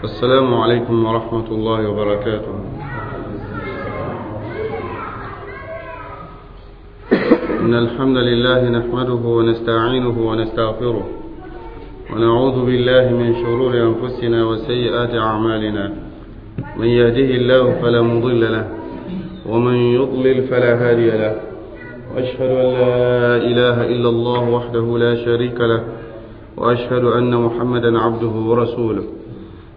السلام عليكم ورحمة الله وبركاته. إن الحمد لله نحمده ونستعينه ونستغفره، ونعوذ بالله من شرور أنفسنا وسيئات أعمالنا. من يهده الله فلا مضل له، ومن يضلل فلا هادي له. وأشهد أن لا إله إلا الله وحده لا شريك له، وأشهد أن محمدا عبده ورسوله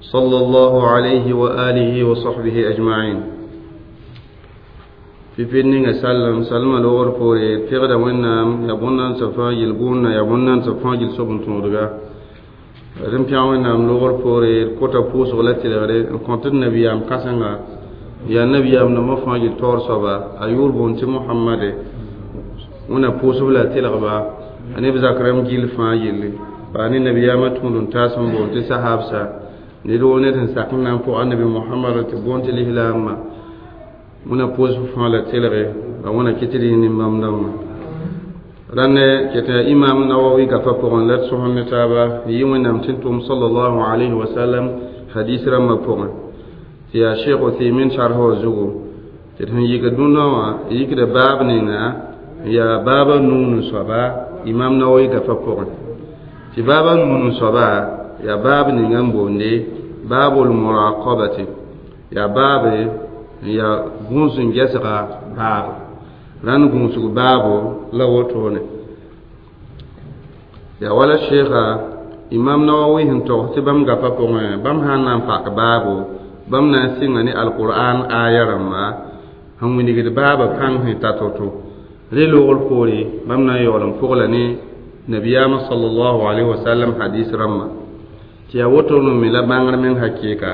صلى الله عليه وآله وصحبه أجمعين. في فينينغ سلم سلم لور فوري تغدا وينام يبونان صفا يلغون يبونان صفا يل صبن تودغا رمبيا وينام لور فوري كوتا بوس ولا تلغري كونت النبي ام كاسنغا يا نبي ام نما فا يل تور صبا ايور بونتي محمد ونا بوس ولا تلغبا اني بزاكرم جيل فا يلي باني نبي ام توندون تاسم بونتي صحابسا ندو نتن ساكن فو النبي محمد تبونتي لهلام wẽna pʋʋsb fãa la telge la wẽna kɩ tɩ d yẽ nin-bãmb dãmbã rãnd ket imam Nawawi gafa pʋgẽ la d sõsd ne taaba yɩ wẽnnaam tɩ n tʋm sallallahu alayhi wa sallam hadis rãmbã pʋgẽ tɩ yaa Sheikh Uthaymin sarf wã zugu tɩ d sẽn yik dũnna wã yikda baab ninga yaa baaba nuun n soaba imam Nawawi gafa pʋgẽ tɩ baaba nuun n soaba yaa baab ninga n boonde baabul muraqabati yaa baabe ya gũus n gɛsga baabo rãnd gũusg baabo la wotone ya wala sheikha imam Nawawi sẽn togs tɩ bãmb gapa pʋgẽ bãmb sã n na n pak baabo bãmb na n sɩnga ne alqur'an aya rãmba sẽn wilgd baaba pãng sẽn ta to-to re loogr poore bãmb na n yaool n pʋgla ne nabiyaamã sallallahu alayhi wa sallam hadis rãmba tɩ yaa wotone me la bãngr meng hakɩɩka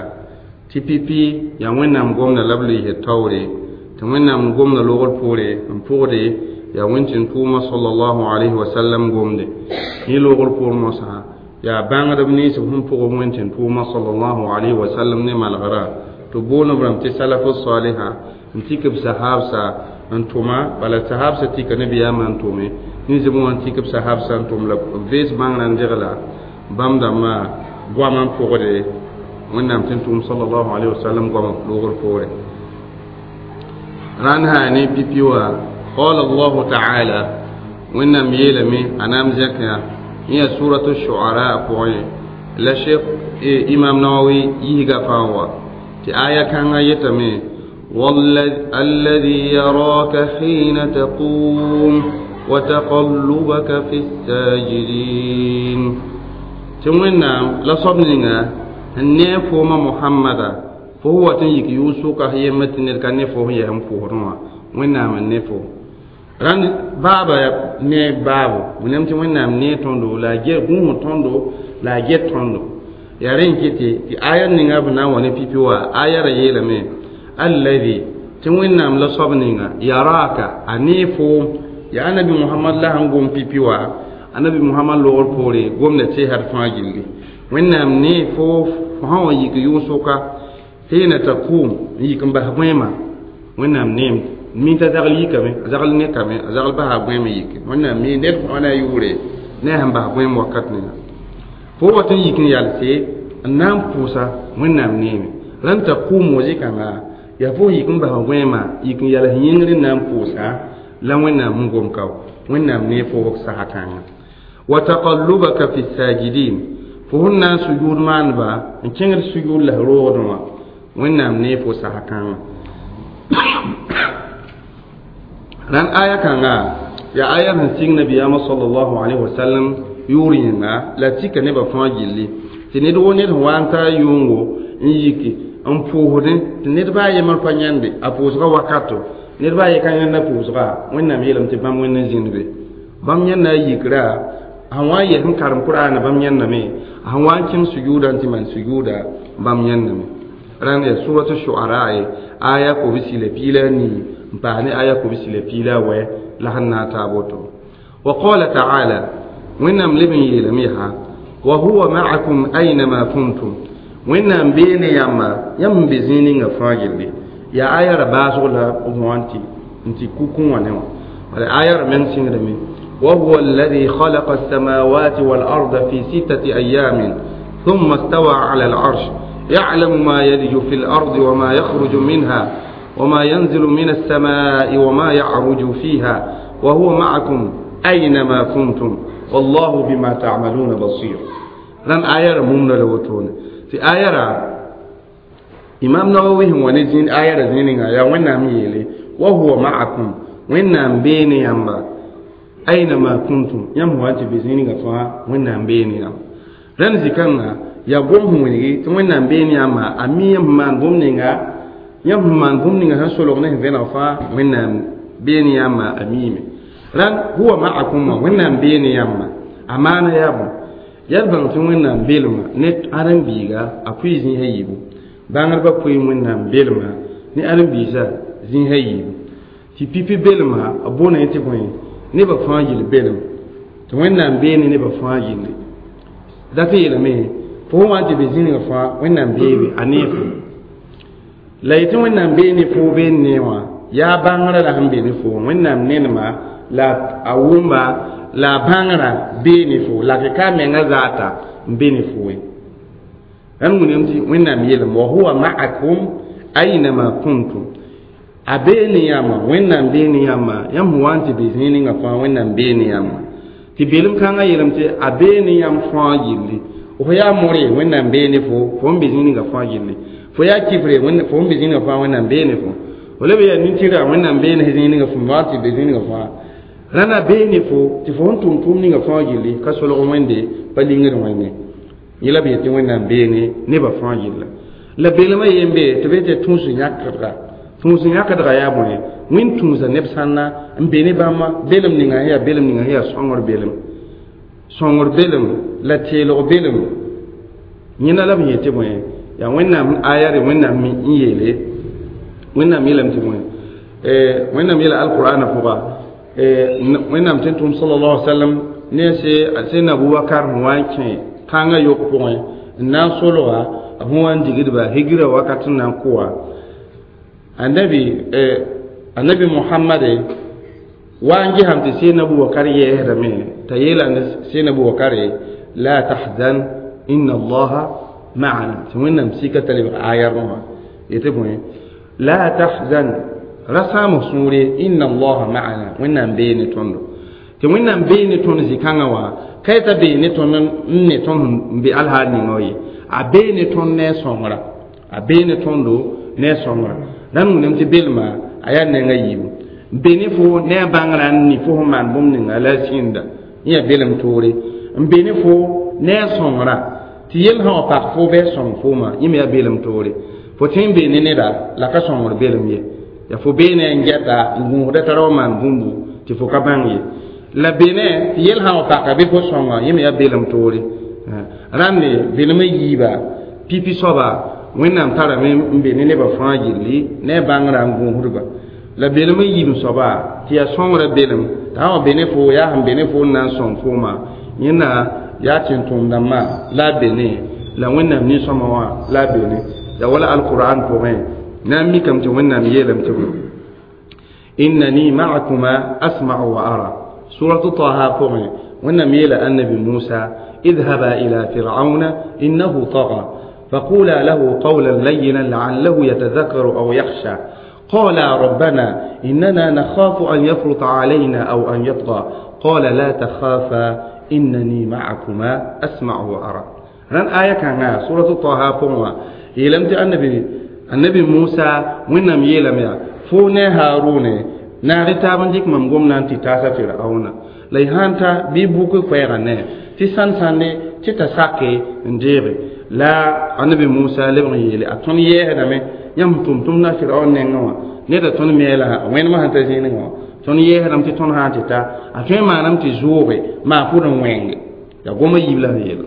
tɩ pipi yaa wẽnnaam gomda la b loeesd taoore tɩ wẽnnaam gomda loogr poore n pʋgde yaa wẽn-tɩn-tʋʋmã sallallahu alayhi wa sallam gomde yẽ loogr poor mosã yaa bãngdb nins b sẽn pʋg wẽn-tɩn-tʋʋmã sallallahu alayhi wa sallam ne malgrã tɩ boond b rãmb tɩ salafu saliha n tik b sahabsa n tʋma bala sahabsa tika nabiyaamã n tʋme nin-zẽb wã n tik b sahabsa n tʋm la b vees bãngrã n degla bãmb dãmbã goamã n pʋgde wẽnnaam tɩ n tʋʋm sallallahu alayhi wa sallam goamã loogr poore rãnd sã ne pipi wã qala allahu taala wẽnnaam yeelame a na n zẽk yã yẽ yaa suratu shuara pʋgẽ la sheikh imam Nawawi yisga fãa wa tɩ aya kãngã yetame الذي يراك حين تقوم وتقلبك في الساجدين tɩ wẽnnaam la soab ninga n ne fooma Muhammada fo wa tɩ n yik yʋʋg-sʋka yemb tɩ ned ka ne fo sẽn yaa n pʋʋsdẽ wã wẽnnaam n ne fo rãnd baaba ne baabo wẽnnaam tɩ wẽnnaam nee tõndo la a gũus tõndo la a get tõndo yaa rẽ n kɩtɩ tɩ aya ninga b na n wa ne pipi wã aya ra yeelame alladhi tɩ wẽnnaam la soab ninga yaraka a nee foom yaa anabi Muhammad la sẽn gom pipi wã anabi Muhammad loogr poore gomda teesd fãa gilli wẽnnaam ne fo sã wa yik yʋʋg-sʋka hɩɩna taqum n yik n bas gõeema wẽnnaam neem mi t'a zagl yikame a zagl nekame a zagl basa gõeem yike wẽnnaam mi ned fãa na a yʋʋre ne a sẽn bas gõeem wakat ninga fo wat n yik n yalse n na n pʋʋsa wẽnnaam neeme rãnd taqum wa zɩkãnga yaa fo yik n bas gõeema yik n yals yĩngr n na n pʋʋsa la wẽnnaam sẽn gom kao wẽnnaam ne fo saha kãnga wa taqallubaka fi sajidin fo sẽn na n sujud maandba n kẽngd sujud la roogdẽ wã wẽnnaam ne fo saha kãngã rãnd aya kãnga yaa aya sẽn sig nabiyaamã sallallahu alayhi wa sallam yʋʋr yẽnga la tika nebã fãa gilli tɩ ned wo ned sẽn wa n ta yʋngo n yiki n pʋʋsdẽ tɩ ned baa yembr pa yãnde a pʋʋsgã wakato ned baa ye ka yãnda pʋʋsga wẽnnaam yeelame tɩ bãmb wẽnd n zĩnd be bãmb yãnda a yikra sẽn wa n yɛs n karem Qur'aana bãmb yãndame sẽn wa n kẽng sujuuda n tɩ maan sujuuda bãmb yãndame rãnd yaa suratu shuara ye aya kobsi la piila nii n paas ne aya kobsi la piila wɛ la sẽn na n taa woto wa qala taala wẽnnaam leb n yeelame yaa wa huwa ma'akum aynama kuntum wẽnnaam bee ne yãmba yãmb n be zĩig ninga fãa gilli yaa aya ra baasg la b wã n tɩ kukẽ wã ne wã wala aya ra meng sɩngdame وهو الذي خلق السماوات والأرض في 6 أيام ثم استوى على العرش يعلم ما يلج في الأرض وما يخرج منها وما ينزل من السماء وما يعرج فيها وهو معكم أينما كنتم والله بما تعملون بصير. ران آية ممنة لوتون في آية إمام نووي هو نزين آية زينين يا وين يلي وهو معكم وين بيني يamba أينما كنتم يم هو أنت بزينين فا وين بيني يamba ران زكانا يا قوم هو نيجي وين بيني يamba أمي يم man bumninga yam man bumninga han solo ne vena fa وين بيني يamba أميمي ran huwa ma'akum wẽnnaam bee ne yãmba a maana yaa bõ yaa bãng tɩ wẽnnaam belma ne ãdem-biiga a pʋɩ zĩis a yiibu bãngdbã pʋɩ wẽnnaam belma ne ãdem-biisã zĩis a yiibu tɩ pipi belma a boona tɩ bõe nebã fãa gill belem tɩ wẽnnaam bee ne nebã fãa gilli dat n yeelame fo sẽn wa n tɩ be zĩnigã fãa wẽnnaam beebe a nee fo la yetɩ wẽnnaam bee ne fo bee n nee wã yaa bãngrã la sẽn be ne fo wẽnnaam nenema la a wʋmba la a bãngrã bee ne fo la ka a menga zaata n be ne fo ye rãnd wũname tɩ wẽnnaam yeelame wa huwa ma'akum ainama kuntum a bee ne yãmba wẽnnaam bee ne yãmba yãmb sẽn wa n tɩ be zĩig ninga fãa wẽnnaam bee ne yãmba tɩ belem kãngã yeelame tɩ a bee ne yãmb fãa gilli fo yaa more wẽnnaam bee ne fo fo n be zĩig ninga fãa gilli fo yaa kifre fo n be zĩig ninga fãa wẽnnaam bee ne fo fo leb yaa nin-tɩrga wẽnnaam bee ne zĩig ninga fo wa n tɩ be zĩig ninga fãa rãna bee ne fo tɩ fo sẽn tʋm tʋʋm ninga fãa gilli ka solg wẽnde pa lingd wẽnde yẽ la b yetɩ wẽnnaam bee ne nebã fãa gilla la belmã yen be tɩ b yetɩ tũus yãkdga yaa bõe wẽnd tũusa neb sãnna n be ne bãmba belem ninga sẽn yaa belem ninga sẽn yaa sõngr belem sõngr belem la teelg belem yẽna la b yetɩ bõe yaa wẽnnaam aya re wẽnnaam n yeele wẽnnaam yeelame tɩ bõe wẽnnaam yeela alqur'ana pʋga wẽnnaam tɩ n tʋm sallallahu alaihi wasallam ne sẽn abubakar sẽn wa n kẽ kãngã yok pʋgẽ n na n solga sẽn wa n digdba higra wakat n na n kʋa annabi muhammad wa n gesame tɩ sẽn abubakar yɛɛsdame t'a yeela sẽn abubakar la tahzan inna allaha ma'ana tɩ wẽnnaam sika t'a lebg ayarmã wã yetɩ bõe la tahzan ra sãam sũure inna allaha ma'ana wẽnnaam bee ne tõndo tɩ wẽnnaam bee ne tõnd zĩ-kãngã wã ka yetã bee ne tõnd n ne tõnd n be alhaal ninga wã ye a bee ne tõnd ne a sõngra a bee ne tõndo ne a sõngra rãnd wũname tɩ belma a yaa nenga yiibu n be ne fo ne a bãngrã n ni fo sẽn maan bũmb ninga la a sĩnda yẽ yaa belem toore n be ne fo ne a sõngra tɩ yell sã wa pak fo bɩ a sõng fooma yẽ me yaa belem toore fo tõe n be ne neda la ka sõngr belem ye ya fo bee ne n gɛta n gũusda t'a ra wa maan bũmbu tɩ fo ka bãng ye la be ne tɩ yell sã wa paka bɩ fo sõnga yẽ me yaa belem toore rãnde belmã yiiba pipi soaba wẽnnaam tarame n be ne nebã fãa gilli ne a bãngrã n gũusdba la belmã yiib soaba tɩ yaa sõngrã belem t'a sã wa be ne fo yaa sẽn be ne fo n na n sõng fooma yẽnna yaa tẽn-tʋʋm-dãmbã la a be ne la wẽnnaam nin-sõma wã la a be ne yaa wala alqur'an pʋgẽ na n mikame tɩ wẽnnaam yeelame tɩ bõe innani ma'akuma asma'u wa ara suratu taha pʋgẽ wẽnnaam yeela annabi musa اذهبا إلى فرعون إنه طغى فقولا له قولا لينا لعله يتذكر أو يخشى قالا ربنا إننا نخاف أن يفرط علينا أو أن يطغى قال لا تخافا إنني معكما أسمع وأرى. ران آية كان سورة طه فما يلمت النبي موسى وإنم يلم يا فون هارون ناري تابن ديك مم قمنا أنت تاسا فرعون ليهانتا بيبوك فيغنى تسان ساني تتساكي نجيبي لا النبي موسى لبن يلي أتوني يهدمي يم تم تم نا فرعون نعوا نيدا تون ميلا وين ما هنتا زيني نعوا تون يهدم تي تون هانتي تا أتوني ما نم تزوري ما فورن وينج يا قوم يبلا يلا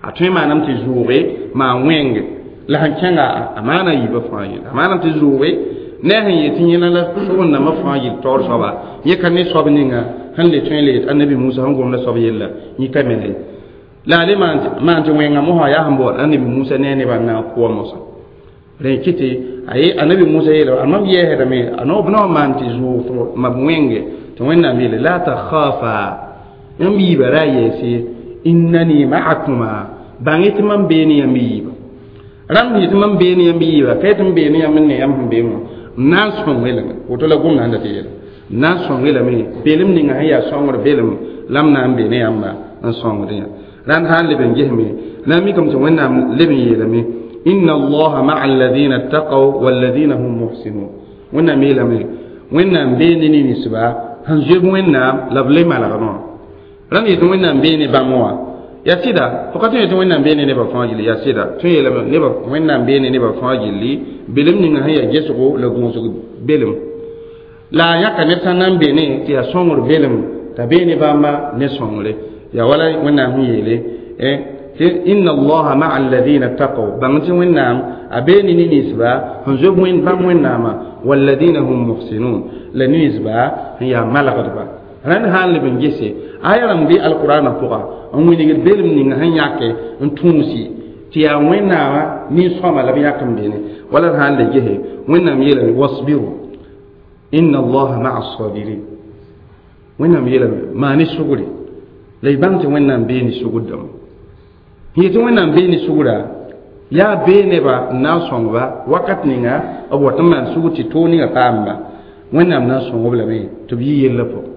أتوني ما نم تزوري ما وينج لا هنكنا أمانة يبقى فايل أمانة تزوري نه يتينا لا سون نما فايل تور سوا يكني سوبنينا هن لتون ليت النبي موسى هم قوم لا سوب يلا يكمل لا لي ما أنت وين مو هيا هم بور النبي موسى نيني بنا قوة موسى ركيتي أي النبي موسى يلا أمام يهرمي أنا بنا ما أنت زوف ما بوينج توين نبيل لا تخافا يمي برايسي إنني معكما بانيت من بيني يمي Rãmb yɩ tɩ mam bee ne yãmb yiiba ka yetɩ m bee ne yãmb n ne yãmb sẽn bee wã n na n sõng-y lame woto la gomda sẽn dat n yeela n na n sõng-y lame belem ninga sẽn yaa sõngr belem la m na n bee ne yãmba n sõngd yã rãnd sã n leb n gesme na n mikame tɩ wẽnnaam leb n yeelame inna allaha maa alladina ttaqaw walladina hum muhsinun wẽnnaam yeelame wẽnnaam bee ne ninsba sẽn zoeb wẽnnaam la b le malgmã rãnd yetɩ wẽnnaam bee ne bãmb wã yaa sɩda fo ka tõe yetɩ wẽnnaam bee ne nebã fãa gilli yaa sɩda tõe yeelame nebã wẽnnaam bee ne nebã fãa gilli belem ninga sẽn yaa gesgo la gũusg belem la a yãka neb sã n na n be ne tɩ yaa sõngr belem t'a bee ne bãmba ne sõngre yaa wala wẽnnaam sẽn yeele tɩ inna allaha maa alladina ttaqaw bãng tɩ wẽnnaam a bee ne ne-ninsba sẽn zob bãmb wẽnnaamã walladina hum muhsinun la ninsba sẽn yaa malgdba rãnd sã n leb n gese aya rãmb bɩ alqurana pʋga n wingd belem ninga sẽn yãke n tũusi tɩ yaa wẽnnaamã nin-sõma la b yãk n beene wala d sã n le gese wẽnnaam yeelame wasbiru inna allaha maa sabirin wẽnnaam yeelame maa ne sugre la y bãng tɩ wẽnnaam bee ne sugr dãmba yetɩ wẽnnaam bee ne sugra yaa bee neba n na n sõngba wakat ninga b wat n maan sugr tɩ toog ninga paamba wẽnnaam na n sõng b lame tɩ b yɩ yellã pʋgẽ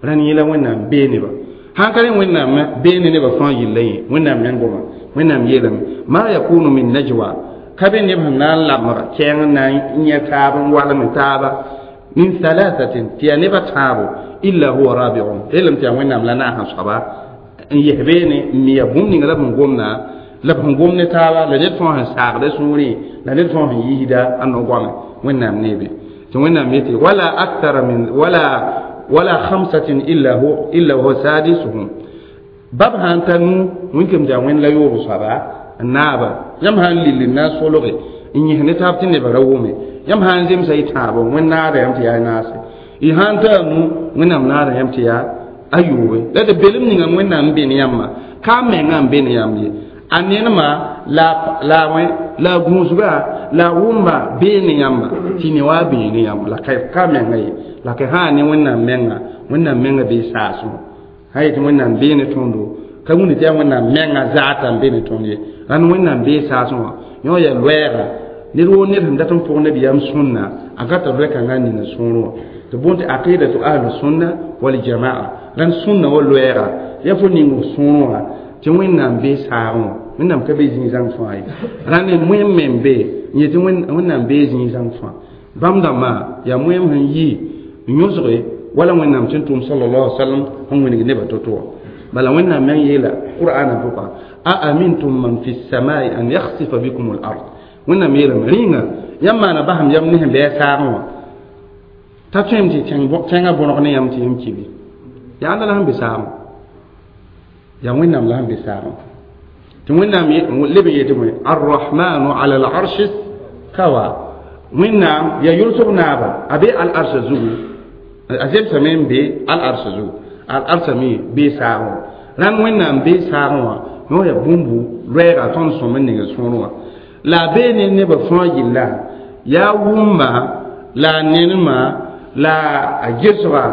rãnd yẽla wẽnnaam bee neba sãn ka rẽ wẽnnaam bee ne nebã fãa yella yẽ wẽnnaam meng goma wẽnnaam yeelame ma yakunu min najwa ka be neb sẽn na n lamg kɛɛng n na n yẽ taab n walem taaba min thalathatin tɩ yaa nebã tãabo illa huwa rabiuhum yeelame tɩ yaa wẽnnaam la naasã soaba n yes beene n mi yaa bũmb ninga la b sẽn gomda la b sẽn gom ne taaba la ned fãa sẽn saagda sũurẽ la ned fãa sẽn yiisda a no-goame wẽnnaam neebe tɩ wẽnnaam yetɩ wala akthara min wala wala khamsatin illa hu illa huwa sadisuhum bab sã n ta nu wĩnkem tɩ yaa wẽnd la yoob soaba n naaba yãmb sã n lill n na n solge n yẽs ne taab tɩ nebã ra wʋme yãmb sã n zemsa y tãabo wẽnd naada yãmb tɩ yaa naase y sã n ta a nu wẽnnaam naada yãmb tɩ yaa a yoobe la d belem ninga wẽnnaam n be ne yãmba ka menga n be ne yãmb ye a nenema la la wẽ la gũusga la wʋmba bee ne yãmba tɩ ne wa bee ne yãmb la ka menga ye la ka sã ne wẽnnaam menga wẽnnaam menga bee saasẽ sã yetɩ wẽnnaam bee ne tõndo ka wũni tɩ yaa wẽnnaam menga zaata n be ne tõnd ye rãnd wẽnnaam bee saasẽ wã yõ yaa loɛɛga ned woo ned sẽn dat n pʋg nabiyaam sũnna a ka tɩ loɛ-kãngã ninga sũurẽ wã tɩ boond tɩ aqidatu ahlu sunna waljamaa rãnd sũnna wa loɛɛga yaa fo ning f sũurẽ wã tɩ wẽnnaam bee saagẽ wã wẽnnaam ka be zĩig-zãng fãa ye rãnd moẽm me n be n yetɩ wẽnnaam bee zĩig-zãng fãa bãmb dãmbã yaa moẽm sẽn yi n yõsge wala wẽnnaam tɩ n tʋʋm sallallahu alaihi wasallam sẽn wĩneg nebã to-to wã bala wẽnnaam meng yeela qur'ana pʋga a amintum man fi samai an yakhsifa bikum al ard wẽnnaam yeelame rĩnga yãmb maana basem yam ne sẽn bɩ a saagẽ wã t'a tõem tɩ tẽngã bõneg ne yãmb tɩ yãmb kibe yaa ãnda la sẽn be saagẽ yaa wẽnnaam la sẽn be saagẽ tɩ wẽnnaam leb n yetɩ bõe arrahmanu ala alarshi stawa wẽnnaam yaa yʋlsg naaba a be al-arsã zugu a zemsame n be al-arsã zugu al-arsã me bee saagẽ wã rãnd wẽnnaam bee saagẽ wã yõ yaa bũmbu loɛɛga tõnd sõm n ning sũurẽ wã la a bee ne nebã fãa yilla yaa wʋmba la a nenema la a gesga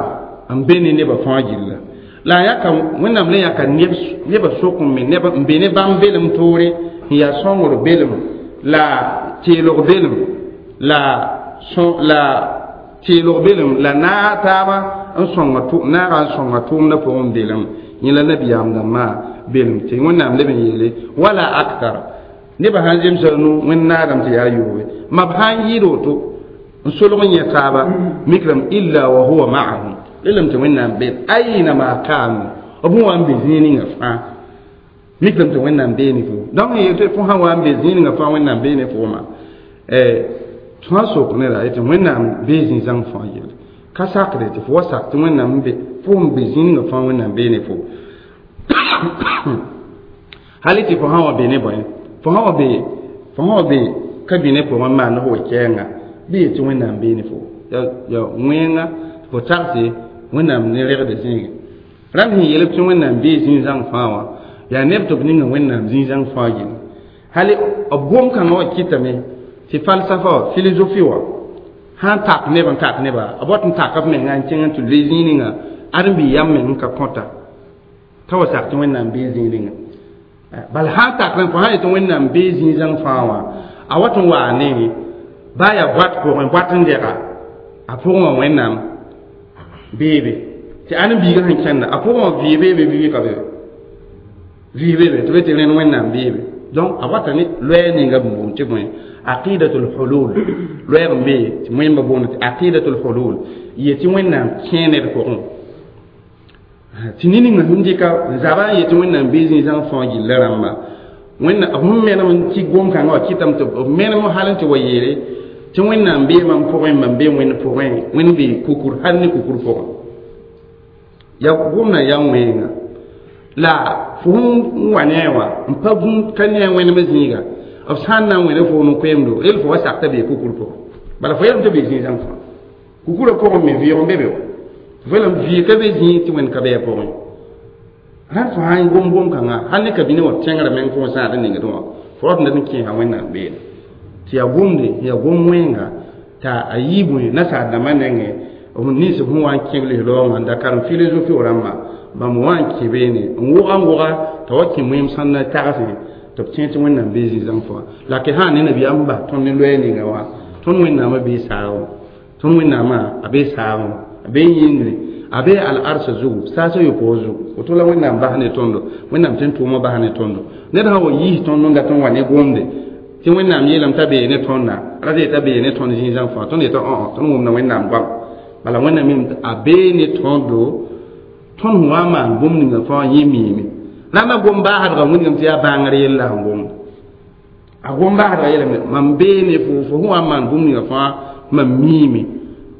n be ne nebã fãa gilla la a yãka wẽnnaam le yãka nebã sʋk n me neb n be ne bãmb belem toore n yaa sõngr belem la teelg belem la la teelg belem la naag taaba n sõnga naaga n sõnga tʋʋmdã pʋgẽ belem yẽ la nabiyaam dãmbã belem tɩ wẽnnaam leb n yeele wala aktar nebã sãn zemsa nu wẽnd naadame tɩ yaa yoobe ma b sã n yɩɩd woto n solg n yẽ taaba mikrame illa wa huwa ma'ahum lelame tɩ wẽnnaam be ainama kanu b sẽn wa n be zĩig ninga fãa mikrame tɩ wẽnnaam bee ne fo donc n yetɩ fo sã wa n be zĩig ninga fãa wẽnnaam bee ne fooma tõa sok neda yetɩ wẽnnaam bee zĩ-zãng fãa yelle ka sakde tɩ fo wa sak tɩ wẽnnaam be fo sẽn be zĩig ninga fãa wẽnnaam bee ne fo hali tɩ fo sã wa be ne bõe fo sã wa be fo sã wa be ka bɩ ne pʋgẽ n maand fo wa-kɛɛnga bɩ yetɩ wẽnnaam bee ne fo ya wẽnga fo tagse wẽnnaam ne regda zĩige rãmb sẽn yeel tɩ wẽnnaam bee zĩig-zãng fãa wã yaa neb tɩ b ninga wẽnnaam zĩig-zãng fãa yelle hali b gom-kãngã wã kɩtame tɩ falsafa wã philosophie wã sã n tak neb n tak neba b wat n taka b menga n kẽng n tɩ loe zĩig ninga ãdem-bi yam meng n ka kõta t'a wa sak tɩ wẽnnaam bee zĩig ninga Bal sã n tak fo sã n yet tɩ Wẽnnaam bee zĩig-zãng fãa wã a wat n waa ne baa yaa boat pʋgẽ boat n dɛga a pʋgẽ wã Wẽnnaam beebe tɩ ãdem-biigã sẽn kẽnda a pʋgẽ wã vɩɩ beebe bɩ ka be vɩɩ beebe tɩ be tɩ rẽnd Wẽnnaam beebe donc a wata ne loɛɛ ninga bũmb tɩ bõe aqidatul hulul loɛɛg n be tɩ wẽmba boond tɩ aqidatul hulul yetɩ Wẽnnaam kẽe ned pʋgẽ tɩ ne ninga sẽn dɩka zaba n yetɩ Wẽnnaam bee zĩig-zãng fãa gilla rãmba Wẽnnaam b sẽn menem n tɩ gom-kãngã wã kɩtame tɩ b menem hal n tɩ wa yeele tɩ Wẽnnaam bee mam pʋgẽ mam bee Wẽnd pʋgẽ Wẽnd bee kukur hal ne kukur pʋgẽ ya gomdã yaa wẽnga la fo sẽn wa ne a wã n pa gũud ka ne a wẽnem zĩiga b sã n na n wẽne fo no koɛɛmdo rel fo wa sak t'a bee kukur pʋgẽ bala fo yeelame tɩ bee zĩig-zãng fãa kukurã pʋgẽ me vɩʋg n be be wa fo yeelame vɩɩg ka be zĩig tɩ Wẽnd ka be a pʋgẽ rãnd fo sã n gom gom-kãngã hal ne ka bine wã tẽngrã meng fo sãad n ningdẽ wã fo rat ned n kẽesa Wẽnnaam beene tɩ yaa gomde yaa gom wẽnga t'a a yɩ bõe nasaar dãmbã nengẽ b nins sẽn wa n kẽ b lis-raoongã n da karem philosophie rãmba bãmb wa n kẽ beene n wʋga n wʋga t'a wa kẽ wẽem sãn na tagsẽ tɩ b tẽ tɩ Wẽnnaam bee zĩ-zãng fãa la ke sã ne nabiyaam bas tõnd ne loɛɛ ninga wã tõnd Wẽnnaamã bee saagẽ tõnd Wẽnnaamã a bee saagẽ a bee yĩngri a bee al-arsa zugu saasã yopoog zugu woto la Wẽnnaam bas ne tõndo Wẽnnaam tɩ n tʋʋmã bas ne tõndo ned sã wa yiis tõnd n dat n wa ne gomde tɩ Wẽnnaam yeelame t'a bee ne tõnda ra t'a bee ne tõnd zĩig-zãng fãa tõnd yeta tõnd wʋmda Wẽnnaam goam bala Wẽnnaam yeelame a bee ne tõndo tõnd sẽn wa n maan bũmb ninga fãa yẽ miime rãmbã gom baasdga wĩndgame tɩ yaa bãngr yella sẽn gomda a gom baasdga yeelame mam bee ne fo fo sẽn wa n maan bũmb ninga fãa mam miime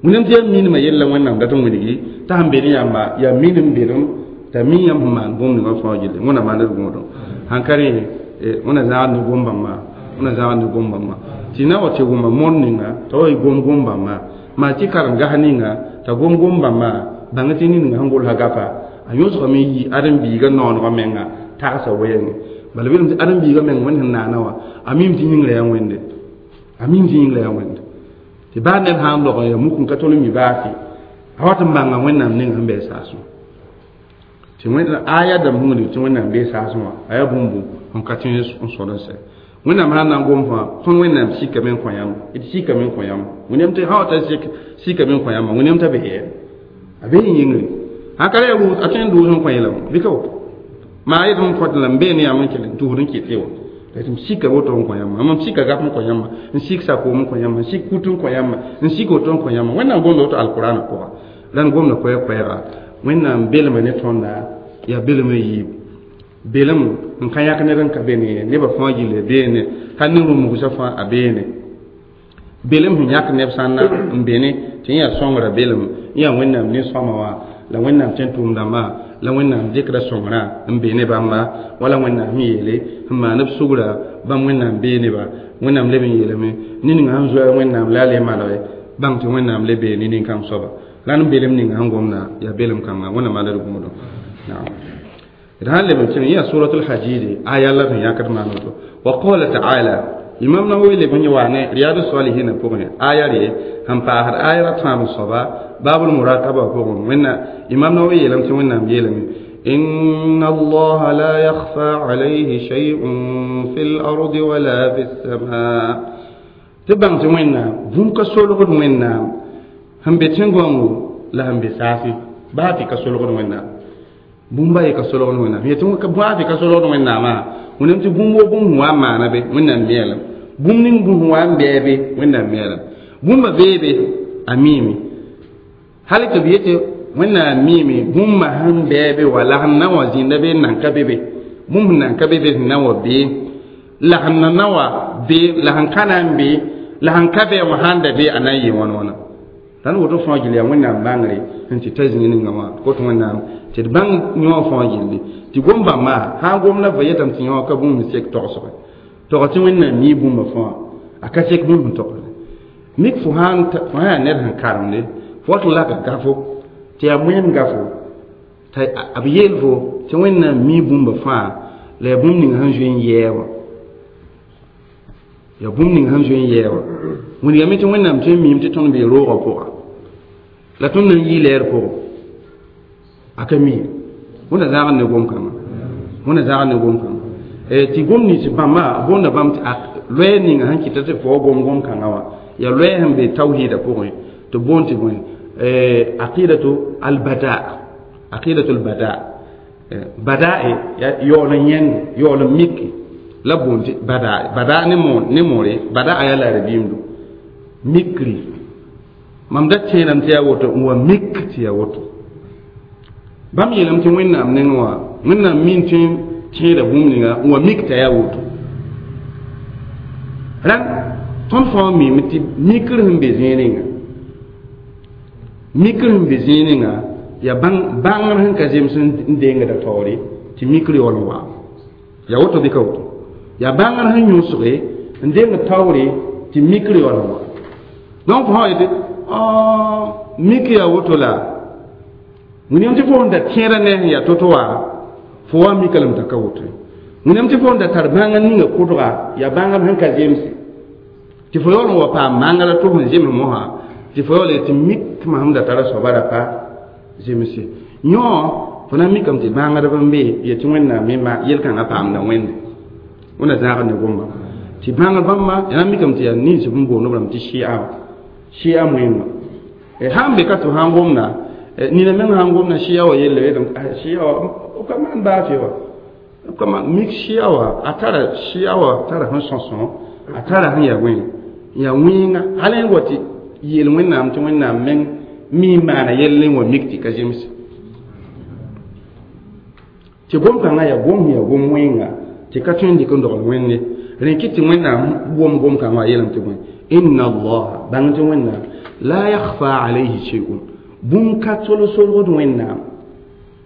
wĩndame tɩ yaa minimã yella Wẽnnaam dat n wilgi t'a sẽn be ne yãmba yaa minim bedem t'a mi yãmb sẽn maan bũmb ninga fãa gilli Wẽnnaam maand d gũudum sãn ka rẽ Wẽnna zãgd ne gom-bãmba Wẽnna zãgd ne gom-bãmba tɩ na wa tɩ wʋma mõnd ninga t'a wa gom gom-bãmba maa tɩ karen-gas ninga t'a gom gom-bãmba bãng tɩ nin-ninga sẽn golsa gapa a yõsgame yi ãdem-biigã noonegã menga tagsa wɛɛngẽ bala belem tɩ ãdem-biigã meng Wẽnd sẽn naana wã a mim tɩ yĩngrã yaa Wẽnde a mim tɩ yĩngrã yaa Wẽnde tɩ baa ned sã n log n yaa muk n ka tol n mi baase a wat n bãnga Wẽnnaam ning sẽn bɩ saasẽ tɩ aya dãmb sẽn tɩ Wẽnnaam bee saasẽ wã a yaa bũmb sẽn ka tẽ n sõd n sɛ Wẽnnaam sã n na n gom fãa tõnd Wẽnnaam sikame n kõ yãmb d sikame n kõ yãmb Wẽnnaam tɩ sã wa ta sikame n kõ yãmba Wẽnnaam t'a bee a bee yĩngre sãn ka ra yaa a tõe n dʋʋs n kõ yeelame bɩ ka woto maa yetɩ m kõt la m bee ne yãmb n kell n tʋsd n kɩt wa m sika woto n kõ yãmba mam sika gap n kõ yãmba n sik sakoom n kõ yãmba n sik kut n kõ yãmba n sik woto n kõ yãmba Wẽnnaam gomda woto alkurana pʋga la n gomda koɛɛ-koɛɛga Wẽnnaam belma ne tõnda yaa belma yiib belem n ka yãk ned n ka be ne nebã fãa gilli beene hal ne rũmbugsã fãa a beene belem sẽn yãk neb sãnna n bene tɩ yẽ yaa sõngrã belem yẽ yaa Wẽnnaam nin-sõma wã la Wẽnnaam tẽn tʋʋm-dãmbã la Wẽnnaam dɩkda sõngrã n be ne bãmba wala Wẽnnaam sẽn yeele sẽn maan b sugra bãmb Wẽnnaam bee neba Wẽnnaam leb n yeelame ne-ninga sẽn zoa Wẽnnaam la a le malge bãng tɩ Wẽnnaam le bee ne nin-kãng soaba la n belem ninga sẽn gomda yaa belem kãnga Wẽnnaam maanda d gũudum naam d sãn leb n kẽng yã suratul hajidi aya la sẽn yãkd maan woto wa qala taala imam Nawawi leb n wa ne riyadu salihina pʋgẽ aya re sẽn paasd aya ra tãab soaba babul murakaba pʋgẽ wẽnna imam Nawawi yeelame tɩ Wẽnnaam yeelame إن الله لا يخفى عليه شيء في الأرض ولا في السماء tɩ bãng tɩ Wẽnnaam bũmb ka solgd Wẽnnaam sẽn be tẽn-gãongo la sẽn be saasẽ baa tɩ ka solgd Wẽnnaam bũmba ye ka solgd Wẽnnaam yetɩ baa tɩ ka solgd Wẽnnaamã Wẽnnaam tɩ bũmb wo bũmb sẽn wa n maana be Wẽnnaam meelem bũmb ning bũmb sẽn wa n bɛɛ be Wẽnnaam meelem bũmba bee be a miime hal tɩ b yetɩ Wẽnnaam miime bũmba sẽn bɛɛ be wa la sẽn na wa zĩnda be n nan ka be be bũmb sẽn nan ka be be sẽn na wa bee la sẽn na na wa be la sẽn ka na n be la sẽn ka be wã sãn da be a na n yɩ wãn wãna la n woto fãa gilli yaa Wẽnnaam bãngre sẽn tɩ ta zĩig ninga wã kot Wẽnnaam tɩ d bãng yõ fãa gilli tɩ gom-bãmba sã n gom la va yetame tɩ yõ ka bũmb sek togsge tog tɩ Wẽnnaam mii bũmba fãa a ka sek bũmb sẽn togsde mik fo sã yaa ned sẽn karemde fo wat n laka gafo tɩ yaa moẽem gafo t'a b yeel fo tɩ Wẽnnaam mii bũmba fãa la yaa bũmb ning sẽn zoe n yɛɛ wã yaa bũmb ning sẽn zoe n yɛɛ wã wilgame tɩ Wẽnnaam tõe n miime tɩ tõnd bee roogã pʋga la tõnd na n yɩ lɛɛr pʋgẽ a ka mi. Wẽnna zãagd ne gom-kãngã Wẽnna zãagd ne gom-kãngã Tɩ gom nins bãmba boonda bãmb tɩ loɛɛ ninga sẽn kɩta tɩ fo gom kãngã wã yaa loɛɛ sẽn be tawhiida pʋgẽ tɩ boond tɩ bõe aqidatu albada aqidatu albada badae yaool n yẽnde yaool n miki la boond tɩ badae bada ne moore bada'a yaa la rabiimdo mikri mam da tẽedame tɩ yaa woto n wa mik tɩ yaa woto bãmb yeelame tɩ wẽnnaam nengẽ wã wẽnnaam min tɩ tẽeda bũmb ninga n wa mik t'a yaa woto rãn tõnd fãa mime tɩ mikr sẽn be zĩig ninga mikr sẽn be zĩig ninga yaa bãngr sẽn ka zems n dengda taoore tɩ mikr yaool n wa yaa woto bɩ ka woto yaa bãngr sẽn yõsge n deng taoore tɩ mikr yaool n wa donc fo sã yetɩ mik yaa woto la wẽnem tɩ fo sẽn da tẽeda ne sẽn yaa to-to wã fo wa mika lame t'a ka woto wẽnem tɩ fo sẽn da tar bãngr ninga kʋdga yaa bãngr sẽn ka zemse tɩ fo yaool n wa paam mangr a to sẽn zems mosã tɩ fo yaool tɩ mik masem da tara soaba ra pa zemse yõ fo na n mikame tɩ bãngdb n be yetɩ wẽnnaam me yel-kãngã paamda wẽnde wẽnna zãagd ne gomba tɩ bãngr bãmba ya na n mikame tɩ yaa nins b n boond b rãmb tɩ shia wã shia moẽngã sãn be ka tɩ sãn gomda nina meng sãn gomda shia wã yelle shia wã b ka maan baafɩ wa b ka maan mik shia wã a tara shia wã tara sẽn sõsõ a tara sẽn yaa wẽ yaa wẽnga hal n wa tɩ yeel wẽnnaam tɩ wẽnnaam meng mi maana yell n wa mik tɩ ka zems tɩ gom-kãngã yaa gom yaa gom wẽnga tɩ ka tõe n dɩk n dogl wẽnde rẽ kɩ tɩ wẽnnaam wom gom-kãngã wã yeelame tɩ bõe inna allaha bãng tɩ wẽnnaam la yakhfa alayhi shay'un bũmb ka tol-solgd wẽnnaam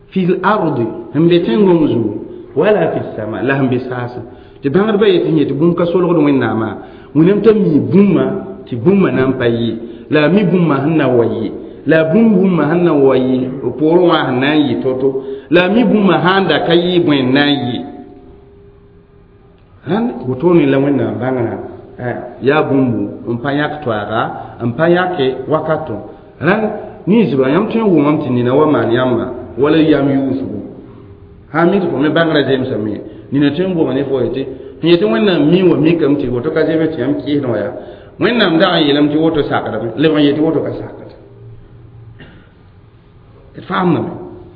fi l ardi sẽn be tẽngong zugu wala fi sama la sẽn be saasẽ tɩ bãngdbã yetɩ yẽ tɩ bũmb ka solgd wẽnnaamã wẽnnaam t'a mi bũmba tɩ bũmba na n pa yɩ la a mi bũmba sẽn na wa yɩ la bũmb bũmba sẽn na wa yɩ poorẽ wã sẽn na n yɩ to-to la a mi bũmba sãn da ka yɩ bõe n na n yɩ rãnd wotone la wẽnnaam bãngrã yaa bũmbu n pa yãk toaaga n pa yãke wakato rãnd ninsba yãmb tõe n wʋmame tɩ nina wa maan yãmba wala yam yʋʋsgo sã mik tɩ fo me bãngrã zemsame nina tõe n goma ne fo yetɩ sẽn yetɩ wẽnnaam mi wa mikame tɩ woto ka zems tɩ yãmb kɩɩsdẽ wã yaa wẽnnaam dag n yeelame tɩ woto sakdame leb n yetɩ woto ka sakd d faamdame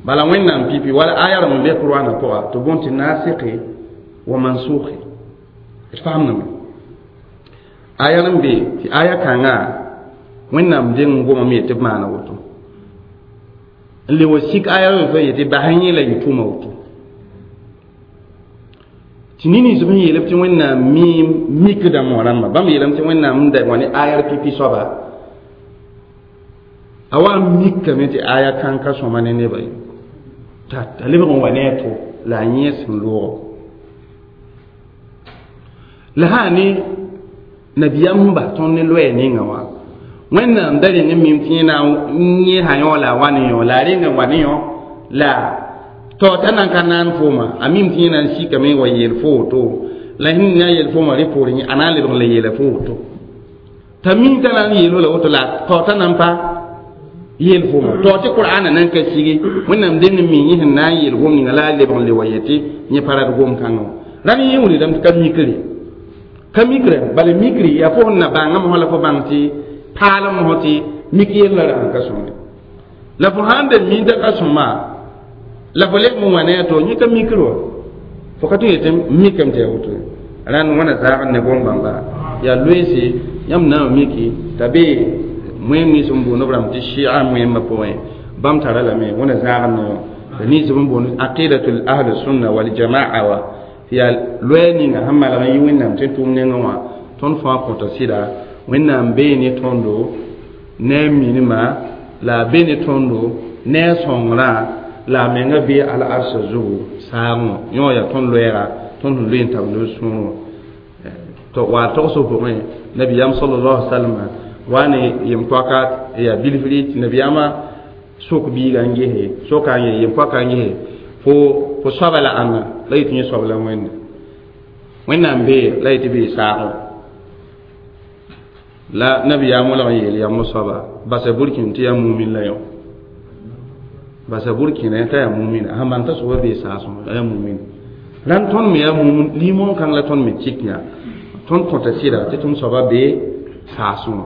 bala wẽnnaam pipi wala aya rãmb n be qur'ana pʋga tɩ bõn tɩ naasɩke wa mansuke d faamdame aya n be tɩ aya kãnga wẽnnaam deng n gomame yetɩ b maana woto n le wa sik aya n fa yetɩ bas yẽ la yɩ tʋʋma woto tɩ nins b sẽn yeelb tɩ wẽnnaam miim mikdã moa rãmba bãmb yeelame tɩ wẽnnaam n da wa ne ayar pipi soaba a wa n mikame tɩ aya kãn ka sõma ne nebã ye t'a lebg n wa ne a to la a yẽ sẽn loogo la sã ne nabiyaam sẽn bas tõnd ne loɛɛ ninga wã wẽnnaam da reng n mim tɩ yẽ na n yẽsa yõ la a wa ne yõ la a renga wa ne yõ la tao t'a nan ka naan fooma a mim tɩ yẽ na n sikame wa yeel fo woto la sẽn na yeel fooma rẽ poorẽ a na n lebg n la yeela fo woto t'a mi t'a na n yeel la woto la tao t'a nan pa yeel fooma tao tɩ qur'ana nan ka sigi wẽnnaam deng n mi yẽ sẽn na n yeel gom ninga la a lebg n le wa yetɩ yẽ pa rat gom kãngã wã rãnd yẽ wilgdame tɩ ka mikre ka mikre bala mikri yaa fo sẽn na bãngame fõ la fo bãng tɩ paalem fõ tɩ mik yella ra sẽn ka sõme la fo sãn da mi t'a ka sõma la fo leb n wa ne a to yẽ ka mikr wa fo ka tõe yetɩ mikame tɩ yaa woto rãnd wãna zaagd ne gom-bãmba yaa loeese yãmb na n miki t'a be moẽm nins n boond b rãmb tɩ shia moẽmbã pʋgẽ bãmb tara lame wẽna zãagd ne la nins b n boond aqidatul ahl sunna wal jamaa wa tɩ yaa loɛɛ ninga sẽn malg n yɩ wẽnnaam tɩ tʋʋm nengẽ wã tõnd fãa kõta sɩda wẽnnaam bee ne tõndo ne a minima la a be ne tõndo ne a sõngrã la a menga bee al-arsa zugu saagẽ yõ yaa tõnd loɛɛga tõnd sẽn loe n tab ne sũur wã wa togsg pʋgẽ nabiyaam sallallahu alaihi wasallam wa ne yem-poaka yaa bilfri tɩ nabiyaamã sok biiga n gese soka n ye yem-poaka n gese fo soaba la ãnna la yetɩ yẽ soab la wẽnde wẽnnaam bee la yetɩ bee saagẽ la nabiyaam wolg n yeel yam soaba basa burkĩn tɩ yaa mumin la yõ basa burkĩnã t'a yaa mumina sãn bãng t'a soaba bee saasẽ a yaa mumin Rãnd tõnd me yaa mum limon kãng la tõnd me tik yã tõnd kõta sɩda tɩ tʋm soaba bee saasẽ wã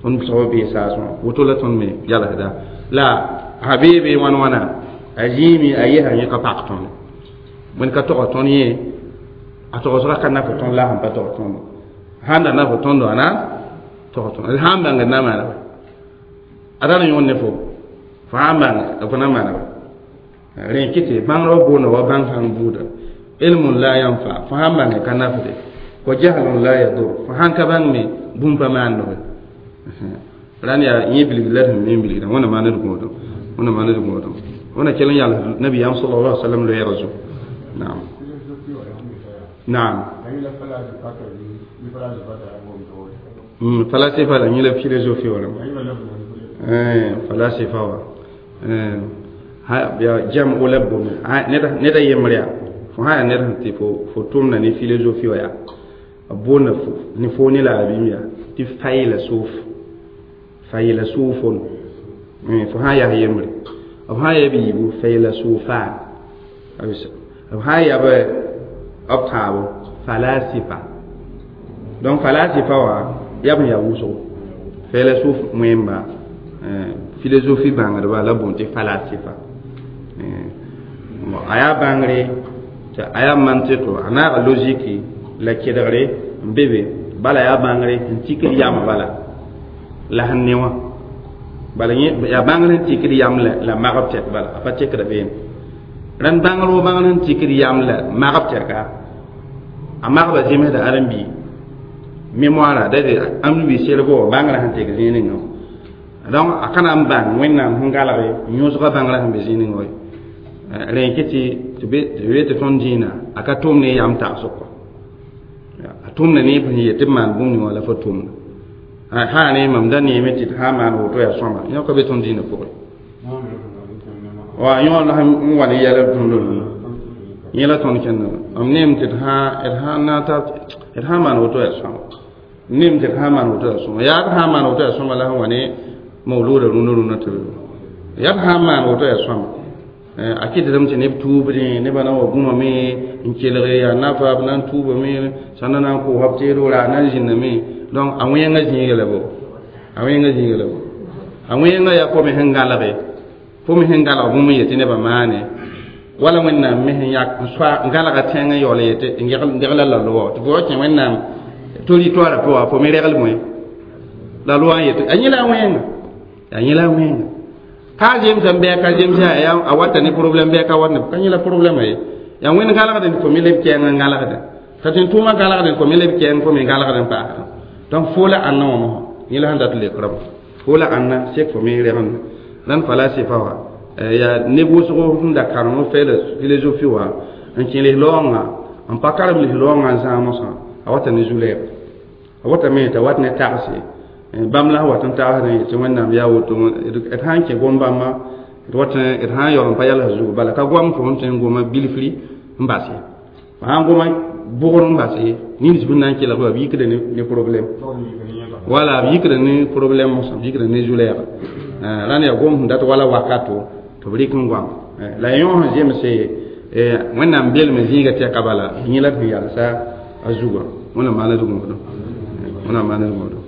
tõnd soaba bee saasẽ wã woto la tõnd me yalsda la a bee be wãn wãna a zĩime a yesa yẽ ka pak tõnd wẽnd ka togs tõnd yẽ a togsga ka naf tõnd la sẽn pa togs tõnd sãn da naf tõndo a na togs tõnd sãn bãngd na maana ba a ra n yõod ne fo fo sãn bãng fo na maana ba rẽ kɩ tɩ bãngrã boonda wa bãng sãn buuda ilmun la yanfa fo sãn bãnge ka nafde wa jahlun la yadur fo sãn ka bãng me bũmb pa maandge rãnd yaa yẽ bilgd la d sẽn me bilgdã wẽnna maan d gõodem wẽnna maan d gõodem wẽnna kell n yals nabiyaam sallallahu alaihi wasallam loɛɛg zugu naam naam falasifa la yẽ la philosophie wala falasifa wa ya jam o la bõme ned a yembr yaa fo sã yaa ned sẽn tɩ fo tʋmda ne philosophie wa yaa a boonda ne fo ne la a bĩm yaa tɩ faylasoof faylasoofon fo sã yaa yembre b sã yaa b yiibu faylasoofa b sã yaa b tãabo falasifa donc falasifa wã yaa b yaa wʋsgo faylasoof wẽmba philosophie bãngdba la boond tɩ falasifa a yaa bãngre tɩ a yaa mantɩto a naaga logiki la kedgre n be be bala yaa bãngre n tikd yam bala la sẽn ne wã bala yaa bãngr sẽn tikd yam la magb tɛk bala a pa tekda beene rãnd bãngr wo bãngr sẽn tikd yam la magb tɛka a magba zemsda ãrem-bii mémoire da de ãmb-bii cerveau wã bãngrã sẽn tek zĩig ninga donc a ka na n bãng wẽnnaam sẽn galge yõsga bãngrã sẽn be zĩig ninga wa rẽ kɩ tɩ be tɩ tõnd dĩinã a ka tʋm ne yam tagsg kɔ a tʋmda ne b sẽn yet tɩ b maan bũmb ning wã la fo tʋmda sã rẽ mam da neeme tɩ d sã n maan woto yaa sõma yõ ka be tõnd dĩinã pʋgẽ wa yõ la n wa ne yɛl tõnd yẽ la tõnd kẽndã mam neem tɩ d sã n maan woto yaa sõma neem tɩ d sã n maan woto yaa sõma yaa d sã n maan woto yaa sõma la sẽn wa ne mawluuda rũnã rũnã tɩ yaa d sã n maan woto yaa sõma a kɩtdame tɩ neb tuubdẽ nebã na wa gũmame n kelge yaa nafa b na n tuubame sãnda na n koosã b teedo ra na n zĩndame donc a wẽngã zĩiga la bo a wẽngã zĩiga la bo a wẽngã yaa fo me sẽn gãlge fo me sẽn gãlg bũmb n yetɩ nebã maane wala wẽnnaam me sẽn yak n soa n gãlga tẽng n yaool yetɩ n degla la loa tɩ fo wa kẽ wẽnnaam territoire pʋga fo me regl bõe la loa n yetɩ a yẽ la a wẽnga a yẽ la a wẽnga ka zemsã bɩ ka zemsã a wata ne problème bɩ ka wat ne ka yẽ la problème ye yaa wẽnd gãlgdẽ fo me leb kɛɛng n gãlgdẽ ka tɩ n tʋʋmã gãlgdẽ fo me leb kɛɛng fo me gãlgdẽ paasdẽ donc fo la ãnna wã mosã yẽ la sẽn dat lekrame fo la ãnna sek fo me regend rãnd falasifa wã yaa neb wʋsgo sẽn da karem philosophie wã n kẽ lis-laoongã n pa karem lis-laoongã n zãag mosã a wata ne zu-lɛɛg a watame t'a wat ne tagse bãmb la sẽn wat n tagsdẽ tɩ wẽnnaam yaa woto d sã n kẽ gom-bãmbã d wat d sã n yaool n pa yals zugu bala ka goam fo sẽn tõe n goma bilfri n bas ye fo sã n goma bʋgr n bas ye nins bũmb na n kelg b yikda ne problème wala b yikda ne problème mosã b yikda ne zu-lɛɛga rãnd yaa gom sẽn dat wala wakato tɩ b rɩk n goam la yõ sẽn zemse wẽnnaam belme zĩiga tɛka bala yẽ la d sẽn yalsa a zugã wẽnnaam maan d gõodem wẽnnaam maan d gõodem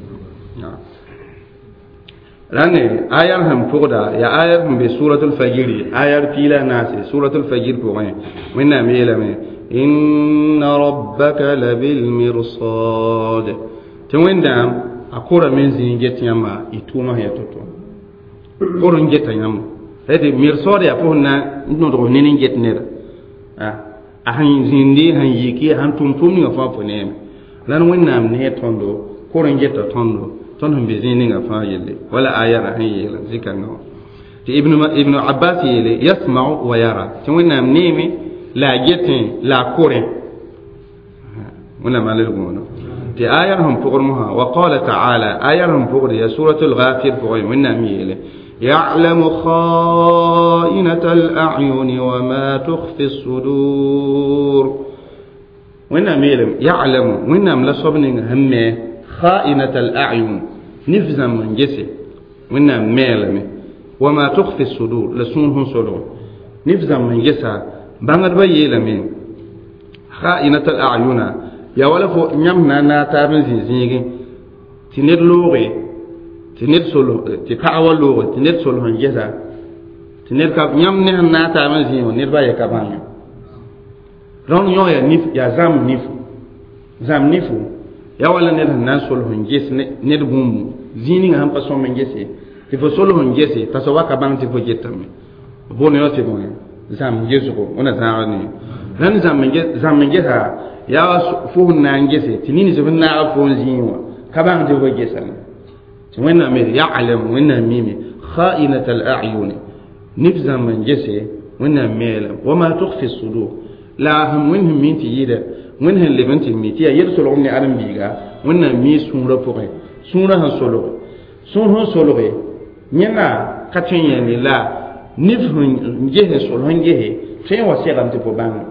rãnd ayar sẽn pʋgda yaa ayar sẽn be suratul fajiri ayar piila a naase suratul fajir pʋgẽ wẽnnaam yeelame inna rabbaka labilmirsad tɩ wẽnnaam a korame zĩig get yãmba y tʋʋmã sẽn yaa to-to kor n geta yãmba tɩ mirsad yaa fo sẽn na n tõdg ned n get neda a sẽn zĩndi sẽn yiki sẽn tʋm tʋʋm ninga fãa fo neeme la wẽnnaam ne tõndo kor n geta tõndo tõnd sẽn be zĩig ninga fãa yelle wala ayara sẽn yeela zikãngã wã tɩ ibnu abbas yeele yasmau wa yara tɩ wẽnnaam neeme la a getẽ la a korẽ wẽnnaam maan d gõodo tɩ ayar sẽn pʋgd mosã wa qala taala ayar sẽn pʋgd yaa suratul ghafir pʋgẽ wẽnnaam yeele يعلم خائنة الأعين وما تخفي الصدور وإنما يعلم وإنما لا صبني هم خائنة الأعين نفزا من جسي وإنما ميلم وما تخفي الصدور لسونهم صدور نفزا من جسا بانغر بيلم خائنة الأعين يا ولا فو نيام نا تاب زيزيغي تي نيد لوغي تي نيد سولو تي كاوا لوغي تي نيد سولو هنجيسا تي نيد كاب نيام نه نا تاب زيزيغي نيد با يكابان رون يو يا نيف يا زام نيف زام نيفو يا ولا نيد نا سولو هنجيس نيد بومبو زيني هم با سوم هنجيسي تي فو سولو هنجيسي تاسوا كابان تي فو جيتام بون يو تي بون زام جيسكو ona zaani ran zam gesa ya fo na gese tinini se na fo zinwa ka ban de go gesa ti wena me ya'lam wena mimi kha'inat al-a'yun nif zam gese wena mela wama tukhfi as-sudur la hum winhum min ti yida winhum lebanti mi ti ya yersul ni adam biga wena mi sunra poke sunra han solo sun hon solo nyena ka tin la nif hun jehe sol hun jehe tõe n wa segame tɩ fo bãnge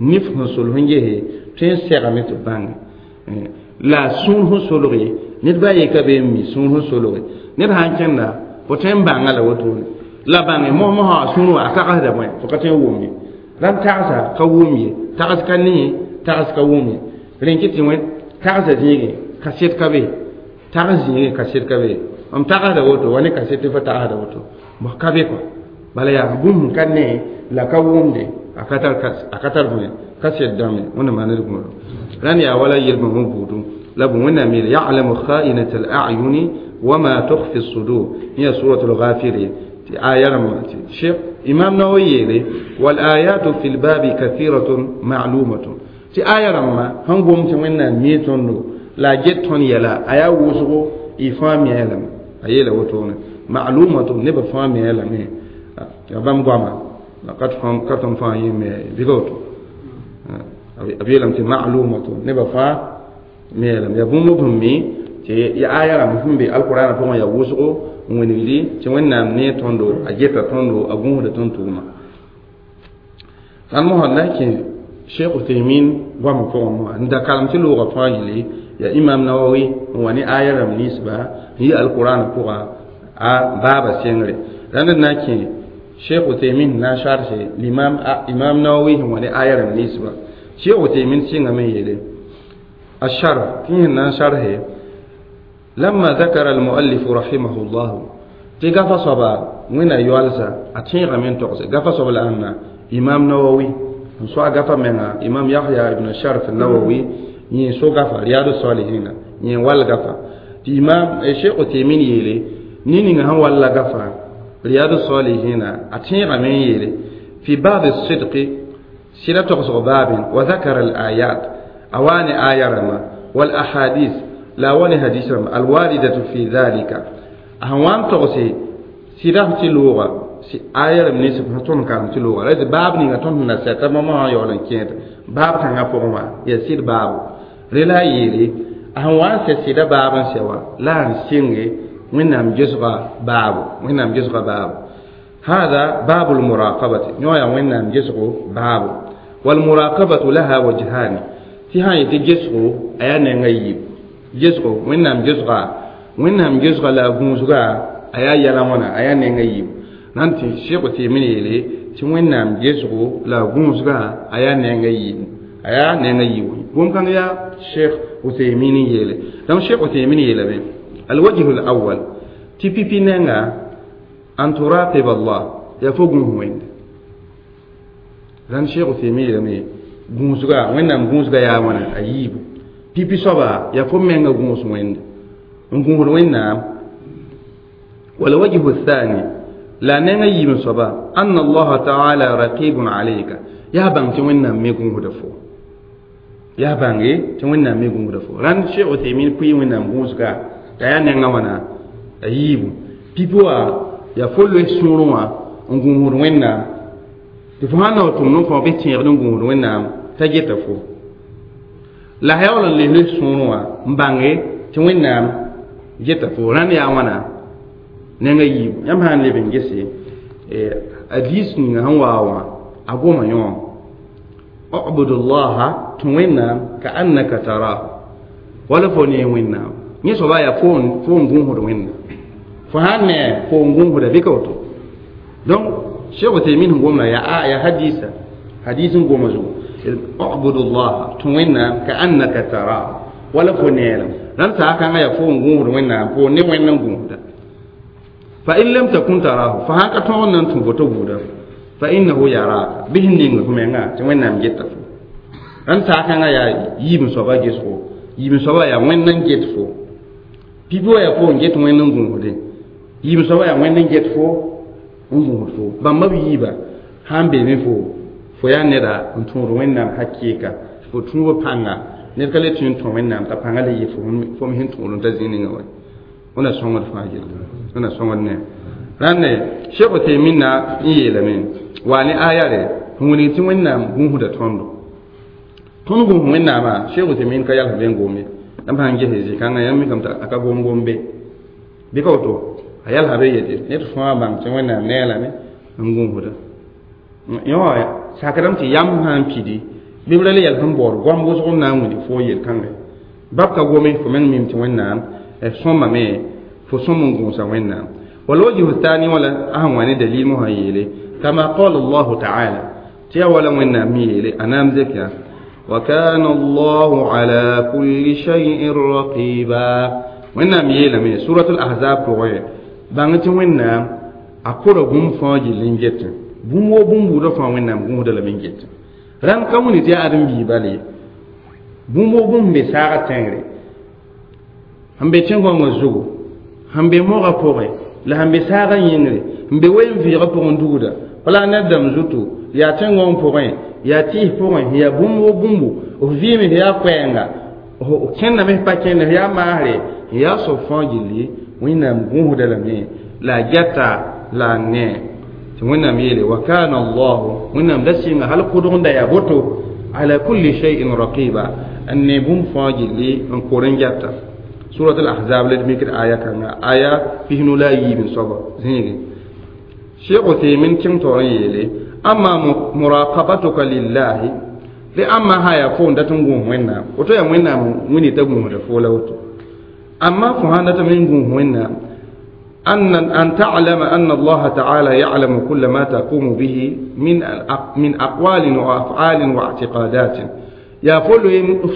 nif sẽn sol sẽn gese tõe n segame tɩ bãnge la sũur sẽn solge ned ba ye ka be n mi sũur sẽn solge ned sãn kẽnda fo tõe n bãnga la wotone la bãnge mosmosã a sũur wã a tagsda bõe fo ka tõe n wʋm ye rãmb tagsa ka wʋm ye tags ka ne tags ka wʋm ye rẽn kɩ tɩ wẽ tagsa zĩigẽ kaset ka be tags zĩigẽ kaset ka be m tagsda woto wa ne kaset tɩ fo tagsda woto ka be kɔ bala yaa bũmb ka ne la ka wʋmde a ka tar bõe kaset dãmbe wẽnna maaned gũudo rãnd yaa wala yel-bãmb buudu la bõ wẽnnaam yeele ya'lamu kha'inat al-a'yuni wama tukhfi as-sudur hiya suratul ghafir tɩ aya rãmba tɩ cheikh imam nawawi yeele wal ayatu fi lbabi kathiratun ma'lumatun tɩ aya rãmba sẽn gom tɩ wẽnnaam mii tõndo la a get tõnd yɛla a yaa wʋsgo y fãa miã lame a yeela wotone ma'lumatun nebã fãa miã lame ya bãmb goama la ka tõnd fãa yẽ me bɩ woto b yeelame tɩ ma'lumatun nebã fãa miã lame yaa bũmb b sẽn mi tɩ ya aya rãmb sẽn be alqurana pʋgẽ yaa wʋsgo n wẽnegdi tɩ wẽnnaam ne tõndo a geta tõndo a gũusda tõnd tʋʋma rãnd mosã na n kẽ cheikh uthaymin goamã pʋgẽ mosã n da kalem tɩ loogã fãa yele ya imam nawawi n wa ne aya rãmb ninsba n yi alqurana pʋga a baaba sengre rãnd n na n kẽ cheikh uthaymin na n sharse l'imam imam nawawi sẽn wa ne aya rãmb ninsba cheikh uthaymin sɩngame yeele a sharh tɩ yẽ na n sharhe لما ذكر المؤلف رحمه الله تي غفا صبا وين يوالسا اتين غمين تقص غفا صبا لأن إمام نووي سو غفا منا إمام يحيى ابن شرف النووي ين سو غفا رياض الصالحين ين وال غفا تي إمام الشيخ تيمين يلي نيني هن وال غفا رياض الصالحين اتين غمين يلي في باب الصدق سيرة تقص باب وذكر الآيات أواني آية رما والأحاديث لا وني حديث الواردة في ذلك أهوان تغسي سيرة تلوغة سي آية من نسب تون كان تلوغة لذا باب نيغا تون نسيتا ما يولن كينت باب كان فوما يسير باب رلا يلي أهوان سيرة باب سوا لا نسينغي وينام جزغة باب وينام جزغة باب هذا باب المراقبة نويا وينام جزغة باب والمراقبة لها وجهان تهاي تجزغة أيانا نغيب gesgo wẽnnaam gesga wẽnnaam gesga la a gũusga a yaa yɛla wãna a yaa nenga yiib nan tɩ sheikh Uthaymin yeele tɩ wẽnnaam gesgo la a gũusga a yaa nenga yiib a yaa nenga yiib bũmb-kãng yaa sheikh Uthaymin n yeele donc sheikh Uthaymin yeelame alwajhu alawal tɩ pipi nenga an turaqib Allah yaa fo gũus wẽnde rãnd sheikh Uthaymin yeelame gũusga wẽnnaam gũusga yaa wãna a yiibu pipi soaba yaa fo menga gũus wẽnde n gũusd wẽnnaam والوجه الثاني لا نيغا يim soaba أن الله تعالى رقيب عليك yaa bãng tɩ wẽnnaam me gũusda fo yaa bãnge tɩ wẽnnaam me gũusda fo rãnd cheikh Uthaymin pʋɩ wẽnnaam gũusga t'a yaa nengã wãna a yiibu pipi wã yaa fo loe sũurẽ wã n gũusd wẽnnaam tɩ fo sãn na w tʋmd n kõ bɩ tẽegd n gũusd wẽnnaam t'a geta fo la yaool n les sũurẽ wã n bãnge tɩ wẽnnaam geta fo rãnd yaa wãna nenga yiibu yãmb sã n leb n gese hadis ninga sẽn waa wã a goma yõ ubudullaha tũ wẽnnaam ka annaka tarahu wala fo ne wẽnnaam yẽ soaba yaa fo n gũusd wẽnnaam fo sãn ne fo n gũusda bɩ ka woto donc cheikh Uthaymin sẽn gomda yaa hadisa hadis n goma zugu اعبد الله توينا كأنك تراه ولا فنيلا لن ساكن يا فون غور وينا فون ني وينا غور فإن لم تكن تراه فهاك تون نان تفوتو غور فإنه يراك به نين كمنا توينا مجتا لن ساكن يا يم سوبا جيسو يم سوبا يا وينا جيتفو بيبو يا فون جيت وينا غور يم سوبا يا وينا جيتفو غور فو بامبا ييبا han be me fo yaa neda n tõod wẽnnaam hakɩɩka fo tũubã pãnga ned ka le tũ n tõ wẽnnaam t'a pãnga le yɩ fo me sẽn tõod n ta zĩ ninga wa wẽna sõngd fãa gilli wẽna sõngd ne rãnde Cheikh Uthaymin na n yeelame waa ne aya re n wilg tɩ wẽnnaam gũusda tõndo tõnd gũus wẽnnaamã Cheikh Uthaymin ka yals be n gom ye ãmb sãn ges zĩ-kãngã yãmb mikame t'a ka gom gom be bɩ ka woto a yalsa be yetɩ ned fãa bãng tɩ wẽnnaam nee lame n gũusda yõ sakdame tɩ yam sã n pidi bɩ b ra le yɛl sẽn baood goam wʋsg n na n wilg fo yel-kãngã bab ka gome fo meng mim tɩ wẽnnaam sõmame fo sõm n gũusa wẽnnaam والوجه الثاني ولا أهم وين دليل مها يلي كما قال الله تعالى تيا ولا وين ميلي أنام ذكر وكان الله على كل شيء رقيبا وين ميلي مي سورة الأحزاب كوي بانتي وين أقول بوم فاجي لينجت bũmb wo bũmb buudã fãa wẽnnaam gũusda lame n get rãmb ka wĩni tɩ yaa ãdem-biiba le bũmb wo bũmb be saagã tẽngre sẽn be tẽn-gõngã zugu sẽn be mogã pʋgẽ la sẽn be saagã yĩngre n be wen-vɩɩgã pʋgẽ dugda planɛt dãmb zutu yaa tẽn-gõng pʋgẽ yaa tɩɩs pʋgẽ yaa bũmb wo bũmbu f vɩɩme yaa koɛɛnga f kẽndame f pa kẽnde f yaa maasre n yaa soab fãa gilli wẽnnaam gũusda lame la a gɛta la a nee wẽnnaam yeele wa kana allahu wẽnnaam da sɩnga hal kʋdg n da yaa boto ala kulli shay'in raqiba n ne bũmb fãa gilli n kor n gɛta surat al-ahzab la d mikd aya kãnga aya pisnu la a yiib n soaba zĩige Cheikh Uthaymin kẽng taoor n yeele ama muraqabatuka lillahi tɩ ãmba sã yaa fo n dat n gũus wẽnnaam woto yaa wẽnnaam wĩni t'a gũusda fo la woto amma fo sãn dat me n gũus wẽnnaam أن تعلم أن الله تعالى يعلم كل ما تقوم به من أقوال وأفعال واعتقادات يا فلو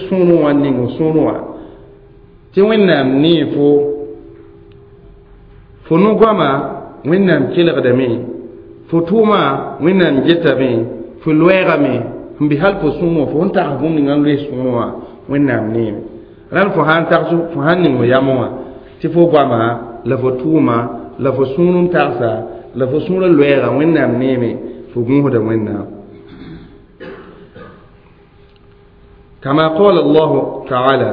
سونو ونينغ سونو تي وينام نيفو فنو غما وينام كيلغدمي فتوما وينام جتامي فلويغامي هم بحال فسونو فون تاغ بوم نغان لي سونو وينام نيم ران فو هان تاغ فو هان نينغ يامو تي فو غما la fo tʋʋma la fo sũur n tagsa la fo sũurã loɛɛga wẽnnaam neeme fo gũusda wẽnnaam kama qala allahu taala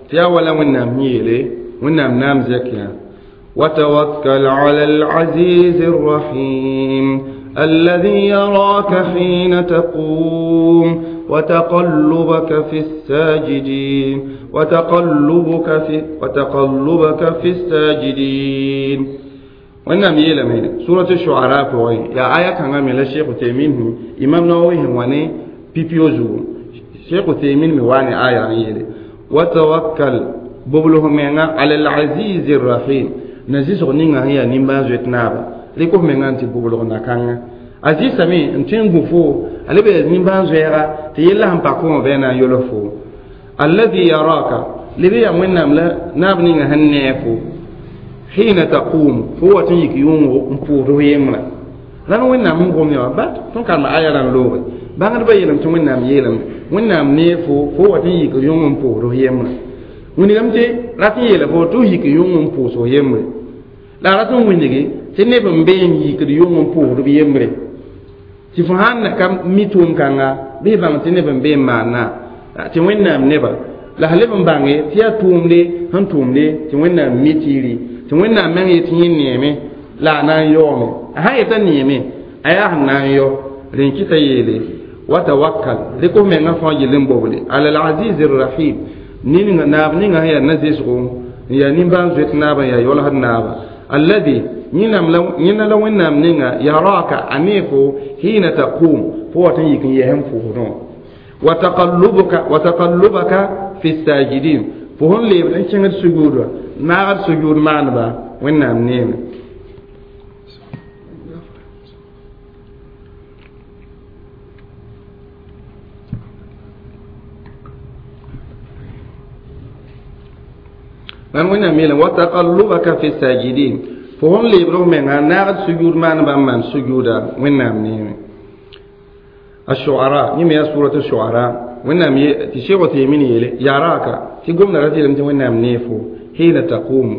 tɩ yaa wala wẽnnaam yeele wẽnnaam naam zɛk yã وتوكل على العزيز الرحيم الذي يراك حين تقوم وتقلبك في الساجدين وتقلبك في الساجدين وإنما يلمي سورة الشعراء فوي يا آية كان من الشيخ تيمين إمام نووي واني بيبيوزو شيخ تيمين مواني آية يلي وتوكل ببلهم على العزيز الرحيم نزيس غنينا هي نيمبا زوتنابا لكم من أنت ببلغنا كان aziz same n tõe n gũ fo a le be nimbãan-zoɛɛga tɩ yella sẽn pa kõ bɩ na n yolg fo alladhi yaraka lebe yaa wẽnnaam la naab ninga sẽn nee fo hina taqum fo wat n yik yʋngo n pʋʋsd f yembrã rãnd wẽnnaam n gom yã bat tõnd karema aya rãn looge bãngdbã yeelame tɩ wẽnnaam yeelame wẽnnaam nee fo fo wat n yik yʋng n pʋʋsd f yembrã wilgame tɩ rat n yeela fo tɩ f yik yʋng n pʋʋs f yembre la a rat n wilge tɩ neb n be n yikd yʋng n pʋʋsd b yembre tɩ fo sãn ka mi tʋʋm-kãnga bɩ bãng tɩ neb n be n maana tɩ wẽnnaam neba la sẽn leb n bãnge tɩ yaa tʋʋmde sẽn tʋʋmde tɩ wẽnnaam mi tiiri tɩ wẽnnaam meng yetɩ yẽ neeme la a na n yaoome a sã yeta neeme a yaa sẽn na n yao rẽn kɩta yeele wa tawakkal rɩk f mengã fãa gill n boble ala alaziz rahim ninga naab ninga sẽn yaa na-zɩsgo n yaa nimbãan-zoet naaba n yaa yolsd naaba alladhi yẽna la wẽnnaam ninga yaraka a nee fo hina taqum fo wat n yik n yɛs n pʋʋsdẽ wa taqallubaka fi sajidin fo sẽn leebd n kẽngd sujuudã naagd sujuud maaneba wẽnnaam neeme Ran wẽnnaam yeelame wa taqallubaka fi sajidin fo sẽn leebd f menga naagd sujud maan bãmb maan sujuuda wẽnnaam neeme. الشعراء يم يا سورة الشعراء وإنهم تشيغ تيمين يلي يراك تقوم نرتي لم وإنهم نيفو حين تقوم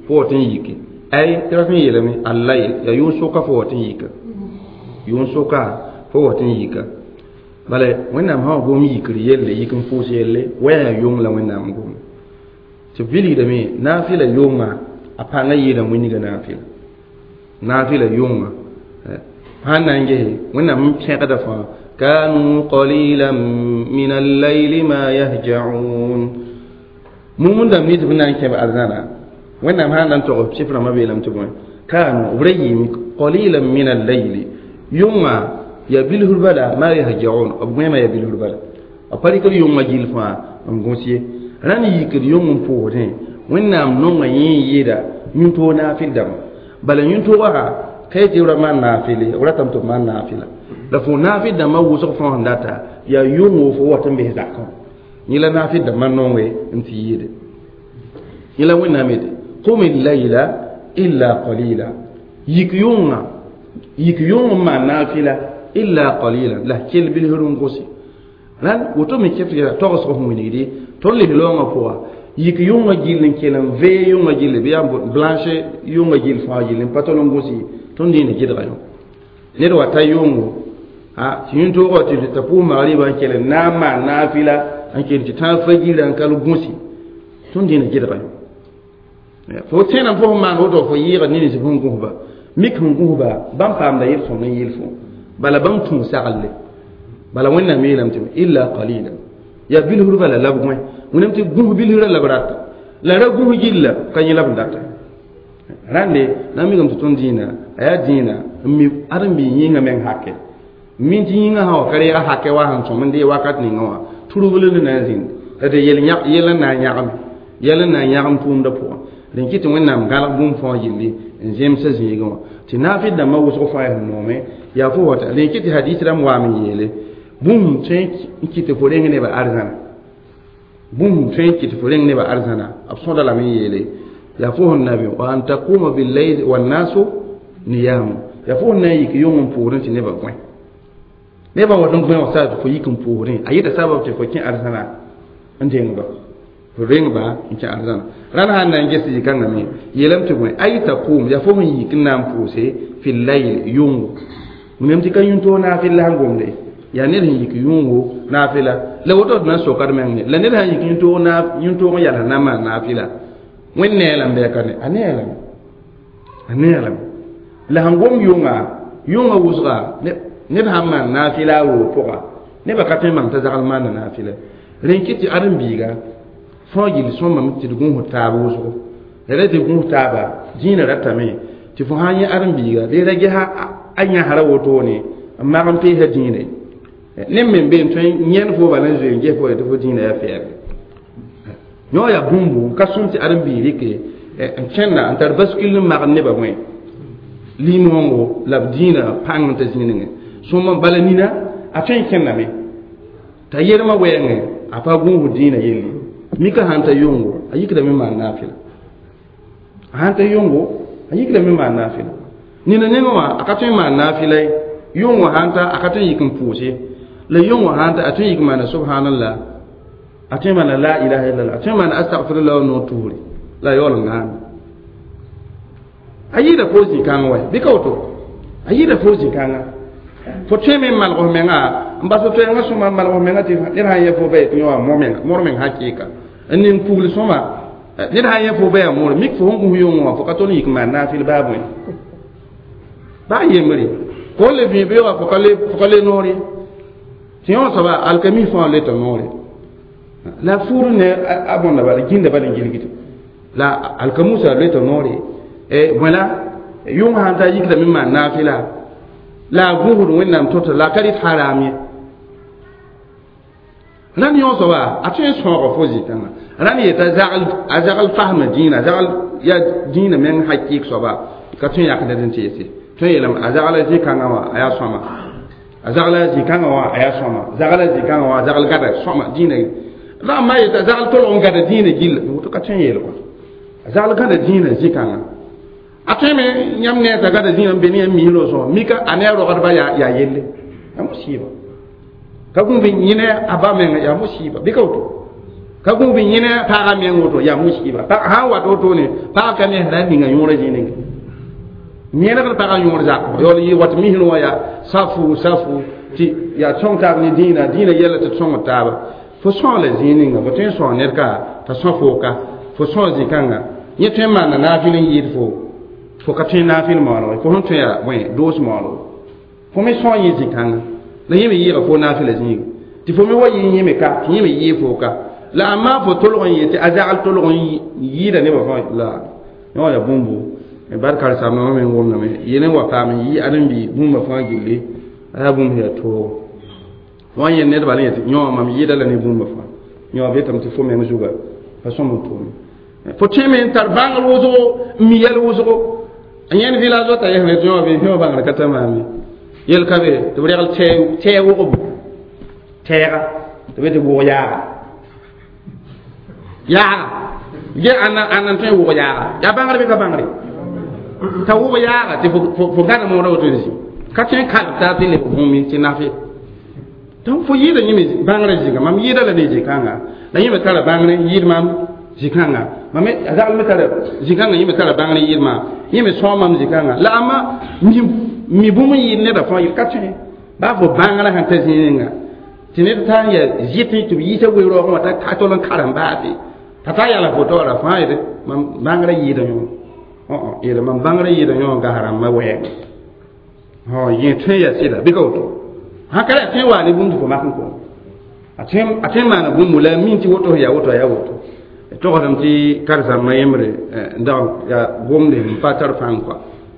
فوتن يكي أي ترفين يلمي الليل يا يونسوكا فوتن يكا يونسوكا فوتن يكا بل وإنهم ها قوم يكري يلي يكن فوس يلي وين يوم لا وإنهم قوم تبيلي دمي نافلة يوم أبانا يدم وينيغ نافلة نافلة يوم هانانجه وإنهم تشيغ فا كانوا قليلا من الليل ما يهجعون مؤمن دم نيت بنان كيف أرزانا وإن ما هذا تقول شفنا ما بيلم تقول كانوا بريم قليلا من الليل يوم يبله البلا ما يهجعون أبو ما يبله البلا أبارك اليوم جيل فا أمغوسي راني يكر يوم فورين وإن نوم ييدا ينتو نافل دم بل ينتو وها كيف يرى ما نافلي ولا تمتو ما نافلة la fo naafi dãmbã wʋsg fãa sẽn data yaa yʋngo fo wat n bes zakã yẽ la naafi dãmbã nonge n tɩ yɩɩde yẽ la wẽnnaam yetɩ qum layla illa qalila yik yʋnga yik yʋng n maan naafɩla illa qalila la kell bilsr n gose rãnd woto me kɛf tɩ togsg sẽn wilgdi tõnd les loongã pʋga yik yʋngã gill n kell n vee yʋngã gilli bɩ yaa blanche yʋngã gill fãa gill n pa tol n gos ye tõnd dĩinã gɩdga yõ ned wa ta yʋngo a tɩ yĩn-toogã tɩ t'a pʋʋs magriba n kell n na n maan naafɩla n kell tɩ tãag fajirã n kal gũsi tõnd dĩinã gɩdga yõ fo tẽenam fo sẽn maan woto fo yɩɩga ned nins sẽn gũsba mik sẽn gũsba bãmb paamda yel-sõng n yel fo bala bãmb tũu saglle bala wẽnnaam yeelame tɩ illa qalila yaa bilsr bala la b gõe wẽnnaam tɩ gũs bilsrã la b rata la ra gũs gilla ka yẽ la b data rãnde na n mikame tɩ tõnd dĩinã a yaa dĩinã n mi ãdem-biig yĩngã meng hake min tɩ yĩngã sã wa ka reega hake wa sẽn sõm n dee wakat ninga wã turubl n na n zĩnd la tɩ yel n na n yãgame yɛl n na n yãgem tʋʋmdã pʋgã rẽn kɩ tɩ wẽnnaam gãlg bũmb fãa gilli n zemsa zĩigẽ wã tɩ naafɩ dãmbã wʋsg fãa yaa sẽn noome yaa fo wata rẽn kɩ tɩ hadis rãmb waam n yeele bũmb tõe n kɩ tɩ fo reng nebã arzãna bũmb tõe n kɩ tɩ fo reng nebã arzãna b sõda lame n yeele yaa fo sẽn na be wa an taquma billayl wannasu niyamu yaa fo sẽn na n yik yʋng n pʋʋrẽ tɩ nebã gõe nebã wat n gõe wã sa tɩ fo yik n pʋʋsrẽ a yeta sabab tɩ fo kẽ arzãna n dengba fo rengba n kẽ arzãna rãnd sãn na n ges zĩ-kãngã me yeelame tɩ bõe ay taqum yaa fo sẽn yik n na n pʋʋse fi layl yʋngo wẽnnaam tɩ ka yũn-toog naafɩl la sẽn gomde yaa ned sẽn yik yũngo naafɩla la woto d na n sokd meng ne la ned sãn yik yũn-toog n yals na n maan naafɩla wẽnd nee lame bɩ a ka ne a nee lame a nee lame la sẽn gom yʋnga yʋngã wʋsga neb sãn maan naafɩla a roog pʋga nebã ka tõe n bãng t'a zagl maanda naafɩla rẽn kɩ tɩ ãdem-biiga fãa gill sõmame tɩ d gũus taab wʋsgo la ra tɩ gũus taaba dĩinã ratame tɩ fo sã n yẽ ãdem-biiga bɩ ra ges a yãsra wotone n mag n peesa dĩinã neb me n be n tõe n yẽnd fo bala n zoe n ges fo tɩ fo dĩinã yaa fɛɛbe yõ yaa bũmbu n ka sõm tɩ ãdem-biig rɩke n kẽnda n tar bascule n magd nebã bõe lim-wãngo la b dĩinã pãng n ta zĩig nengẽ sõma bala nina a tõe n kẽndame t'a yelmã wɛɛngẽ a pa gũusd dĩinã yelle mika sãn ta yʋngo a yikdame maan naafɩla a sãn ta yʋngo a yikdame maan naafɩla nina nengẽ wã a ka tõe n maan naafɩla ye yʋngo sãn ta a ka tõe n yik n pʋʋs ye la yʋngo sãn ta a tõe n yik n maana subhanallah a tõe n maana la ilaha illallah a tõe n maana astagfirullah wa noor tuure la a yaool n gãame a yɩɩda fo zĩ-kãngã wa bɩ ka woto a yɩɩda fo zĩ-kãngã fo tõe me n malg f menga n bas f toɛɛngã sõma n malg f menga tɩ ned sãn yɛ fo ba yetɩ yõ wã mor meng hakɩɩka n ning pugl sõma ned sãn yɛ fo ba yaa moore mik fo sẽn gũs yʋngẽ wã fo ka tõnd yik n maan naafɩl baa bõe baa yembre fo le vĩig beoogã fo ka le noor ye tɩ yõ soaba alkami fãa le t'a noore la fuur ne a bõnda bala gĩnda bala n gilgd la alkamusa le t'a noore bõe la yʋng sãn ta yikdame n maan naafɩla la a gũusd wẽnnaam tota la a ka rɩt haram ye rãnd yõ soaba a tõe n sõoga fo zĩ-kãngã rãnd yeta a zagl fasma dĩinã zagl yaa dĩinã meng hakɩɩk soaba ka tõe n yak ned n teese tõe n yeelame a zagla zĩ-kãngã wã a yaa sõama a zagla zĩ-kãngã wã a yaa sõama zagla zĩ-kãngã wã a zagl gada sõama dĩinã la a ma yeta zagl tolg n gada dĩinã gill woto ka tõe n yeel wã Zagl gãda dĩinã zĩ-kãngã a tõe me yãmb ne t'a gãda zĩnã n be ne yãmb misrã sõs mika a ne a rogdba yaa yelle yaa musiba ka gũub n yẽ ne a ba menga yaa musiba bɩ ka woto ka gũub n yẽ ne a paaga meng woto yaa musiba sã n wat wotone pag ka ne sẽn na n ninga yõorã zĩ ninga yẽlgd pagã yõor zakɔ yaool yɩ wat misrã wã yaa safu safu tɩ yaa sõng taab ne dĩinã dĩinã yɛla tɩ d sõngd taaba fo sõgla zĩig ninga fo tõe n sõs ned ka t'a sõ foo ka fo sõs zĩ-kãnga yẽ tõe n maanda naafɩl n yɩɩd fo fo ka tõe naafɩl maoolgo fo sẽn tõe yaa bõe doos maoolgo fo me sõs yẽ zĩ-kãnga la yẽ me yɩɩga fo naafɩla zĩiga tɩ fo me wa yɩ yẽ me ka tɩ yẽ me yɩɩ fo ka la a maa fo tolg n yetɩ a zagl tolg n yɩɩda nebã fãa la yõ yaa bũmbu bar karen-saambã me n wʋmdame yel n wa paam n yɩ ãdem-bi bũmba fãa gilli a yaa bũmb yaa toogo wã yẽ nedba la yetɩ yõ mam yɩɩda la ne bũmba fãa yõ b yetame tɩ fo meng zuga pa sõm n tʋʋme fo tõeme n tar bãngr wʋsgo n mi yɛl wʋsgo yẽnd village wa t'a yɛsne tɩ yõ be yõ bãngr ka ta maame yel ka be tɩ b regl tɛɛ wʋgbo tɛɛga tɩ be tɩ wʋg yaaga yaaga ge ãnna n tõe n wʋg yaaga yaa bãngr bɩ ka bãngre t'a wʋg yaaga tɩ fo gãda moodã woto n zĩ ka tõe n kalb taa tɩ leb bũmb tɩ nafe donc fo yɩɩda yẽme bãngrã zĩga mam yɩɩda la ne zĩ-kãnga la yẽ me tara bãngr n yɩɩd mam zĩ-kãnga mam a zagl me tara zĩ-kãngã yẽ me tara bãngr n yɩɩd maam yẽ me sõa mam zĩ-kãnga la amma mi bũmb n yɩɩd nedã fãa ka tõe baa fo bãngrã sẽn ta zĩ ninga tɩ ned taa n yaa zɩt tɩ b yiisa we-raoogẽ wã t'a tol n karem baase t'a taa yala foto wala fãa yetɩ mam bãngrã yɩɩda yõ yeele mam bãngrã yɩɩda yõ gas rãmbã wɛɛngẽ yẽ tõe yaa sɩda bɩ ka woto sã ka yaa tõe n waa ne bũmb tɩ fo mak n kõ a tõe n maana bũmbu la a min tɩ woto yaa woto yaa woto togsdame tɩ karen-saambã yembre n dag yaa gomde n pa tar fãng kɔa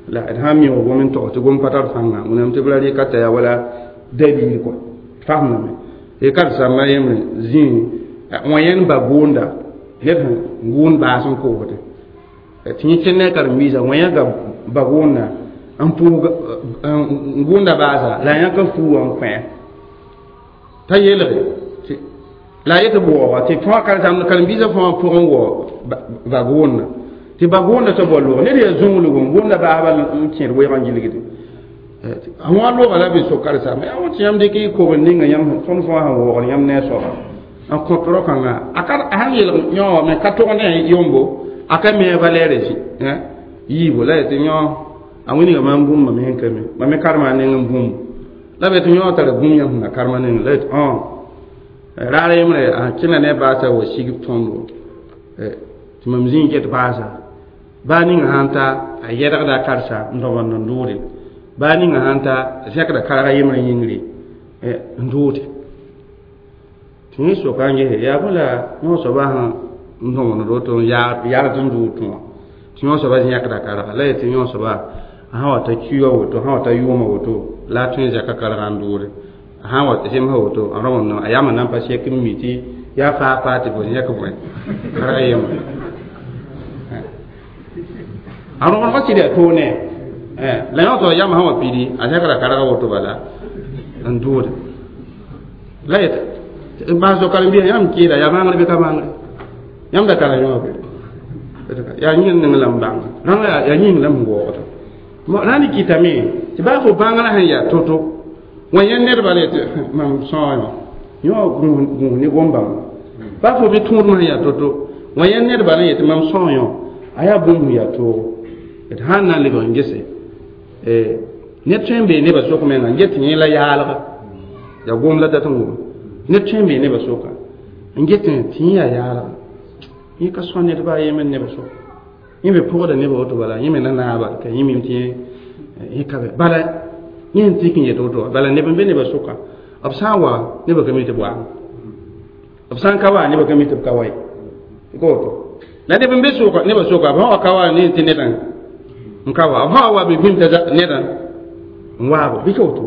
la d sã n mi wa gom n togs tɩ gom pa tar fãnga wẽnnaam tɩ b ra rɩka t'a yaa wala dalil kɔa fasemdame tɩ karen-saambã yembre zĩig wã yẽnd ba gʋʋnda ned sẽn gʋʋnd baas n koosde tɩ yẽ kẽnd ne a karen-biisã wã yãka ba gʋʋnda n pʋʋg n gʋʋnda baasa la a yãka fuu wã n kõ t'a yeelge la a yetɩ b waooga tɩ fãa karen-biisã fãa pʋgẽ wao ba gʋʋnda tɩ ba gʋʋnda t'a bao loog ned yaa zũnglgo n gʋʋnda baasba n kẽed weoog n gilgde a wã looga la b sok karen-saamba yaa wã tɩ yãmb dɩk y kobr ninga yãmb tõnd fãa sẽn waoogd yãmb ne a soaba n kõt rao-kãngã a ka a sãn yeelg yõ wã me ka tog ne yombo a ka me a valɛɛrã zĩ yiibo la yetɩ yõ a wĩnga maam bũmba me sẽn ka mi mam me karema a neng n bũmb la b yetɩ yõ tara bũmb yãmb sẽn na karema neng la yetɩ raar yembre a kẽna ne baasa wa sig tõndo tɩ mam zĩig get baasa baa ninga sãn ta a yɛdgda a karsa n dõbend n dʋʋde baa ninga sãn ta a zẽkda karga yembrã yĩngre n dʋʋde tɩ yẽ soka n gese yaa bõ la yõ soaba sẽn n dõbend woto n yagd n dʋʋd tũ wã tɩ yõ soaba yãkda karga la yetɩ yõ soaba sã wa ta kiuga woto sã wa ta yʋʋma woto la a tõe n zɛka karga n dʋʋde sã wa zemsa woto a rõbend a yama nan pa sek n mi tɩ yaa faa faa tɩ fo yãk bõe karga yembre a rõgendgã sɩd yaa toog ne la yõ tɩ yama sã wa pidi a zẽkra karga woto bala n dʋʋde la yet baas karen-biisã yãmb kɩɩda yaa bãngr bɩ ka bãngre yãmb da tara yõobe yaa yĩng ning la n bãng rãnga yaa yĩng la m waoogda rãnd kɩtame tɩ baa fo bãngrã sẽn yaa to-to wã yẽ nedba la yetɩ mam sõa yõ yõ gũus ne gom-bãmba baa fo bɩ tõodmã sẽn yaa to-to wã yẽ nedba la yetɩ mam sõa yõ a yaa bũmb sẽn yaa toogo d sãn na n lebg n gese ned tõe n bee nebã sʋk menga n get tɩ yẽ la yaalga yaa gom la dat n wʋm ned tõe n bee nebã sʋka n get tɩ yẽ yaa yaalga yẽ ka sõa ned baa yemd nebã sʋka yẽ me pʋgda nebã woto bala yẽ me na naaba ka yẽ mim tɩ yẽ ka be bala yẽ sẽn tik n yet woto bala neb n be nebã sʋka b sã n wa nebã ka mi tɩ b waame b sã n ka wa nebã ka mi tɩ b ka wa ye ka woto la neb n be sʋka nebã sʋka b sã wa ka wa ne tɩ nedã n ka wa b sã wa wa be bĩm t'a nedã n waabo bɩ ka woto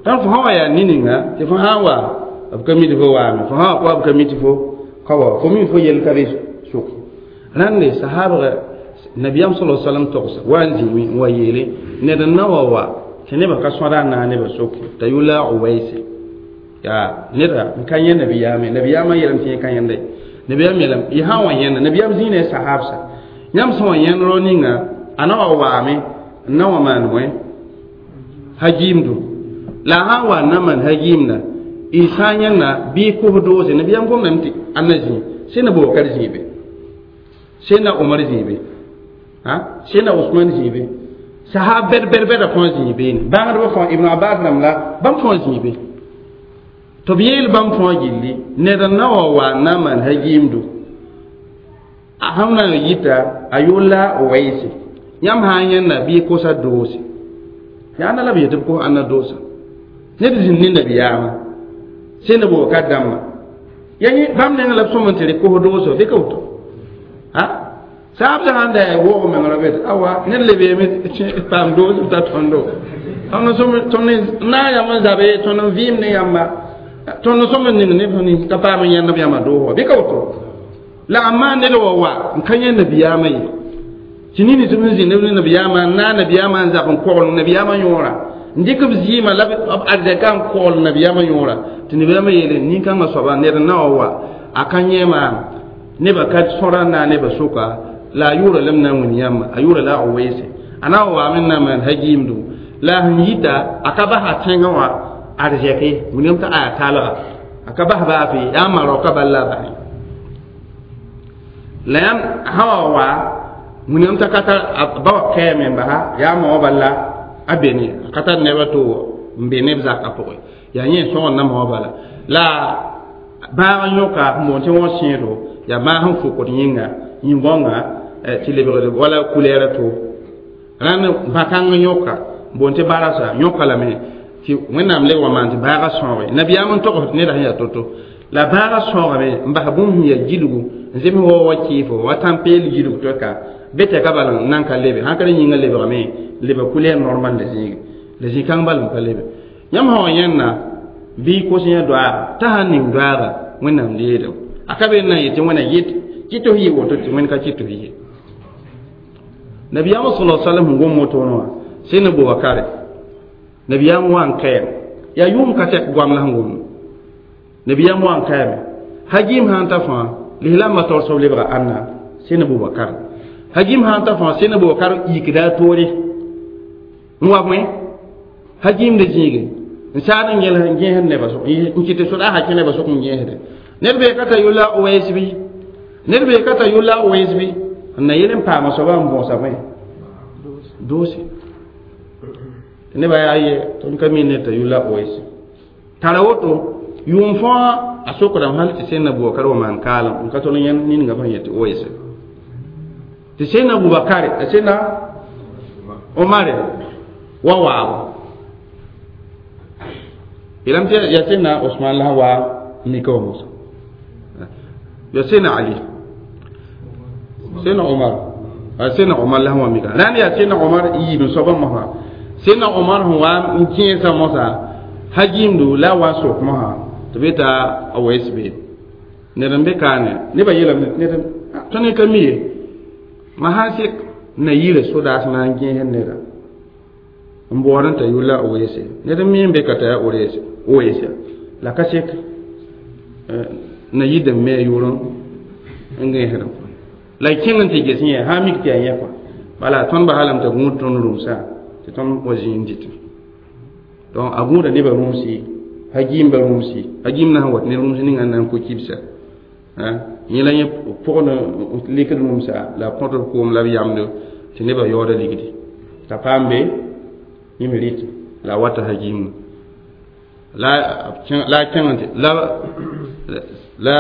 rãmb fo sã wa yaa ne-ninga tɩ fo sã n wa b ka mi tɩ fo waame fo sã wa ka wa b ka mi tɩ fo ka wa fo mi fo yell ka be sʋk rãnde sahaabga nabiyam sallallahu alaihi wasallam togsa wa n zĩime n wa yeele ned n na wa wa tɩ nebã ka sõda n naag nebã soke t'a yʋla uwaise yaa neda n ka yẽ nabiyaame nabiyaamã yeelame tɩ yẽ ka yẽnda ye nabiyaam yeelame y sã n wa yẽnda nabiyaam zĩig ne a sahaabsa Yãmb sẽn wa yẽnd rao ninga a na wa waame n na wa maan bõe hagiimdu la a sã n wa n na maan hagiimda y sã n yẽnda bɩ y kos doose nabiyaam gomdame tɩ ãnna zĩig sẽn na Bubakar zĩig be sẽn na Omar zĩig be sẽn na Usman zĩig be sahab bɛd bɛd bɛda fãa zĩig beene bãngdbã fãa Ibn Abbas rãmb la bãmb fãa zĩig be tɩ b yeel bãmb fãa gilli ned n na wa wa n na n maan hagiimdu a sẽn na n yita a yʋʋr la Owaisi yãmb sã n yẽnda bɩ y kosa doose yaa ãnna la b yet tɩ b kos ãnna doosa ned zĩnd ne nabiyaamã sẽn na Bubakar dãmbã ya yẽ bãmb nengã la b sõm n tɩ rɩ kos dooso bɩ ka woto saab sã n da woog meng ra bet awa ned le beeme paam doos b ta tõndo tõnd na n yam n zabe tõnd n vɩɩm ne yãmba tõnd n sõm n ning neb sẽn ka paam n yãnd b yãmba doos wa bɩ ka woto la a maan ned wa wa n ka yẽ nabiyaamã ye tɩ nini tɩ b n zĩ neb ne nabiyaamã n naag nabiyaamã n zab n kogl nabiyaamã yõora n dɩk b zɩɩmã la b arzɛka n kogl nabiyaamã yõora tɩ nabiyaamã yeele nin-kãngã soaba ned n na wa wa a ka yẽ maam nebã ka sõra n naag nebã sʋka la a yʋʋra lame na n wĩn yãmba a yʋʋra la a Oweese a na wa waame n na n maan hagiimdu la a sẽn yita a ka basa tẽngã wã arzɛke wilgame t'a aya talga a ka bas baa fɩ yaa maroka bal la a basẽ la yãmb sã wa wa wĩnam t'a ka tar ba wa kɛɛme n basa yaa ma wã bal la a be ne a ka tar nebã to n be neb zakã pʋgẽ yaa yẽ sõgd na ma wã bala la bãag n yõka n boond tɩ wã sẽedo yaa bãag sẽn fokd yĩnga yĩn-gõngã tɩ lebgd wala kulɛɛra to rãnd bã-kãng n yõka n boond tɩ barasa yõka lame tɩ wẽnnaam leb wa maan tɩ bãagã sõoge nabiyaam n togs tɩ neda sẽn yaa to-to la bãagã sõogame n bas bũmb sẽn yaa gilgu n zems wa wa kɩɩfo wa tãn-peel gilg tɩ ka be tɛka bal n nan ka lebe sãn ka rẽ yĩngã lebgame leba kulɛɛr normal la zĩige la zĩ-kãng bal n pa lebe yãmb sã wa yẽnna bɩ y kos yã doaaga t'a sãn ning doaaga wẽnnaam leedem a ka be n na n yet tɩ wẽna yet kɩ tɩ f yɩ woto tɩ wẽnd ka kɩ tɩ f yɩ nabiyaamã sala sallam sẽn gom wotone wã sẽn na Bubakare nabiyaam wa n kaɛm yaa yʋʋm ka tɛk goam la sẽn gomd nabiyaam wa n kaɛme hagiim sã n ta fãa lislaambã taoor soab lebga ãnna sẽn na Bubakar hagiim sã n ta fãa sẽn na Bubakar yikda a toore n wa bõe hagiimda zĩige n saad n gẽls n gẽesd nebã sʋk n kɩt tɩ sodaasã kẽ nebã sʋk n gẽesde ned bee ka t'a yʋlla Owais bɩ ned bee ka t'a yʋlla Owais bɩ n na yel n paama soabã n bõosa bõe doose tɩ nebã yaa ye tõnd ka mi ned t'a yʋlla Owais tara woto yʋʋm fãa a sokdame hal tɩ sẽn na Bubakar wa maan kaalem n ka tol n yãnd ninga sẽn yet tɩ Owais tɩ sẽn na Bubakare a sẽn na Omare wa waabo yeelame tɩ yaa sẽn na Osman la wa mika wa mosa yaa sẽn na Ali sẽn na Omar sẽn na Omar la sẽn wa mika rãnd yaa sẽn na Omar yiib n soabã mosã sẽn na Omar sẽn wa n kẽesã mosã hagiimdu la a wa n sok mosã tɩ be t'a a wɛs be ned n be kaane nebã yeelame ned tõnd ka mi ye ma sã n sek na yirã sodaas na n gẽesd neda n baood n t'a yʋlla Oweese ned n mi n be ka t'a yaa Oweese la ka sek na yid n me a yʋʋr n gẽesdẽ la y kẽng n tɩ ges yẽ sã n mik tɩ yaa yẽ kɔa bala tõnd basa lame t'a gũud tõnd rũmsã tɩ tõnd wa zĩ n dɩtẽ donc a gũuda nebã rũmsi hagiimba rũmsi hagiim na sẽn wat ne rũms ninga n na n ko kibsa yẽ la yẽ pʋgd likd rũmsa la a kõtd koom la b yamdo tɩ nebã yaooda ligdi t'a paam be yẽ me rɩt la a wata hagiimã la a kẽng tɩ la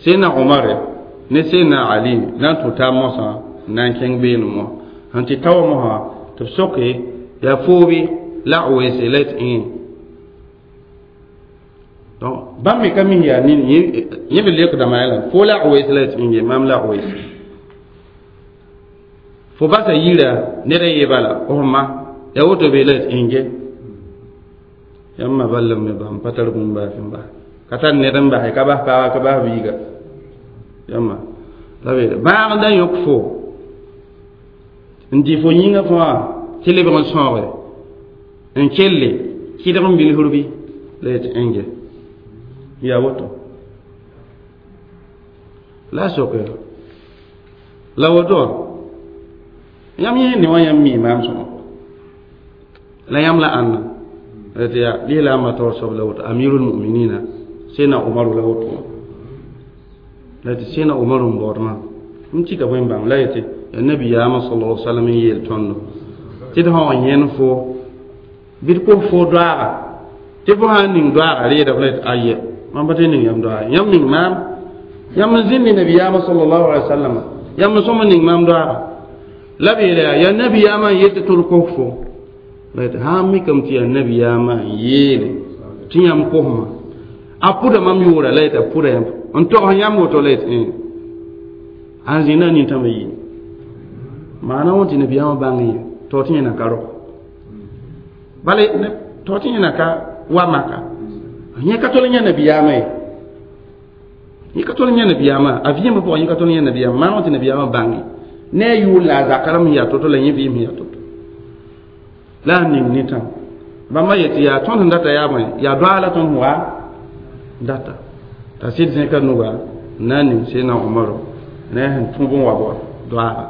sẽn na Omar ne sẽn na Ali na n tũ taab mosã n na n kẽng beene mo sẽn tɩ ta wa mosã tɩ b soke yaa foobe la Oweese la tɩ ẽ donc bãmb me ka mi yaa nin yẽ be leokdame yaa la fo la Oweese la tɩ ẽ maam la Oweese fo basa yira ned a yee bala f ma yaa woto be la tɩ ẽnge yãmb ma bal me bãmb pa tar bũmb baa fẽn bas ka tar ned n basɛ ka bas paaga ka bas biiga yãmba la be bãag da yõk fo n dɩ fo yĩngã fãa tɩ lebg n sãooge n kelle kɩdg n bilfr bɩ la yetɩ ẽnge yaa woto la a soke La woto yãmb yẽ ne wã yãmb mi maam sõma la yãmb la ãnna tɩ yaa lislaambã taoor soab la woto amirul muminina sena umaru la woto la tɩ sena umaru n baood maam n tika bõe n bãng la yetɩ yaa nabiyaamã sala alaihi wasallam n yeel tõndo tɩ d sã wa yẽnd fo bɩ d kos fo doaaga tɩ fo sã n ning doaaga reeda la yetɩ ayɛ mam pa tɩ ning yãmb doaaga yãmb ning maam yãmb n zĩnd ne nabiyaamã sallallahu alaihi wasallam yãmb n sõm n ning maam doaaga la b yeela yaa nabiyaamã n yet tɩ d kos fo la yetɩ sã n mikame tɩ yaa nabiyaamã n yeele tɩ yãmb kosma a pʋda mam yʋʋra la yetɩ a pʋda yãmb n togs yãmb woto la yetɩ ãn zĩnda a nintãmba yɩ maana wã tɩ nabiyaamã bãng ye tɩ tɩ yẽna ka rog bala tɩ tɩ yẽna ka wa maka yẽ ka tol n yã nabiyaamã ye yẽ ka tol n yã nabiyaamã a vɩɩmbã pʋgã yẽ ka tol n yã nabiyaamã maana wã tɩ nabiyaamã bãng ye ne a yʋʋr la a zaka rãmb n yaa to-to la yẽ vɩɩm sẽn yaa to-to la a ning nintãm bãmba yetɩ yaa tõnd sẽn data yaa bõe yaa doaa la tõnd sẽn wa data t'a sɩd zẽka nuga n na n ning sena Umaru ne sẽn tũ bõn wa bɔ doaaga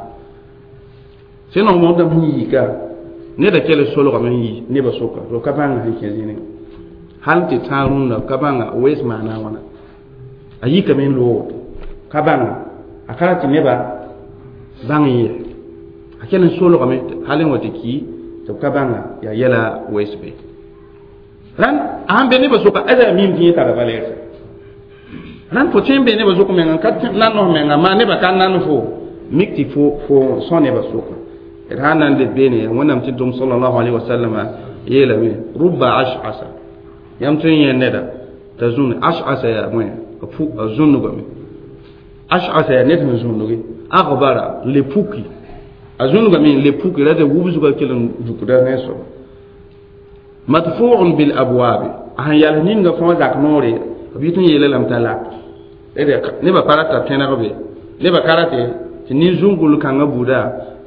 sena Umaru dãmb sẽn yiika neda kell solgame n yi nebã soka to ka bãnga sẽn kẽ zĩnẽ hal tɩ tãag rũndã ka bãnga wees maana a wãna a yikame n loog woto ka bãnga a ka ra tɩ nebã bãng n yɛ a kell n solgame hal n wa tɩ ki tɩ b ka bãnga yaa yɛla wees be rãnd a sãn be nebã soka ada yaa miim tɩ yẽ tara valɛɛrse rãnd fo tõe n be nebã sok menga n ka nan f menga maa nebã ka nan fo mik tɩ fo sõ nebã soka d sãn na n leb beene wẽnnaam tɩ tʋm sallallahu alaihi wasallam yeelame rubba ash'asa yãmb tõe n yẽ neda t'a zũn ash'asa yaa bõe a zũnnugame ash'asa yaa ned sẽn zũnnuge agbara n le puki a zũnnugame n le puki ra tɩ wubsgã kell n dukda ne soaba madfu'un bil abwabi a sẽn yals ninga fãa zak noore b yɩ tɩ n yeela lame t'a lak nebã pa rata pẽneg be nebã ka rate tɩ nin-zũngul kãngã buuda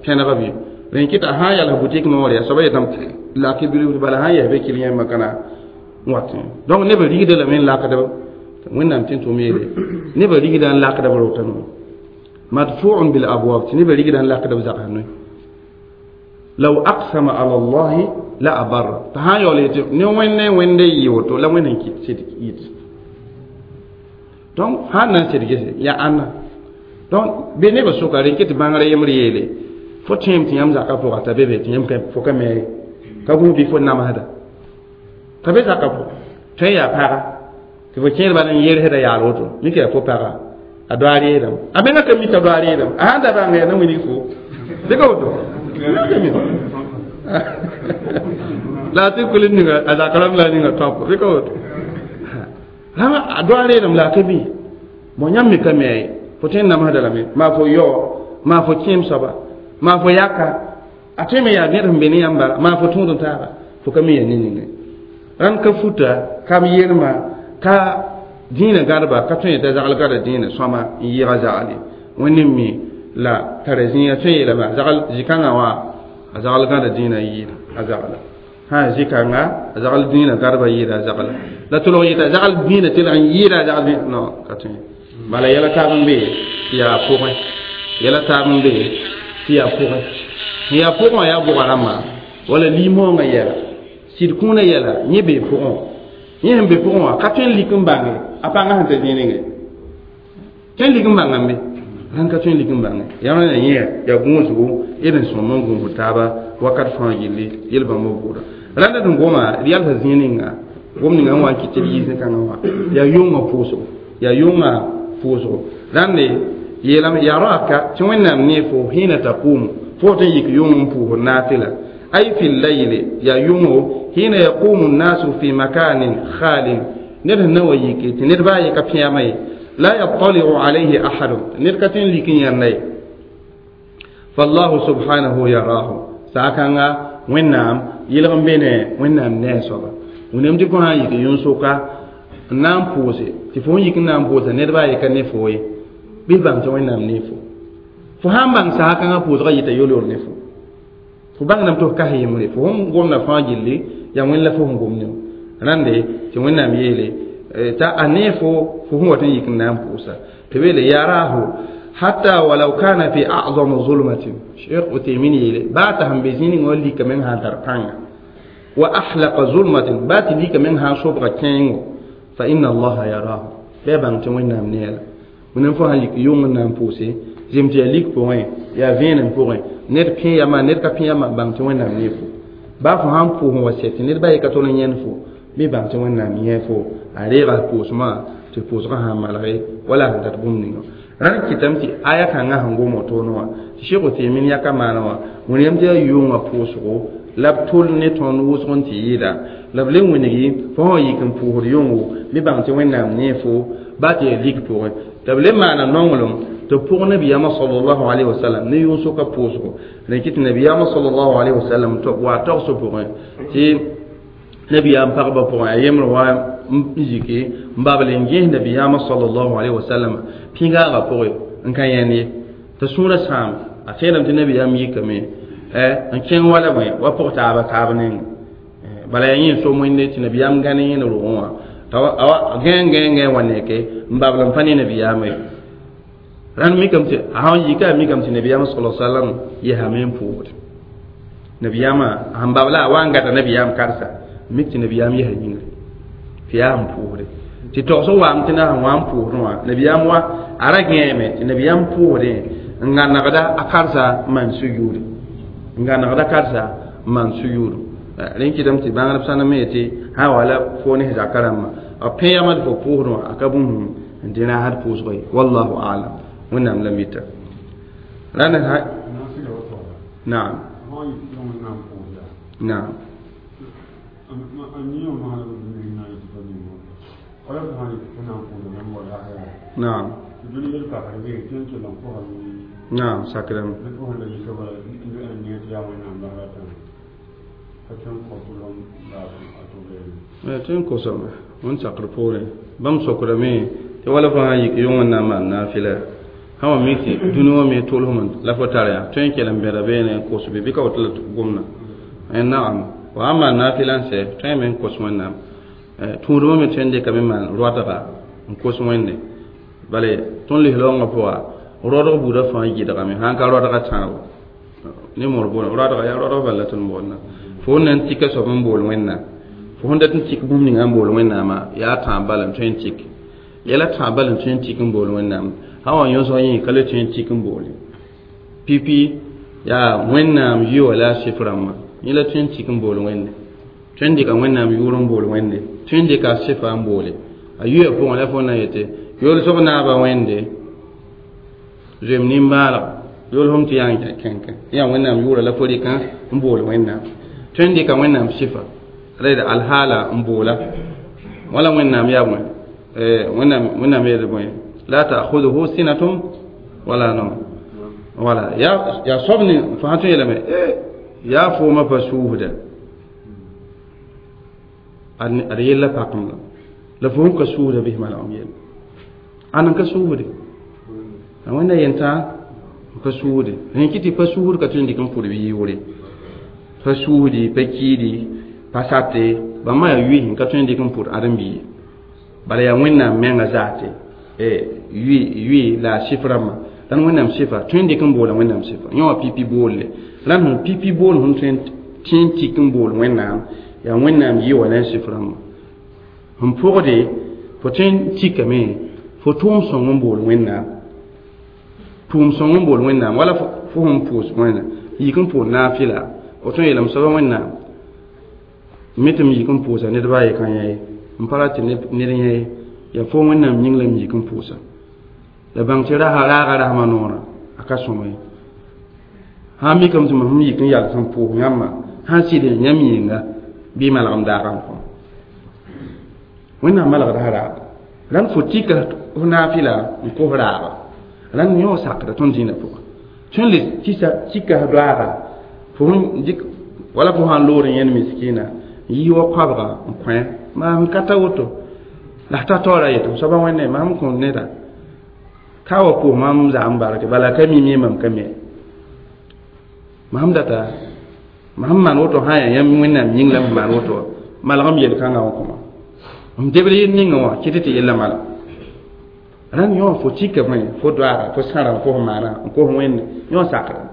pẽneg be rẽn kɩta sã n yals butik noore a soaba yetame tɩ lak bilibl bala sã n yɛs be kɩl yãmba kana n wat donc nebã rigda lame n lakdb wẽnnaam tɩ n tʋm yeele nebã rigda n lakdb rotã madfu'un bil abwab tɩ nebã rigda n lakdb zagsã noe law aqsama ala allahi la abarra t'a sã n yaool yetɩ ne wẽnde wẽnde yɩ woto la wẽnd n kɩt sɩd yit donc sã n na n sed gese yaa ãnna donc be nebã soka rẽ kɩ tɩ bãngrã yembr yeele fo tẽem tɩ yãmb zakã pʋga t'a be be tɩ yãmb fo ka me ka gũus bɩ fo namsda t'a be zakã pʋga tõe n yaa paga tɩ fo kẽer bala n yersda yaal woto mik yaa fo paga a doa reedame a menga ka mi t'a doa reedame a sãn da bãnga yaa na wilg fo dɩka woto ka mi la tɩ kul ninga a zak rãmb la ninga tõp bɩ ka woto rãmb a doa reedame la a ka mi bõ yãmb me ka me ye fo tõe n namsda lame maa fo yao maa fo kẽem soaba maa fo yaka a tõe me yaa ned sẽn be ne yãmb bala maa fo tõod n taaga fo ka mi yaa ne ninge rãnd ka futa ka b yelma ka dĩinã gãdba ka tõe t'a zagl gãda dĩinã sõama n yɩɩga zagle wẽnd n mi la tara zĩiga tõe yeelame zagl zĩ-kãngã wã a zagl gãda dĩinã yɩɩda a zagla sã zĩ-kãnga a zagl dĩinã gãdba yɩɩda a zagla la tʋlg yɩta zagl dĩinã tɩ n yɩɩda a zagl non ka tõe bala yɛla taab n be tɩ yaa pʋgẽ yɛla taab n be tɩ yaa pʋgẽ sẽn yaa pʋgẽ wã yaa bʋga rãmbã wala lim-moongã yɛla sɩd kũunã yɛla yẽ bee pʋgẽ yẽ sẽn be pʋgẽ wã ka tõe n lik n bãnge a pãngã sẽn ta zĩig ninge tõe n lik n bãngame be rãnd ka tõe n lik n bãnge yãmb na yẽ yaa gũusgo d n sõm n gũusd taaba wakat fãa gilli yel bãmb b bʋʋda rãnda sẽn goma d yalsa zĩig ninga gom ninga n wa n kɩt tɩ d yiis kãngã wã yaa yʋngã pʋʋsgo yaa yʋngã pʋʋsgo rãnde yeelame yaa roaka tɩ wẽnnaam nee fo hĩna taqumu fo tɩ n yik yʋng n pʋʋsd naafɩla ay fi layli yaa yʋngo hina yaqumu nnasu fi makanin khalin ned sẽn na wa yike tɩ ned baa ye ka pẽama ye la yattaliu alayhi ahadun ned ka tõe n lik n yãnda ye fallahu subhanahu yarahu saakãnga wẽnnaam yɩlg n be ne wẽnnaam ne a soaba wẽnnaam tɩ fo sã n yik yũn-soka n na n pʋʋse tɩ fo n yik n na n pʋʋsa ned baa ye ka ne fo ye bɩ bãng tɩ wẽnnaam ne fo fo sã n bãng saakãngã pʋʋsgã yɩta yol-yol ne fo fo bãngdame tɩ f kas yembre fo sẽn gomda fãa gilli yaa wẽnd la fo sẽn gom ne rãnde tɩ wẽnnaam yeele t'a a nee fo fo sẽn wat n yik n na n pʋʋsa tɩ b yeele yarahu Hatta walau kana fi a'zam zulmatin, Sheikh Uthaymeen yeele baa t'a sẽn be zĩig ning wã lika meng sã n tar pãnga, wa ahlaqa zulmatin, baa tɩ lika meng sã n sobga kẽengo, fa inna Allaha yarahu, bɩ a bãng tɩ Wẽnnaam ne-a la. Wẽnnaam fo sãn yik yʋng n na n pʋʋse zem tɩ yaa lik pʋgẽ, yaa vẽenem pʋgẽ, ned pẽ yama, ned ka pẽ yama, bãng tɩ Wẽnnaam ne fo. Baa fo sãn pʋʋs n wa sɛ tɩ ned ba ye ka tol n yẽnd fo, bɩ bãng tɩ Wẽnnaam yẽ fo, a reega pʋʋsmã tɩ pʋʋsgã sãn malge wala sẽn dat bũmb ninga. Rãnd kɩtame tɩ aya kãngã sẽn gom wotoone wã, tɩ Sheikh Uthaymin yaka maana wã, wẽnnaam tɩ yaa yʋngã pʋʋsgo la b tol ne tõnd wʋsg n tɩ yɩɩda la b le wĩngi fo sã yik n pʋʋsd yʋngo, bɩ bãng tɩ Wẽnnaam nee fo, baa tɩ yaa lik pʋgẽ. Tɩ b le maana nonglem tɩ pʋg nabiyaamã sallallahu alayhi wa sallam ne yʋng-soka pʋʋsgo. Rẽ kɩ tɩ nabiyaamã sallallahu alayhi wa sallam wa togsg pʋgẽ tɩ nabiyaam pagba pʋgẽ a yembr wa n yike n babl n gẽes nabiyaamã sallallahu alayhi wa sallam pĩgaaga pʋgẽ n ka yẽnd ye, tɩ sũurã sãam a seelame tɩ nabiyaam yikame n kẽng wala bõe wa pʋg taaba taab neng, bala yaa yẽ so wẽnde tɩ nabiyaam gãne yẽnd rogẽ wã t'a gãe gãe gãe wa neke n babl n pa ne nabiyaamã ye. Rãnd mikame tɩ a sãn yika a mikame tɩ nabiyaamã sala sallam yesame n pʋʋsde nabiyaamã sẽn babla a wa n gata nabiyaam karsa mik tɩ nabiyaam yesa yĩngre tɩ yaa n pʋʋsde tɩ togsg waam tɩ na sẽn wa n pʋʋsdẽ wã nabiyaam wa a ra gẽeme tɩ nabiyaam pʋʋsdẽ n gãnegda a karsa n maan sujuude, n gãnegda karsa n maan sujuudu. Rẽ kɩtame tɩ bãngdb sãn me yetɩ sã wala fo ne zaka rãmbã b pẽ yamd fo pʋʋsdẽ wã a ka bũmb n dẽ raasd pʋʋsgo ye. Wallahu alam, Wẽnnaam la mita rãnd. Naam, naam. Naam, naam, sakrame. Tɩ n kosame wẽn sakr poorẽ bãmb sokdame tɩ wala fo sã n yik yʋng n na n maan naafɩla sã wa mik tɩ dũni wã me tolsem la fo tar yaa tõe n kell n bẽda beene n kos bɩ ka woto la gomna. Naam, fo sãn maan naafɩla n sɛ tõe me n kos Wẽnnaam tũudmã me tõe n dɩkame n maan roadga n kos Wẽnde bale tõnd lislaoongã pʋga roadg buudã fãa gɩdgame sãn ka roadga tãabo ne moor bool roadga yaa roadg bala tõnd boolna fo n na n tika soab n bool Wẽnnaam, fo sẽn dat n tik bũmb ninga n bool Wẽnnaamã yaa tãab bala n tõe n tik yɛla tãab bala n tõe n tik n bool Wẽnnaam sã wa yõsg yẽ ka le tõe n tik n boole pipi yaa Wẽnnaam yʋa la a sɩf rãmbã yẽ la tõe n tik n bool Wẽnde, tõe n dɩka Wẽnnaam yʋʋr n bool Wẽnde, tõe n dɩka a sɩfa n boole a yʋa pʋgẽ la fo na yetɩ yolsg naaba Wẽnde zoeem nimbãalg yolsem tɩ yaa n kẽnkẽ yaa Wẽnnaam yʋʋra la fo rɩkã n bool Wẽnnaam, tõe n dɩka Wẽnnaam sɩfa rɛd alhaala n boola wala Wẽnnaam yaa bõe Wẽnnaam Wẽnnaam yeel bõe la ta'khudhuhu sinatun wala nawm wala yaa soab ne fo sã tõe yeelame yaa foomã pa suusda ad yella pakem la fo sẽn ka suusda bɩs malgem yell ãn n ka suusde a Wẽnda yentã pa suusde rẽ kɩ tɩ pa suusd ka tõe n dɩk n pʋd bɩ yʋʋre pa suusdi pa kiidi pa sate bãmba yaa yʋɩ n ka tõe n dɩk n pʋd ãdem-biig bala yaa Wẽnnaam menga zaate yʋɩ la a sɩf rãmbã rãnd Wẽnnaam sɩfa tõe n dɩk n boola Wẽnnaam sɩfa yẽ wã pipi boolle rãnd sẽn pipi bool sẽn tõe n tɩk n bool Wẽnnaam yaa Wẽnnaam yɩ wa la n sɩf rãmbã sẽn pʋgde fo tõe n tikame fo tʋʋm sõng n bool Wẽnnaam tʋʋm sõng n bool Wẽnnaam wala fo sẽn pʋʋs Wẽnnaam yik n pʋʋs naafɩla fo tõe n yeelame soaba Wẽnnaam me tɩ m yik n pʋʋsa ned baa ye ka yã ye n pa ra tɩ ned yã ye yaa fo Wẽnnaam yĩng la m yik n pʋʋsa la bãng tɩ raaga rasmã noorã a ka sõma ye sã n mikame tɩ mam yik n yals n pʋʋs yãmbã sãn sɩd yãmb yĩnga bɩ malgem daagã n kõ Wẽnnaam malgda sã raaga rãnd fo tika f naafɩla n kos raaga rãnd yõ sakda tõnd dĩinã pʋga tõe n le tɩsa tika f doaaga fo sẽn dɩk wala fo sãn loor n yẽnd miskiina n yi wa koabga n kõ maam ka ta woto la f ta taoora yetɩ f soaba Wẽnde maam kõ neda ka wa pʋʋs mam zag n barke bala ka mim ye mam ka me mam data mam maan woto sã yaa yãmb Wẽnnaam yĩng la m maan woto malgem yel-kãngã wã kõma m debd yel ninga wã kɩtɩ tɩ yella malg Rãnd yõ fo tika bõe fo doaaga fo sãra n kos maana n kos wẽnde yõ sakra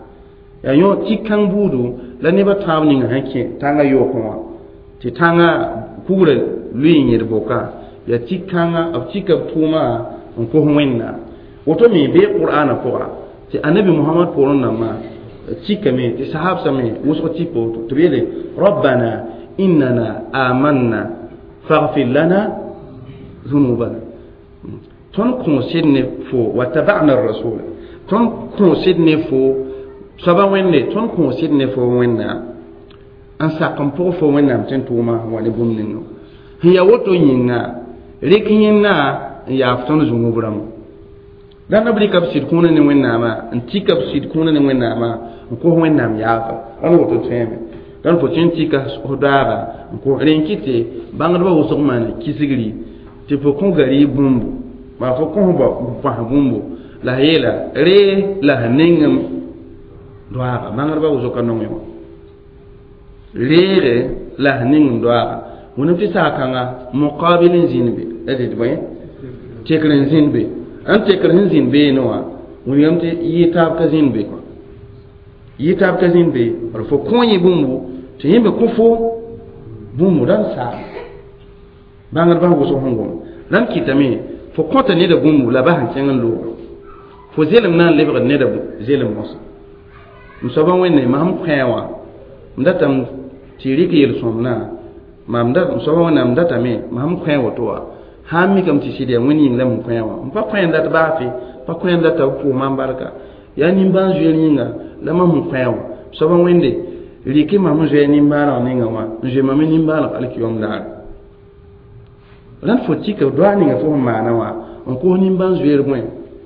yaa yõ tik kãng buudu la nebã tãab ninga sẽn kẽ tãngã yookẽ wã tɩ tãngã kugrã lʋɩ n yẽd boka yaa tik kãnga b tika b tʋʋma n kos wẽnnaam woto me bee qur'aanã pʋga tɩ anabi mohamad poorẽ nambã tikame tɩ sahabsã me wʋsg tik woto tɩ b yeele rabbana innana amanna faghfir lana zunubana tõnd kõosd ne fo wa tabana rasula tõnd kõosd ne fo soaba wẽnde tõnd kõosd ne fo wẽnnaam n sak n pʋg fo wẽnnaam tɩ n tʋʋma wa ne bũmb ninga sẽn yaa woto yĩnga rɩk yẽnna n yaaf tõnd zũnub rãmba dãnda b rɩka b sɩd kũuna ne wẽnnaamã n tika b sɩd kũuna ne wẽnnaamã n kos wẽnnaam yaafa rãnd woto tõeme dãnd fo tõe n tika f daaga n kos rẽ n kɩte bãngdbã wʋsg maana kisgri tɩ fo kõ gari bũmbu maa fo kõ bõs bũmbu la a yeela ree la sẽn nengem doaaga bãngdbã wʋsg ka nongẽ wã reege la sẽn nengem doaaga wẽnnaam tɩ saag-kãnga muqabil n zĩnd be la dɩt bõe tekr n zĩnd be n tekr sẽn zĩnd beene wã wilgame tɩ yɩ taab ka zĩnd be kõ yɩ taab ka zĩnd be d fo kõ yẽ bũmbu tɩ yẽ be kõ fo bũmbu rãnd saam bãngdbã wʋsg sẽn gom rãnd kɩtame fo kõta neda bũmbu la bas n kẽng n looga fo zelem na n lebgd neda zelem mosã m soaba wẽnde mam kõ wã m datame tɩ rɩk yel-sõmdã mam da m soaba wẽnnaam datame mam kõ woto wã sãn mikame tɩ sɩd yaa wẽnd yĩng la m kõ wã m pa kõ n dat baafe pa kõ n data b pʋʋs mam barka yaa nimbãan-zoeer yĩnga la mam n kõ wã soaba wẽnde rɩkɩ mam n zoe nimbãaneg ninga wã n zoe mam nimbãaneg alkiyom daare rãnd fo tika doa ninga fo sẽn maana wã n kos nimbãan-zoeer bõe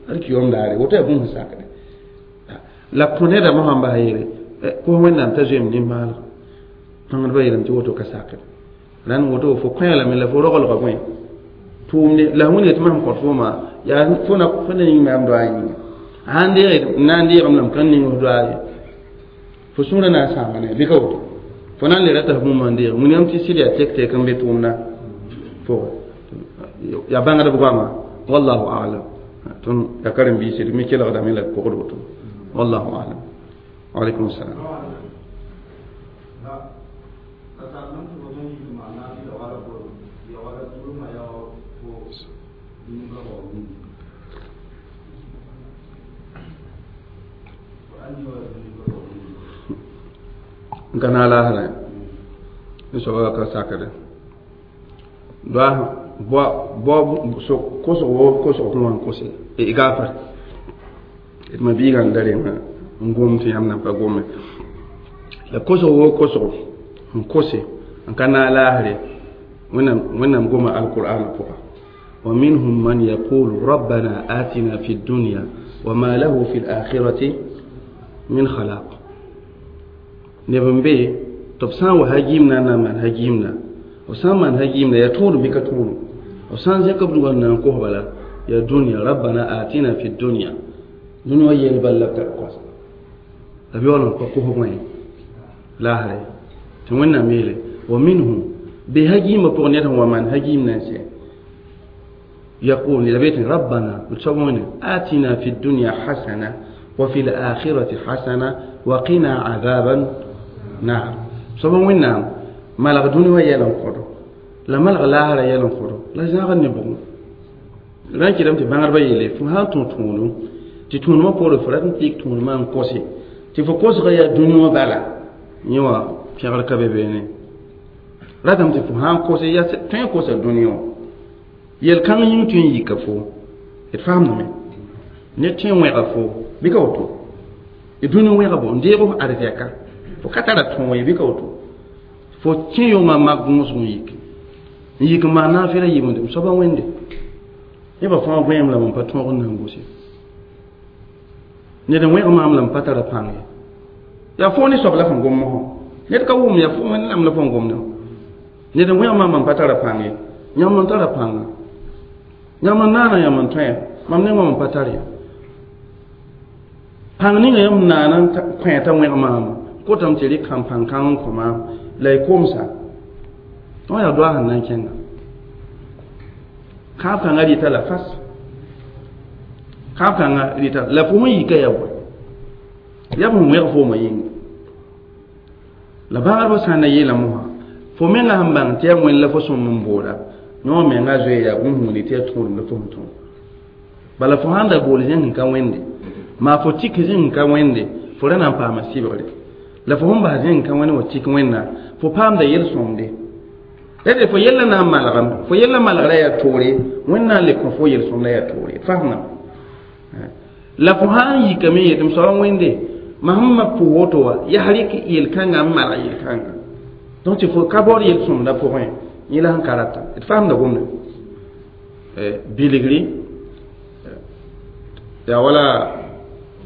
alkiyom daare woto yaa bũmb sẽn sakde la kõ neda mosã n bas yeele kos wẽnnaam t'a zoeem nimbãaneg bãngdbã yeelame tɩ woto ka sakde rãnd woto fo kõ lame la fo roglga bõe tʋʋmde la wẽnga tɩ mam kõt fooma yaa fo na fo na ning maam doa yĩnga sãn deeg n na n deegame la m kãn ning f doa ye fo sũurã na n sãama ne bɩ ka woto fo na n le rata f bũmb n deeg wilgame tɩ sɩd yaa tek-tek n be tʋʋmdã pʋgẽ yaa bãngdb goama wallahu alam tõnd yaa karen-biisi d me kelgdame la d pʋgd woto wallahu alam waalaikum salam. N ka naag laasrã n soaba ka sakre doa kosg wo kosg fõ wã n kose y gaafar d ma biigã n da rengã n gom tɩ yãmb nan pa gome la kosg wo kosg n kose n ka naag laasre wẽnnaam goma alqur'ana pʋga wa minhum man yaqulu rabbana atina fi dunya wa ma lahu fi lakhirati min khalaq neb n be tɩ b sã n wa hagiimna n na n maan hagiimna b sã n maan hagiimna yaa tõodum bɩ ka tõodum b sã n zẽk b dugã n na n kos bala yaa dũniyã rabbana atina fi dunya dũni wã yell bal la b tar koasa la b yaool n pa kos bõe laasre tɩ wẽnnaam yeele wa minhum be hagiimã pʋgẽ ned sẽn wa maan hagiim na n sɛ yaqul la be tɩ rabbana d soab wẽne atina fi dunya hasana wa fi lakhirati hasana wa qina azaban naar soab wẽnnaam malg dũni wã yɛl n kõdo la malg laasrã yɛl n kõdo la zãagd ne bʋgẽ rã n kɩtame tɩ bãngdbã yeele fo sã n tũ tõodum tɩ tõodmã poore fo rat n tɩk tõodmã n kose tɩ fo kosga yaa dũni wã bala yẽ wã pẽgr ka be beene ratame tɩ fo sã n kose yaa tõe n kosa dũni wã yel-kãng yĩng tõe n yika fo d faamdame ned tõe n wẽga fo bɩ ka woto d dũni wẽga bo n deeg f arzɛka fo ka tara tõog ye bɩ ka woto fo kẽ yongã mak gõosg n yik n yik n maan naafɩla yɩmde m soaba wẽnde nebã fãa gõeem lame n pa tõog n na n gose ned n wẽg maam la m pa tara pãng ye yaa fo ne soab la fõn gom mosã ned ka wʋm yaa fo wẽnnaam la fõn gomdã ned n wẽg maam n pa tara pãng ye yãmb n tara pãnga yãmb n naana yãmb n tõe mam nengã n pa tar ye pãng ninga yãmb naana n kõ t'a wẽg maama kotame tɩ rɩk kãn pãn-kãng n kõ maam la y komsa wã yaa doa sẽn na n kẽnga kãab kãngã rɩta la fas Kãab kãngã rɩta la fo sẽn yika yaa bõe yaa b sẽn wẽg foomã yĩnga la bãagdbã sã n na yeela mosã fo menga sẽn bãng tɩ yaa wẽnd la fo sõm n booda yõ menga zoe yaa bũmb sẽn wilg tɩ yaa tũudem la fo sẽn tõog bala fo sãn da bool zẽng n ka wẽnde maa fo tik zẽng n ka wẽnde fo ra na n paama sɩbgre la fo sẽn bas zẽng n ka wẽnd wa tik wẽnna fo paamda yel-sõmde d fo yella na n malgame fo yella malgra yaa toore wẽnd na n le kõ fo yel-sõmda yaa toore fasnam la fo sã n yikame yetɩ m soaba wẽnde mam sẽn ma pʋ woto wa yaa rɩk yel-kãngã n malg yel-kãngã donc tɩ fo ka baood yel-sõmdã pʋgẽ yẽ la sẽn ka rata d faamda gomda bilgri yaa wala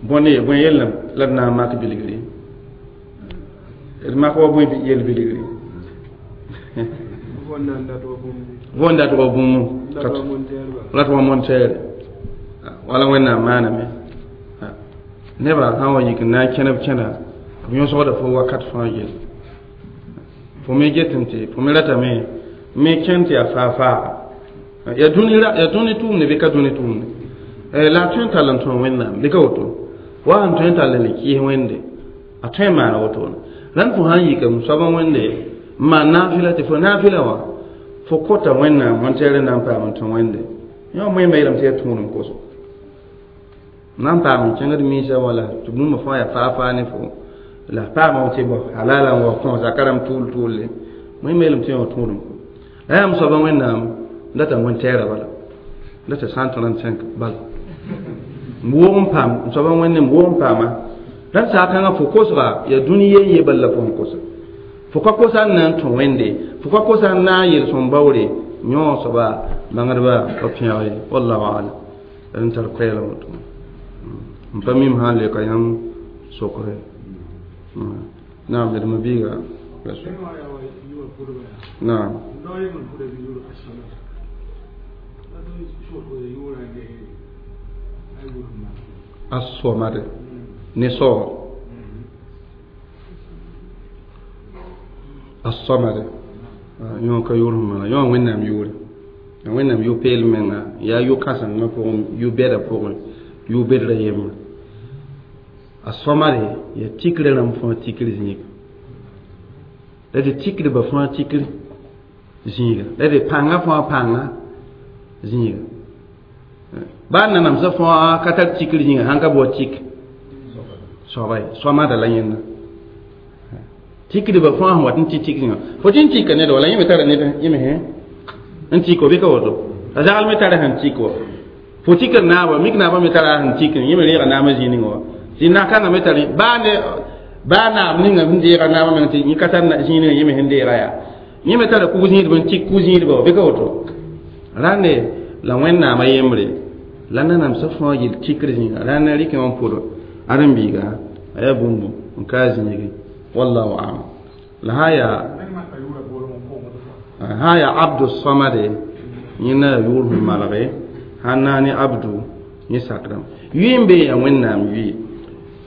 bõne bõe yellame la d na n mak bilgri d mak wa bõe yel bilgri võn dat wa bũmb rat wa monteere wala wẽnnaam maaname nebã sã n wa yik n na n kẽneb kẽna b yõsgda fo wakat fãa yell fo me getẽ tɩ fo me ratame me kẽn tɩ yaa faa-faaga yaa dũni tʋʋmde bɩ ka dũni tʋʋmde la a tõe n tall n tõe wẽnnaam bɩ ka woto wa sẽn tõe n tall n le kɩɩs wẽnde a tõe n maana wotone rãnd fo sã n yika m soab n wẽnde n maan naafɩla tɩ fo naafɩla wã fo kota wẽnnaam wẽn-tɛɛr na n paam n tõ wẽnde yõ moẽmba yeelame tɩ yaa tũudem koso na n paam n kẽngd miisã wala tɩ bũmba fãa yaa faa-faa ne fo la paama tɩ bõ halala n wa kõ zaka rãmb tʋʋl tʋʋlle moẽmba yeelame tɩ yõ tũudem ko la yaa m soaba wẽnnaam data wẽn-tɛɛrã bala data 135 bala m woog n paam m soaba wẽnde m woog n paama rãnd saag-kãngã fo kosga yaa dũni yen ye bala la fo sẽn kosa fo ka kosa n na n tõ wẽnde fo ka kosa n na n yel-sõm baoore yõ soaba bãngdba pa pẽg ye wallahu alam d n tar koɛɛla woto n pa mim sã n leka yãmb sokre naam d mabiiga naam as-somad ne soor as-somad yõ ka yʋʋr sẽn maana yõ wẽnnaam yʋʋre wẽnnaam yʋ-peel menga yaa yʋ-kãsengã pʋgẽ yʋ-bɛdã pʋgẽ yʋ-bedrã yembre a sõmade yaa tikrã rãmb fãa tikr zĩiga la tɩ tikdbã fãa tikr zĩiga la tɩ pãngã fãa pãnga zĩiga baa nanamsã fãa ka tar tikr zĩiga sãn ka bao tik soaba ye sõmada la yẽnda tikdbã fãa sẽn wat n tɩ tik zĩiga fo tɩ n tika ned wala yẽ me tara ned yẽ me n tik wa bɩ ka woto a zagl me tara sẽn tik wa fo tikr naaba mik naaba me tara sẽn tik yẽ me reega naamã zĩig ninga wa tɩ na-kãngã me tar baa naab ninga sẽn deega naamã meng tɩ yẽ ka tar zĩig ninga yẽ me sẽn deega yaa yẽ me tara kug-zĩidb n tik kug-zĩidbã wa bɩ ka woto rãnde la wẽnnaamã yembre la nanamsã fãa yel tikr zĩiga rãnd n rɩkẽ wã n pʋd ãdem-biiga a yaa bũmb n ka a zĩigi wallahu alam la sã yaa abdu samade yẽ na yaa yʋʋr sẽn malge sãn na ne abdu yẽ sakrame yʋɩ n be yaa wẽnnaam yʋɩ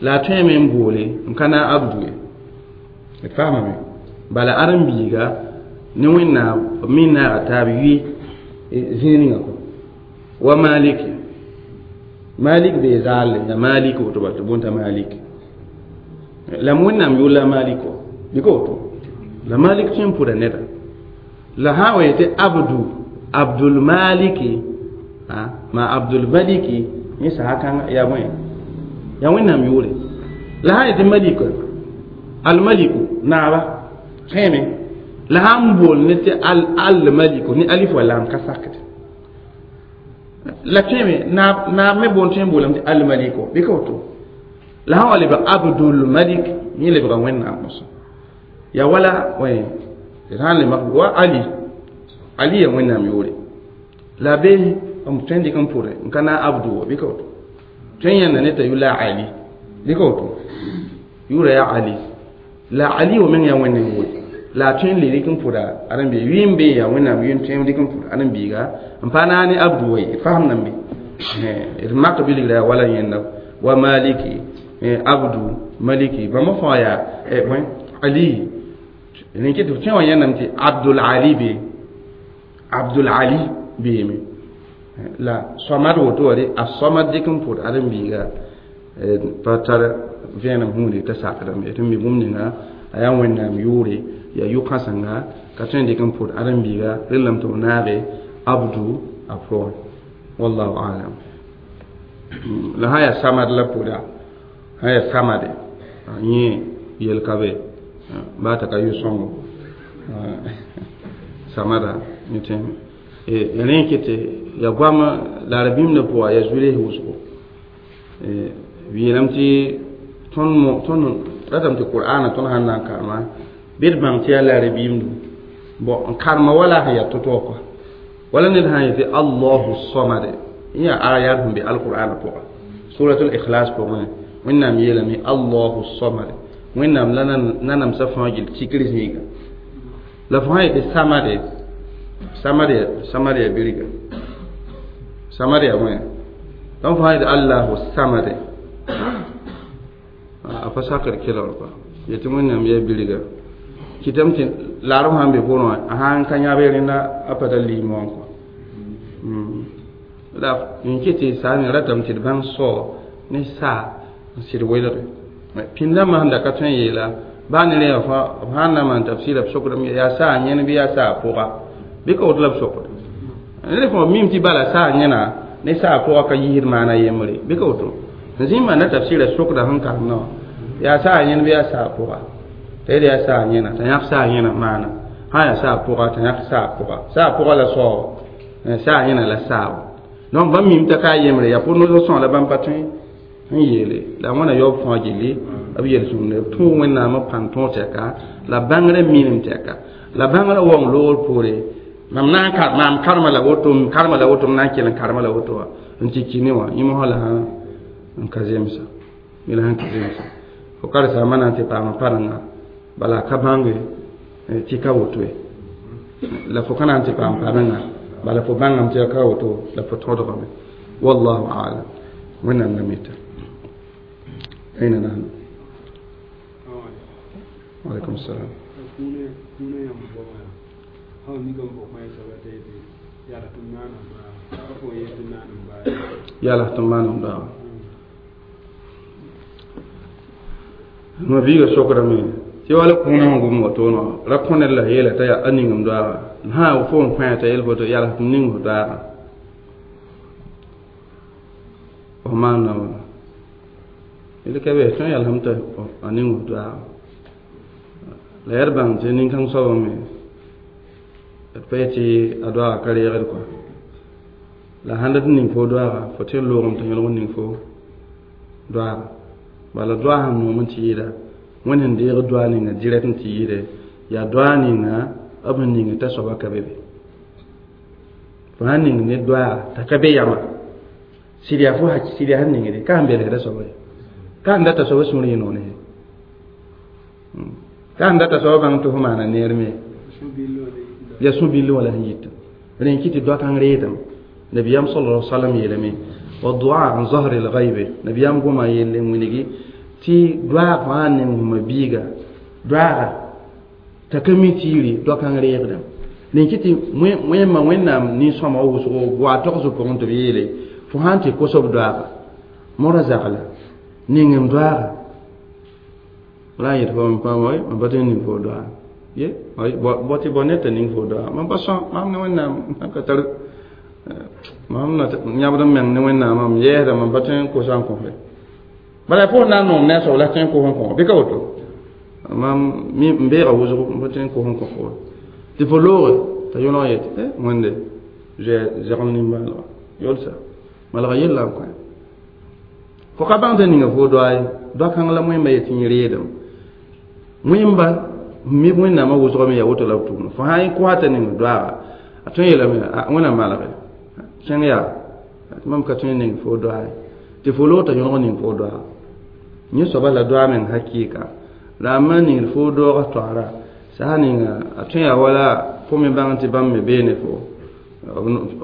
la a tõeme n boole n ka na abdu ye d faamame bala ãdem-biiga ne wẽnnaam b me naaga taab yʋɩ zĩig ninga kɔ wa maliki malik bee zaalle ya malik woto bal tɩ boonta malik la wẽnnaam yʋʋr la malik wa bɩ ka woto la malik tõe n pʋda neda la sã n wa yetɩ abdu abdulmaliki ma abdulmaliki yẽ sasa kãngã yaa bõe yaa wẽnnaam yʋʋre la sã n yetɩ malika almaliku naaba tõeme la sã n bool ne tɩ almaliku ne alif wa lam ka sakd la tõeme naab me boon tõe n boolame tɩ almaliko bɩ ka woto la sã n wa lebg abdulmalik yẽ lebga wẽnnaam mosã yaa wala d sã n le mak wa ali ali yaa wẽnnaam yʋʋre la be m tõe n dɩk n pʋre n ka na abdu wa bɩ ka woto tõe n yãnda ne t'a yʋ la ali bɩ ka woto yʋʋra yaa ali la ali wa meng yaa wẽnnaam yʋʋre la a tõe n le rɩk n pʋda ãdem-biiga yʋɩ n be yaa wẽnnaam yʋɩ n tõe n rɩk n pʋd ãdem-biiga n pa na ne abdu wa ye d fasem nan be d mak bilgra yaa wala yẽnda wa maliki abdu maliki bãmba fãa yaa bõe ali rẽn tɩ tõe wã yãndame tɩ abdul ali be abdul ali beeme La samad woto wa a samad dɩk n pʋd ãdem-biiga pa tar vẽenem gũudi t'a sakdame tɩ mi bũmb ninga a yaa wẽnnaam yʋʋre yaa yʋ-kãsenga ka tõe n dɩk n pʋd ãdem-biiga rẽllame tɩ b naage abdu a pʋgẽ wallahu alam. La sã yaa samad la pʋda sã yaa samade yẽ yel ka be baa t'a ka yʋ-sõngo samada yẽ tẽeme rẽ kɩ tɩ ya goam la rabĩmdã pʋga yaa zu-ree wʋsgo b yeelame tɩ tõnd ratame tɩ qur'ana tõnd sãn na n karema bɩ d bãng tɩ yaa la rabiimdu bon n karema wala sẽn yaa to-to kɔa wala ned sã n yetɩ allahu samade yẽ yaa ayat sẽn be alqur'ana pʋga suratul ikhlas pʋgẽ wẽnnaam yeelame allahu samade wẽnnaam la nanamsã fãa gill tikr zĩiga la fo sã yetɩ samade samade samade yaa birga samade yaa wẽ donc fo sã yetɩ allahu samade a pa sakr kelgr kɔa yetɩ wẽnnaam yaa birga kɩtame tɩ laarem sãn be pʋrẽ wã a sãn ka yãb rẽnda a pa tar liim wã kɔa la n kɩ tɩ saame ratame tɩ d bãng sao ne saa n sɩd welge pĩnd-dãmbã sẽn da ka tõe n yeela baa ne rẽ fãa b sãn na maan tafsɩɩra b sokdame yaa saa yẽn bɩ yaa saa pʋga bɩ ka woto la b sokd ned fõ mim tɩ bala saa yẽna ne saa pʋga ka yiisd maana yembre bɩ ka woto n zĩ n maanda tafsɩɩra sokda sẽn karemdã wã yaa saa yẽn bɩ yaa saa pʋga t'a yel yaa saa yẽna t'a yãk saa yẽna maana sã yaa saa pʋga t'a yãk saa pʋga saa pʋga la saoog saa yẽna la saao donc bãmb mim t'a ka a yembre yaa pʋr no sõa la bãmb pa tõe n yeele la wãna yaoob fãa gilli b yel-sõmde b tõog wẽnnaamã pãn tõog tɛka la bãngrã minim tɛka la bãngrã waoong loogr poore mam na n maam karema la woto m karema la woto m na n kell n karema la woto wã n tɩ ki ne wã yẽ mosã la n ka zemsa la sẽn ka zemsa fo karsaambã na n tɩ paama parenga bala a ka bãnge tɩ ka woto ye la fo ka na n tɩ paam parenga bala fo bãngame tɩ a ka woto la fo tõdgame wallahu alam wẽnnaam la mita أين نحن؟ وعليكم السلام. يا له تمان دا ma biiga sokrame tɩ wala kũunã sẽn gʋm woto wã ra kõ ned la yeela t'a yaa a ningem doaaga sã fo n kõ t'a yel woto yaa tɩ ning fo doaaga fo maanda wãna yel ka be tõe yalsem t'a a ning fo doaaga la yaa d bãng tɩ nin-kãng soabã me d pa yetɩ a doaaga ka reegd kɔa la sãn dat n ning fo doaaga fo tɩ n loogame tɩ yõlg n ning fo doaaga bala doa sẽn noom n tɩ yɩɩda wẽnd sẽn deeg doa ninga direct n tɩ yɩɩde yaa doa ninga b sẽn ning t'a soaba ka be be fo sãn ning ne doa t'a ka be yama sɩd yaa fo sɩd yaa sẽn ningde ka sẽn belgda soaba ye ka sẽn data soaba sũur yẽ noone ka sẽn data soaba bãng tɩ fo maana neer me yaa sũ-bill wã la sẽn yita rẽ kɩ tɩ doa kãng reedame nabiyam sallallahu alaihi wasallam yeelame والدعاء عن ظهر الغيب نبيام قوما يلي وينجي تي دعاء فان نم بيغا دعاء تكمي تيري دعاء كان ريغدا نينكتي وين ما وين نام ني سوما وسو غوا توكسو بون تبيلي فهانتي كوسوب دعاء مورا زغلا نينم دعاء لا يتفهم فاوي ما باتين ني فو دعاء ye ay boti bonete ning fo doa mam pa sõ mam ne wẽnnaam ka tar mam na yãbd n meng ne wẽnnaam mam yɛɛsda mam pa tõe n kosa n kõsre bala fo na n noom ne a soab la tõe n kos n kõ bɩ ka woto mam n beega wʋsgo n pa tõe n kos n kõ fo tɩ fo looge t'a yõlg yetɩ wẽnde zɛgem nimbãanega yolsa malga yella n kõ fo ka bãng tɩ ninga fo doa ye doa kãng la wẽmba yetɩ yẽ reedame wẽmba mi wẽnnaamã wʋsgame yaa woto la b tʋʋmda fo sã n kosa t'a ning doaaga a tõe n yeelame wẽnnaam malge kẽng yaa mam ka tõe n ning fo doa ye tɩ fo loog t'a yõlg ning fo doa yẽ soaba la doa meng hakɩɩka la a ma ningd fo doogã toaara sã ninga a tõe yaa wala fo me bãng tɩ bãmb me beene fo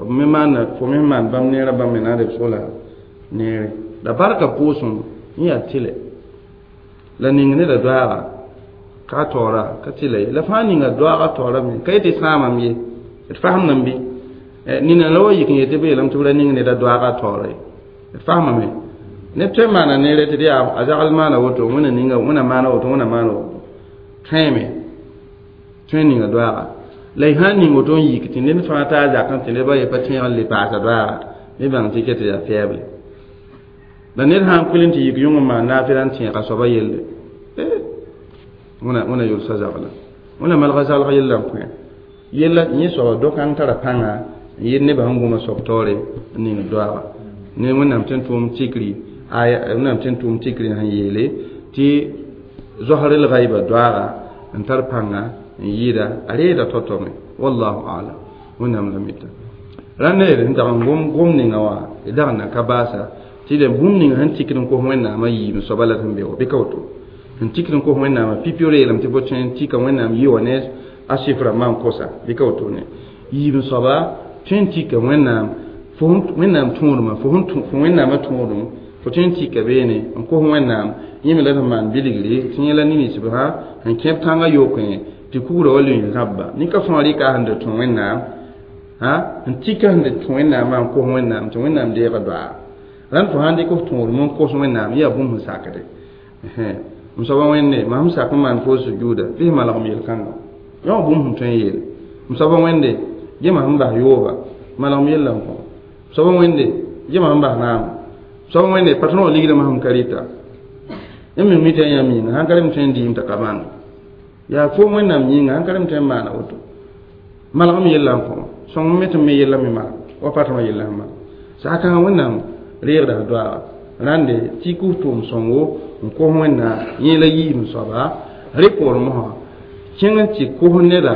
b me maanda fo me maan bãmb neerã bãmb me na n reb sola neere la barka pʋʋsem yẽ yaa tɩlɛ la ning neda doaaga ka taoora ka tɩla ye la fãa ninga doaaga taoorame ka yetɩ sãamam ye d fasemdame bɩ Nina la wa yik n yetɩ b yeelame tɩ b ra ning ned a doaagã taoore d faamame neb tõe n maana neere tɩ d yaa a zagl maana woto wẽna ninga wẽna maana woto wẽna maana woto tõeme tõe n ninga doaaga la y sãn ning woto n yik tɩ ned fãa taa zakẽ tɩ nebã ye pa tẽeg n le paasa doaaga me bãng tɩ ket yaa fɛɛble la ned sãn kuil n tɩ yik yũng n maan naafɩla n tẽega soaba yelle wẽna yʋlsa zagla wẽna malga zalg yella n kõ yella yẽ soaba do-kãng tara pãnga n yet nebã sẽn gũma soab taoore n ning doaaga ne wẽnnaam tõe n tʋʋm tikri aya wẽnnaam tõe n tʋʋm tikri sẽn yeele tɩ zoasr l-gaiba doaaga n tar pãnga n yɩɩda a reeda tao-tao me wallahu alam wẽnnaam la mita rãnd neer sẽn dag n gom ninga wã d dag n na ka baasa tɩ d bũmb ninga sẽn tikd n kos wẽnnaamã yiib soaba la sẽn be wa bɩ ka woto sẽn tikd n kos wẽnnaamã pipi reelem tɩ fo tõe n tika wẽnnaam yi wa ne a sɩfrã maan kosa bɩ ka wotone yiib soaba tõe n tika wẽnnaam fo wẽnnaam tõodmã fo wẽnnaamã tõodem fo tõe n tika beene n kos wẽnnaam yẽ me la sẽn maan bilgre tɩ yẽ la ninsb sã sẽn kẽb tãngã yokẽ tɩ kugrã wa lʋɩ zãbba nin-ka fãa rɩka sẽn da tũ wẽnnaam n tika sẽn da tũ wẽnnaamã n kos wẽnnaam tɩ wẽnnaam deega doaa rãnd fo sãn dɩk f tõodem n kos wẽnnaam yaa bũmb sẽn sakde m soaba wẽnde mam sẽn sak n maan fo sujuuda bɩ sẽn malgem yel-kãnga yã bũmb sẽn tõe n yeele m soaba wẽnde gema sẽn bas yooba malgem yella n kõ m soaba wẽnde gema sẽn bas naam m soaba wẽnde patron wã ligdã sẽn ka rɩta yãmb me mita yãmb yĩnga sãn ka rem tõe n dɩɩm t'a ka bãng yaa fo wẽnnaam yĩnga sãn ka rem tõe n maana woto malgem yella n kõ sõng me tɩ m me yella me malg wa patron yella sẽn malg sakãngã wẽnnaam reegda doaaga rãnde tɩ kʋs tʋʋm sõngo n kos wẽnnaam yẽ la yiib soaba rɩ poorẽ mosã kẽng n tɩ kos neda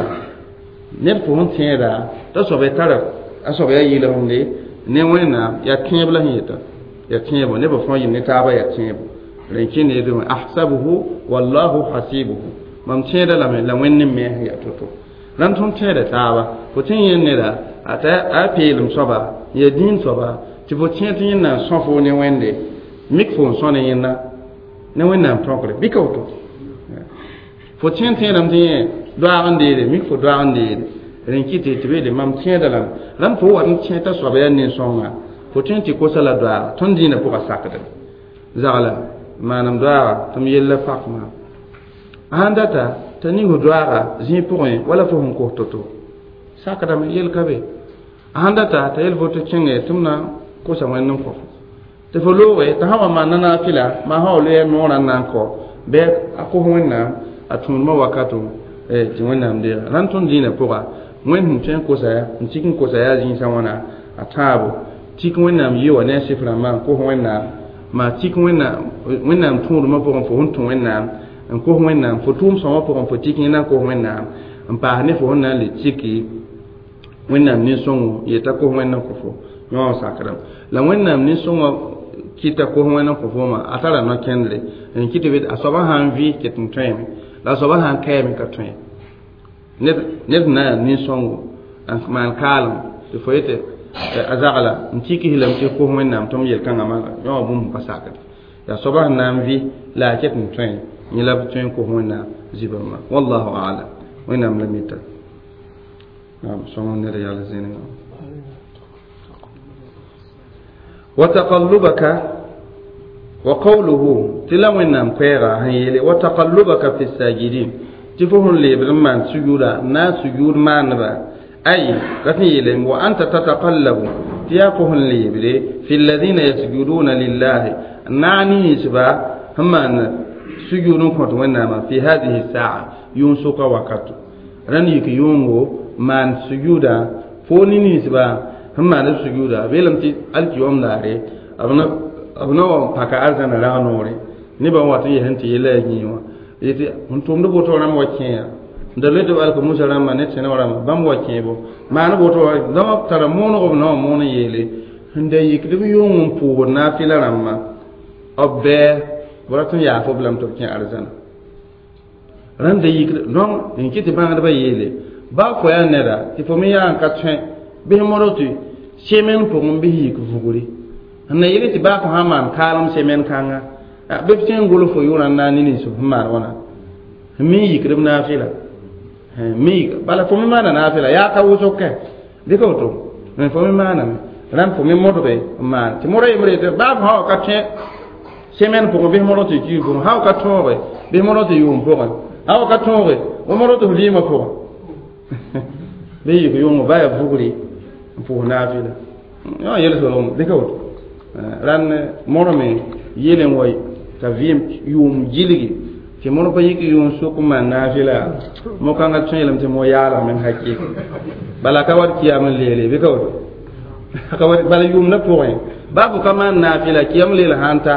ned fo sẽn tẽeda t'a soaba tara a soaba yaa yɩlgemde ne wẽnnaam yaa tẽeb la sẽn yeta yaa tẽebo nebã fãa yɩl ne taaba yaa tẽebo rẽn kẽ neede ahsabuhu wallahu hasibuhu mam tẽeda lame la wẽnd me yaa to-to rãnd tõnd tẽeda taaba fo tẽ yẽ neda a peelem soaba yaa dĩin soaba tɩ fo tẽ tɩ yẽnna n sõ fo ne wẽnde mik fo n sõ ne yẽnna ne wẽnnaam tõkre bɩ ka woto fo tẽ tẽedame tɩ yẽ doaag n deede mik fo doaag n deede rẽn kɩ tɩ beele mam tẽeda lame rãmb fo wat n tẽ t'a soaba yaa nin-sõnga fo tõe n tɩ kosa la doaaga tõnd dĩinã pʋga sakda zagla manem doaaga tɩ m yella pakma sãn data t'a ning doaaga zĩig pʋgẽ wala fo sẽn kos to-to sakdame yel ka be sãn data t'a yel fo tɩ kẽnge tɩ m na kosa wẽnd n kõ fo tɩ fo looge t'a sã wa maanda naafɩla maa sã wa loe noorã n na n kɔ bɩ a kos wẽnnaam a tũudmã wakato tɩ wẽnnaam deega rãnd tõnd dĩinã pʋga wẽnd sẽn tõe n kosa n tik n kosa yaa zĩisã wãna a tãabo tik wẽnnaam yɩ wa ne a sɩf rãmbã n kos wẽnnaam maa tik wẽnnaam tũudmã pʋgẽ fo sẽn tũ wẽnnaam n kos wẽnnaam fo tʋʋm sõmã pʋgẽ fo tik yẽna n kos wẽnnaam n paas ne fo sẽn na n le tiki wẽnnaam nin-sõngo yeta kos wẽnd n kõ fo yõ sakdame la wẽnnaam nin-sõngã kɩta kos wẽnd n kõ foomã a tara no-kẽndre n kɩ tɩ be a soaba sã n vɩ ket n tõeme la a soaba sã n kaame ka tõe ned sẽn na yaa nin-sõngo n maan kaalem tɩ fo yetɩ a zagla n tikis lame tɩ kos wẽnnaam tɩ m yel-kãngã maana yõ wã bũmb pa sakd yaa soaba sẽn na n vɩ la a ket n tõe yẽ la b tõe n kos wẽnnaam zibãmbã wallahu alam wẽnnaam la mita naam sõng ned yal zĩnigã وتقلبك وقوله تلا وينام كويرا هيلي وتقلبك في الساجدين تفهم لي برمان سجودا نا سجود ما نبا أي كثير وأنت تتقلب تيافهم لي بري في الذين يسجدون لله نعني سبا هم سجود كنت وينما في هذه الساعة ينسق وقت رنيك يونغو من سجودا فوني سبا sẽn maan b sujuuda b yeelame tɩ alkiyom daare b na wa paka arzãna rag noore nebã wat n yɛs n tɩ yella yaa yĩe wã yetɩ sẽn tʋmd woto rãmb wa kẽeya n da loe tɩ b alka musa rãmba ne tẽne wã rãmba bãmb wa kẽebo maan woto dãmb tara moonego b na wã moon n yeele sẽn da yikd b yʋng n pʋʋsd naafɩla rãmbã b bɛɛ b rat n yaaf b lame tɩ b kẽ arzãna rãmb da yikd donc n kɩ tɩ bãagdbã yeele baa fo yaa neda tɩ fo me yaa n ka tõe bɩs modg tɩ semen pʋgẽ bɩ yik vugre n na yele tɩ baa fo sã n maan kaalem semen kãnga bɩ f tõe n gʋls fo yʋʋrã n na n ne nins f sẽn maan wãna me yikd b naafɩla me yik bala fo me maana naafɩla yaa ka wʋsg kɛ bɩ ka woto Mais fo me maaname rãmb fo me modge n maan tɩ modg yembre tɩ baa fo sã wa ka tõe semaine pʋgẽ bɩs modg tɩ kiig pʋgẽ sã wa ka tõoge bɩs modg tɩ yʋʋm pʋgẽ sã wa ka tõoge fo modg tɩ f vɩɩmã pʋgẽ bɩ yik yʋngo baa yaa vugri n pʋʋs naafɩla yã yel-solgem bɩ ka woto rãnd modgme yel n wa t'a vɩɩm yʋʋm gilgi tɩ modg pa yik yʋʋm sʋk n maan naafɩla mo-kãngã tõe yeelame tɩ mo yaalgame hakɩɩk bala ka wat kiyam n leele bɩ ka woto bala yʋʋmdã pʋgẽ baa fo ka maan naafɩla kiyam leel sãn ta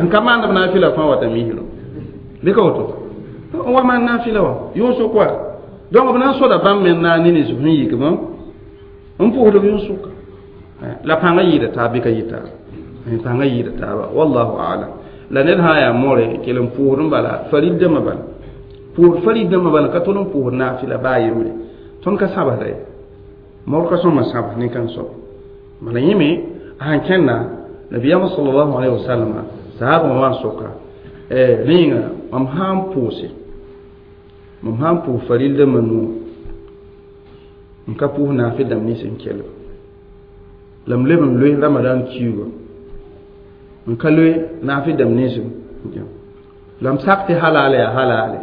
n ka maand b naafɩla fãa wata misro bɩ ka woto n wa maan naafɩla wã yʋʋn sʋk wa donc b na n soda bãmb me na ne nins sẽn yikb n pʋʋsd b yʋʋn sʋka la pãngã yɩɩda taab bɩ ka yɩ taaba pãngã yɩɩda taaba wallahu alam la ned sã n yaa more kell n pʋʋsd n bala farid dãmbã bala pʋʋsd farid dãmbã bala ka tol n pʋʋsd naafɩla baa yembre tõnd ka sabsda ye mor ka sõma sabs nin-kãng soab bala yẽme a sãn kẽnna nabiyaamã sallallahu alaihi wasallam sahabã wã n soka rẽenga mam sã n pʋʋse mam sã n pʋʋs faril dãmbã nuo n ka pʋʋs naafɩ dãmb nins n kelg la m leb n loe ramadan kiuga n ka loe naafɩ dãmb nins la m sak tɩ halal yaa halale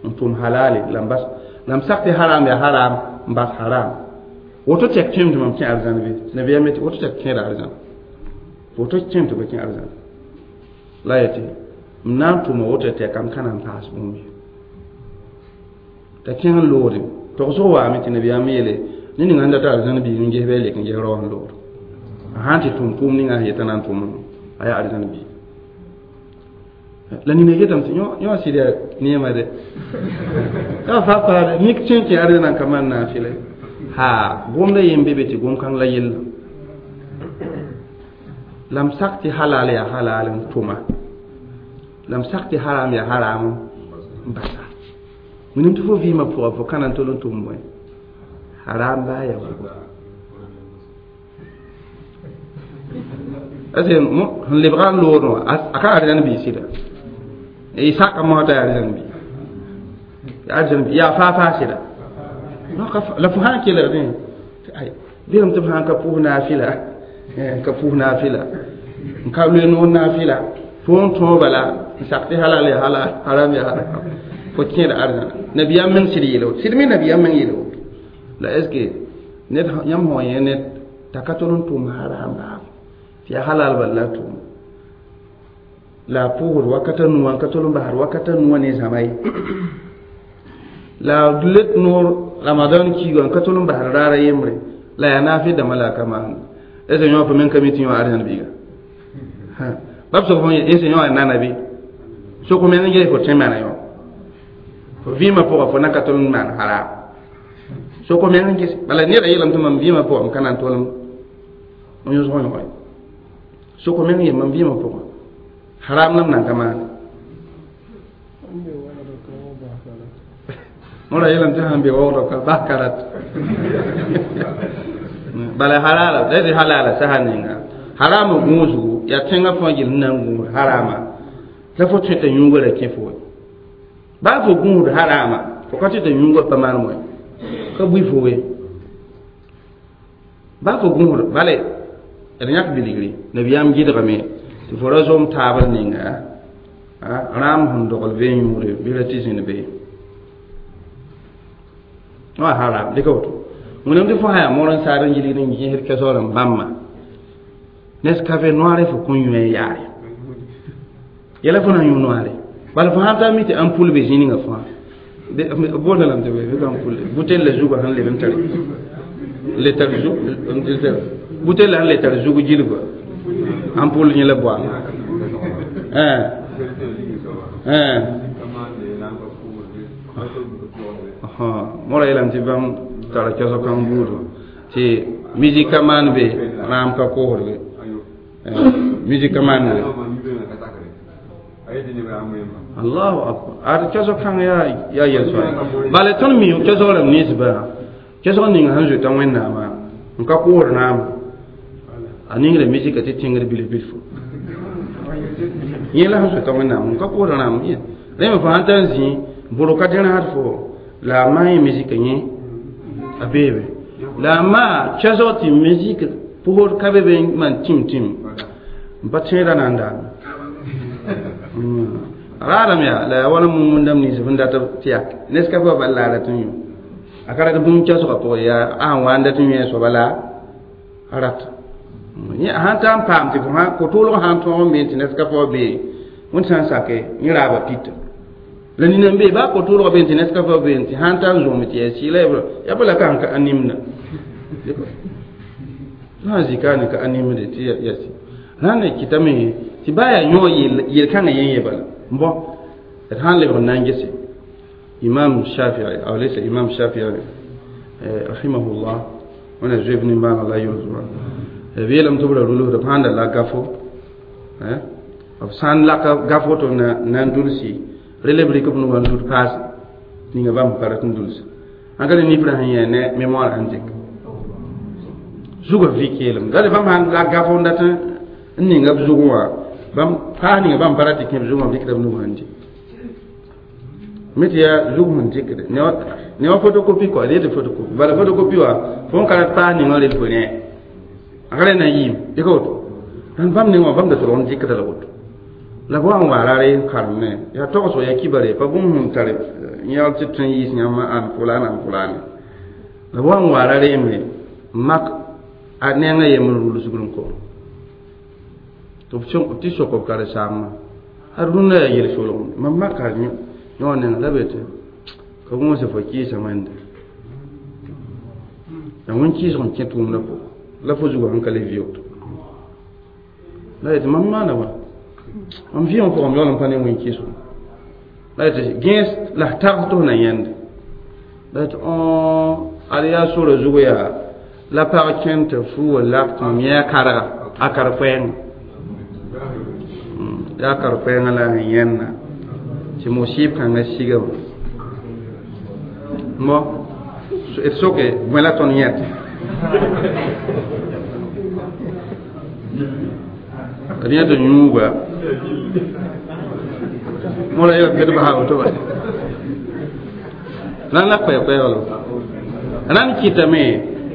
n tʋm halale la m bas la m sak tɩ haram yaa haram n bas haram woto tɛk kẽem tɩ mam kẽ arzãn be nabiyaam yetɩ woto tɛk kẽeda arzãn woto kẽem tɩ ba kẽ arzãn la yetɩ m na n tʋma woto tɛka m ka na n paas bũmb ye t'a kẽng n loogde togsg waame tɩ nabiyaam yeele ne ninga sẽn data arzãn biig n ges bɩ a lek n ges rao sẽn loogd a sãn tɩ tʋm tʋʋm ninga sẽn yetã na n tʋm a yaa arzãn biig la nina yetame tɩ yõ sɩd yaa neema de yaa fa paade mik kẽ kẽ arzãn n ka maan naafɩla ha gomda yen be be tɩ gom-kãng la yella la m sak tɩ halal yaa halal n tʋma la m sak tɩ haram yaa haram n basa willim tɩ fo vɩɩmã pʋga fo ka na n tol n tʋm bõe haram baa yaa vugo parce que sẽn lebga n loodẽ wã a ka arzãn bii sɩda y saka mosã t'a yaa arzãn bii arzãn bii yaa faa-faa sɩda la fo sãn kelgdẽ bɩlem tɩ b sãn ka pʋʋs naafɩla ka pʋʋs naafɩla n ka loe noor naafɩla fo n tõog bala n sak tɩ halal ya halal haram ya haram fo kẽeda arzãna nabiyaam meng sɩd yeela woto sɩd me nabiyaam meng yeela woto la est ce que ned yãmb sã yẽ ned t'a ka tol n tʋm haram baab tɩ yaa halal bal la a tʋʋm la a pʋʋsd wakata nuwã n ka tol n basd wakata nuwã ne zãma ye la let noor ramadan kiiga n ka tol n basd raara yembre la yaa naafɩ dãmbã la a ka maanda est ce que yõ fo meng ka mi tɩ yõ arzãn biiga bab sok fo est ce yõ yaa nana bɩ sok meng n ges fo tõe maana yõ fo vɩɩmã pʋga fo na ka tol n maan haram sok meng n ges bala neda yeelame tɩ mam vɩɩmã pʋga m ka na n tol n yõsg yõge sok meng yem mam vɩɩmã pʋga haram la m nan ka maane mora yeelame tɩ sãn be waoogdɔ ka bas karat bala halala la tɩ halala sasa ninga harama gũusgu yaa tẽngã fãa gill sẽn na n gũusd harama la fo tõe t'a yũuga ra kẽ fo we baa fo gũusd harama fo ka tõe t'a yũuga pa maan moe ka bui fo we baa fo gũusd bale d yãk bilgri nabiyaam gɩdgame tɩ fo ra zom taabr ninga rãam sẽn dogl bee yũude bɩ ra tɩ zĩnd be wa haram dɩka woto wẽnnaam tɩ fo sã yaa moor n saad n yilgd n gẽsd kɛsoor n bãmba Nescafé noir fo kõn yũ n yaare yɛla fo na n yũ noire bala fo sãn taa mi tɩ ampul be zĩ ninga fãa boonda lame tɩ bɩ ampul butel la zugã sẽn leb n tare le tar zug butel la sẽn le tar zug gilgã ampul yẽ la boama mora yeelame tɩ bãmb tara kɛsg kãng buudã tɩ musique ka maan be rãam ka koosdge musique ka maan be allahu akbar ad kɛsg kãng yaa yel-sõa bala tõnd mi kɛsg rãmb ninsbã kɛsg ning sẽn zoeta wẽnnaamã n ka koosd naam a ningra musique tɩ tẽngr bilf-bilfu yẽ la sẽn zoeta wẽnnaam n ka koosd naam rẽ me fo sãn tar n zĩ bʋrg ka dẽrasd fo la a maan yẽ musique yẽ a beebe La ma chasoti musique pour kabe ben man tim tim pa tẽeda na n daame raadame yaa la yaa wala mum-wẽndame nins sẽn dat tɩ yak Nescafé wã bal la a rat n yũ a ka rat bũmb chasgã pʋgẽ yaa a sẽn wa n dat n yẽ soaba la a rat sãn ta n paam tɩ fo ko-tʋʋlg sãn tõog n bee tɩ Nescafé wã bee wẽnd sã n sake yẽ raaba pita la nina n bee baa ko-tʋʋlgã bee tɩ Nescafé wã bee tɩ sãn ta n zõome tɩ yaa sɩɩla yaa pa la ka sẽn ka a nimda sã n zika ne ka a nimde tɩ yaa sɩ rãnd n kɩtame tɩ baa yaa yõ yel-kãngã yẽ ye bala bon d sãn lebg n na n gese imam Shafii aw laysa imam Shafii rahimahullah wẽna zoe b nimbãaneg la a yʋls b yeelame tɩ b ra rulsda b sãn da lak gafo b sã n laka gafo tɩ na n dulsi rel b rɩk b nugã n dud paase ninga bãmb pa rat n dulsa ãn ka ne nifrã sẽn yẽ ne mémoire sẽn dɩk zugã vɩ keelem dale bãmb sãn lak gafo n dat n ninga b zugẽ wã bãmb paas ninga bãmb pa rat tɩ kẽ b zugẽ wã b rɩkda b nugã n dɩ mi tɩ yaa zug sẽn dɩkde ne wa photocopie kɔa d yetɩ photocopie bala photocopie wã fo n ka rat paas ninga rel fo rẽ a ka rẽ na n yɩɩm dɩka woto rãnd bãmb nengã wã bãmb da tolg n dɩkda la woto la b wa n wa rare n karemne yaa togsgo yaa kibare pa bũmb sẽn tar yãgl tɩ tõe n yiis yãmb ãn fulaane ãn fulaane la b wa n wa rare me mak a nengã yembr rulsgr n kõ tɩ sok b karen-saambã ad rũndã yaa yel-solg mam maka yõ nenga la be tɩ ka gõose fo kɩɩsa wẽnde la wẽn-kɩɩsg n kẽ tʋʋmdã pʋgẽ la fo zugã sẽn ka le vɩʋgd la yetɩ mam maana wa mam vɩɩgã pʋgẽ m yaool n pa ne wẽn-kɩɩsg la yetɩ gẽes la f tags tɩ f na yãnde la yetɩ ad yaa sora zug yaa la pag kẽnd tɩ fu wa lak tɩ mam yẽ a karga a kar-koɛɛngã yaa kar-koɛɛngã la sẽn yẽnna tɩ musib kãngã siga wã mo d soke bõe la tõnd yẽt d yẽt yũuga mola yel ped basa woto ba rãnd la koɛɛ-koɛɛglo rãnd kɩtame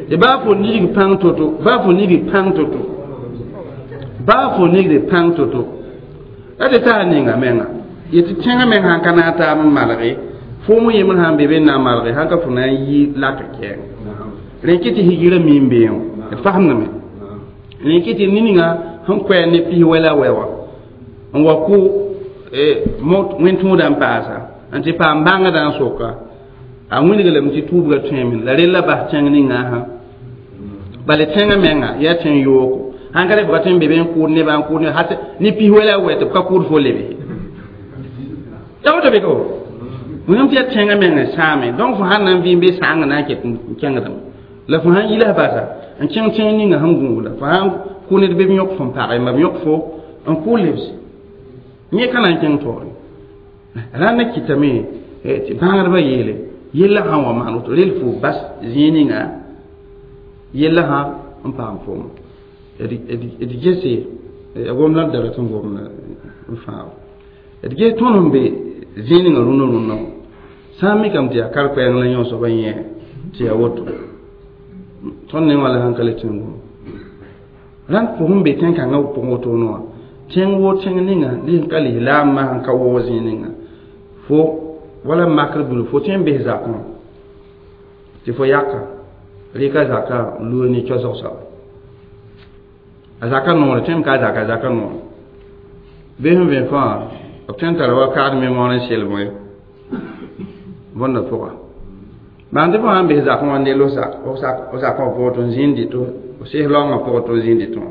tɩ baa fo nigd pãng toto baa fo nigd pãng toto baa fo nigd pãng toto la tɩ taa ninga menga yetɩ tẽngã meng sãn ka na n taab n malge foom yembr sãn be be n na n malge sãn ka fo na n yi lak kɛɛng rẽ kɩ tɩ higira mi n beẽ d fasemdame rẽ kɩ tɩ ninga sẽn koɛɛ ne pis wɛla wɛ wã n wa kʋ wẽn-tũudã n paasa n tɩ paam bãngdã n soka a wilg lame tɩ tuubga tõeme la rella bas tẽng ninga sã bala tẽngã menga yaa tẽng yoogo sãn ka re fo ka tõe n be be n kʋʋd nebã n kʋʋd neb ne pis wɛla wɛ tɩ b ka kʋʋd fo lebe ya woto be ka wẽnnaam tɩ yaa tẽngã meng sãame donc fo sãn na n vɩ n be sãang na n ket n kẽngdame la fo sãn yila basa n kẽng tẽng ninga sẽn gũudã fo sãn kʋ ned be b yõk fo n pagẽ ma b yõk fo n kʋ lebse yẽ ka na n kẽng taoore rãnd na kɩtame tɩ bãagdbã yeele yella sãn wa maan woto rel fo bas zĩig ninga yella sã n paam foom d gese gomdã d da rat n gomda n fãag d ges tõnd sẽn be zĩig ninga rũnã rũnã sã n mikame tɩ yaa kar-koɛɛng la yõ soaba yẽ tɩ yaa woto tõnd ne wã la sãn ka le tẽng gom rãnd pʋgẽ be tẽn-kãngã pʋgẽ wotone wã tẽng woo tẽng ninga lis ka lislaambã sẽn ka waoog zĩig ninga fo wala makr bulu fo tõe n bes zakẽ tɩ fo yaka rɩka zaka n loog ne kiasg soaba a zaka noore tõeme ka a zaka zaka noore bee sẽn vẽ fãa b tõe n tara wa kaad mémoire n sel bõe bõnda pʋga bãng tɩ fo sãn bes zakẽ wã ne o zakã pʋgẽ tɩ n zĩnd dɩto o sɩs laoongã pʋgẽ tɩ o zĩnd dɩtõ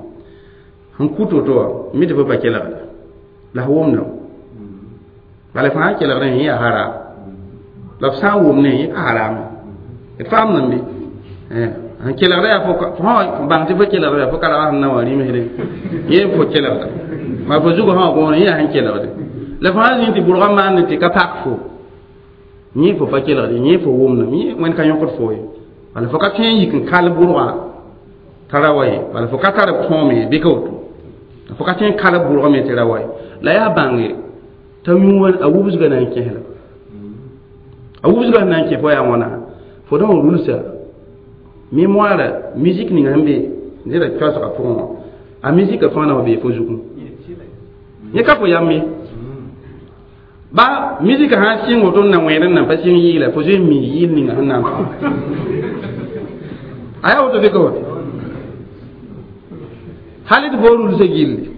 sẽn kut woto wã mi tɩ fo pa kelgda la f wʋmdame bala fo sãn kelgdẽ yẽ yaa haram la f sã n wʋmdẽ yẽ ka harame d faamdame bɩ sẽn kelgda yaa fo bãng tɩ fo kelgda yaa fo ka ra sẽn na wã rĩmsdẽ yẽ fo kelgda ma fo zugã sã wã gõor yẽ yaa sẽn kelgde la fo sãn zĩnd tɩ bʋrgã maande tɩ ka pak fo yẽ fo pa kelgde yẽ fo wʋmdame yẽ wẽnd ka yõkd fo ye bala fo ka tõe n yik n kal bʋrgã t'a ra wa ye bala fo ka tar tõome ye bɩ ka woto fo ka tõe n kal bʋrgã me tɩ ra wa ye la yaa bãnge t'a yũ a wubsgã na n kẽsla a wubsgã sẽn na n kẽ fo yaa wãna fo da wã rulsa Mémoire musique ninga sẽn be neda koasgã pʋgẽ wã a musique fãa na wa bee fo zugẽ yẽ ka fo yam ye ba musique sã n sɩng woto n na wẽed n nan pa sɩng yɩɩla fo zoe n mi yɩɩl ninga sẽn na n tʋ a yaa woto bɩ ka woto hal d fo rulsã gilli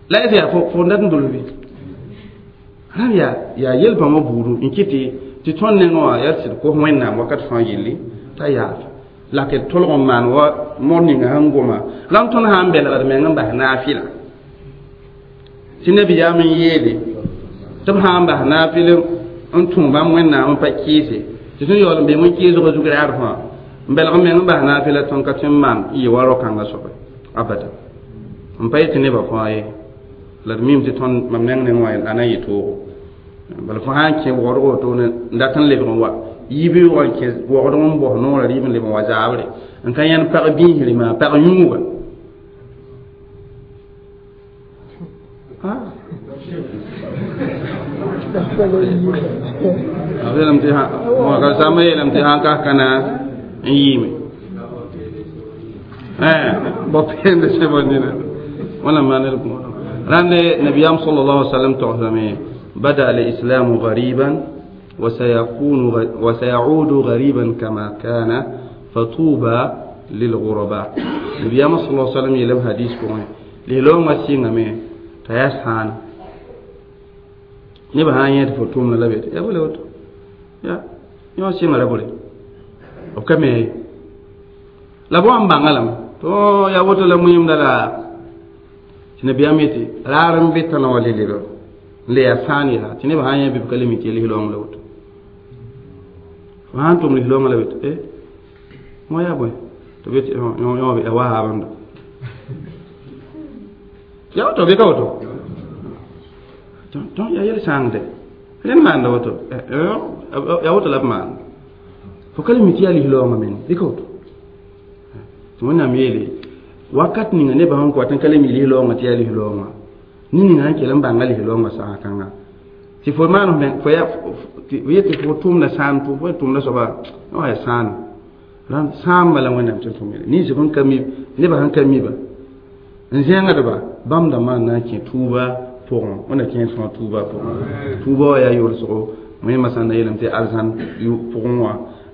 la y yaa fo dat n dolb bɩ rãmb yaa yel-bãmbã buudu n kɩt tɩ tõnd nengẽ wã yaa sɩd kos wẽnnaam wakat fãa yelli t'a yaaf la k tolg n maan wa mor ninga sẽn goma la n tõnd sã n belgd meng n bas naafɩla tɩ nabiyaam n yeele tɩ b sã n bas naafɩl n tũ bãmb wẽnnaam n pa kɩɩse tɩ tõnd yaool n bee wẽn-kɩɩsgã zug raad fãa n belg meng n bas naafɩla tõnd ka tõe n maan n yɩ wa rao-kãngã soaba abada n pa yetɩ nebã fãa ye la d mim tɩ tõnd mam neng neng wã a na n yɩ toogo bala fo sã n kẽ wogdg wotone n dat n lebg n wa yibeoogã n kẽ wogdg n bos noorã rɩɩb n leb n wa zaabre n ka yãnd pag biisre maa pag yũuga b yeelame tɩ sãmbã yeelame tɩ sã n kas ka na n yɩɩme bao peende sẽbã nina wãna maan d rãnd nabiyaam sallallahu alaihi wasallam togsame بدا الإسلام غريبا وسيكون وسيعود غريبا كما كان فطوبى للغرباء النبي صلى الله عليه وسلم يلم حديث كون ليلو ما سينغ مي تياس هان نبا هان يت فتوم لا بيت يا بوله وتو يا يا سينغ لا بوله او كمي لا بو ام بانغالام تو يا وتو لا مهم دلا النبي اميتي رارم بيتنا ولي ليلو le ya sãan yaa tɩ nebã sã n yã bɩ b ka le mi tɩ lis-loong la woto fo sã n tʋm lis-loongã la be tɩ e wã yaa bõe tɩ b yetɩ ya wa haabãnda ya woto bɩ ka woto tõnd yaa yel-sãangde rẽnd maanda woto ya woto la b maanda fo ka le mi tɩ yaa lis-loongã meng bɩ ka woto tɩ wẽnnaam yeele wakat ninga nebã sẽn kõ tɩ n ka le mi lis-loongã tɩ yaa lis-loongã ne ninga sẽn kell n bãnga lis-loongã saga kãnga tɩ fo maan fo yetɩ fo tʋmda sãan fo tʋmda soaba wã yaa sãan rãnd sãamba la wẽnnaam tɩ tʋm yele ninsb sẽn ka mi nebã sẽn ka miba n zẽngdba bãmb dãmbã n na n kẽ tuuba pʋgẽ wẽnna kẽer fãa tuuba pʋgẽ tuuba wã yaa yolsgo wẽmã sã n na yeelame tɩ arzãn pʋgẽ wã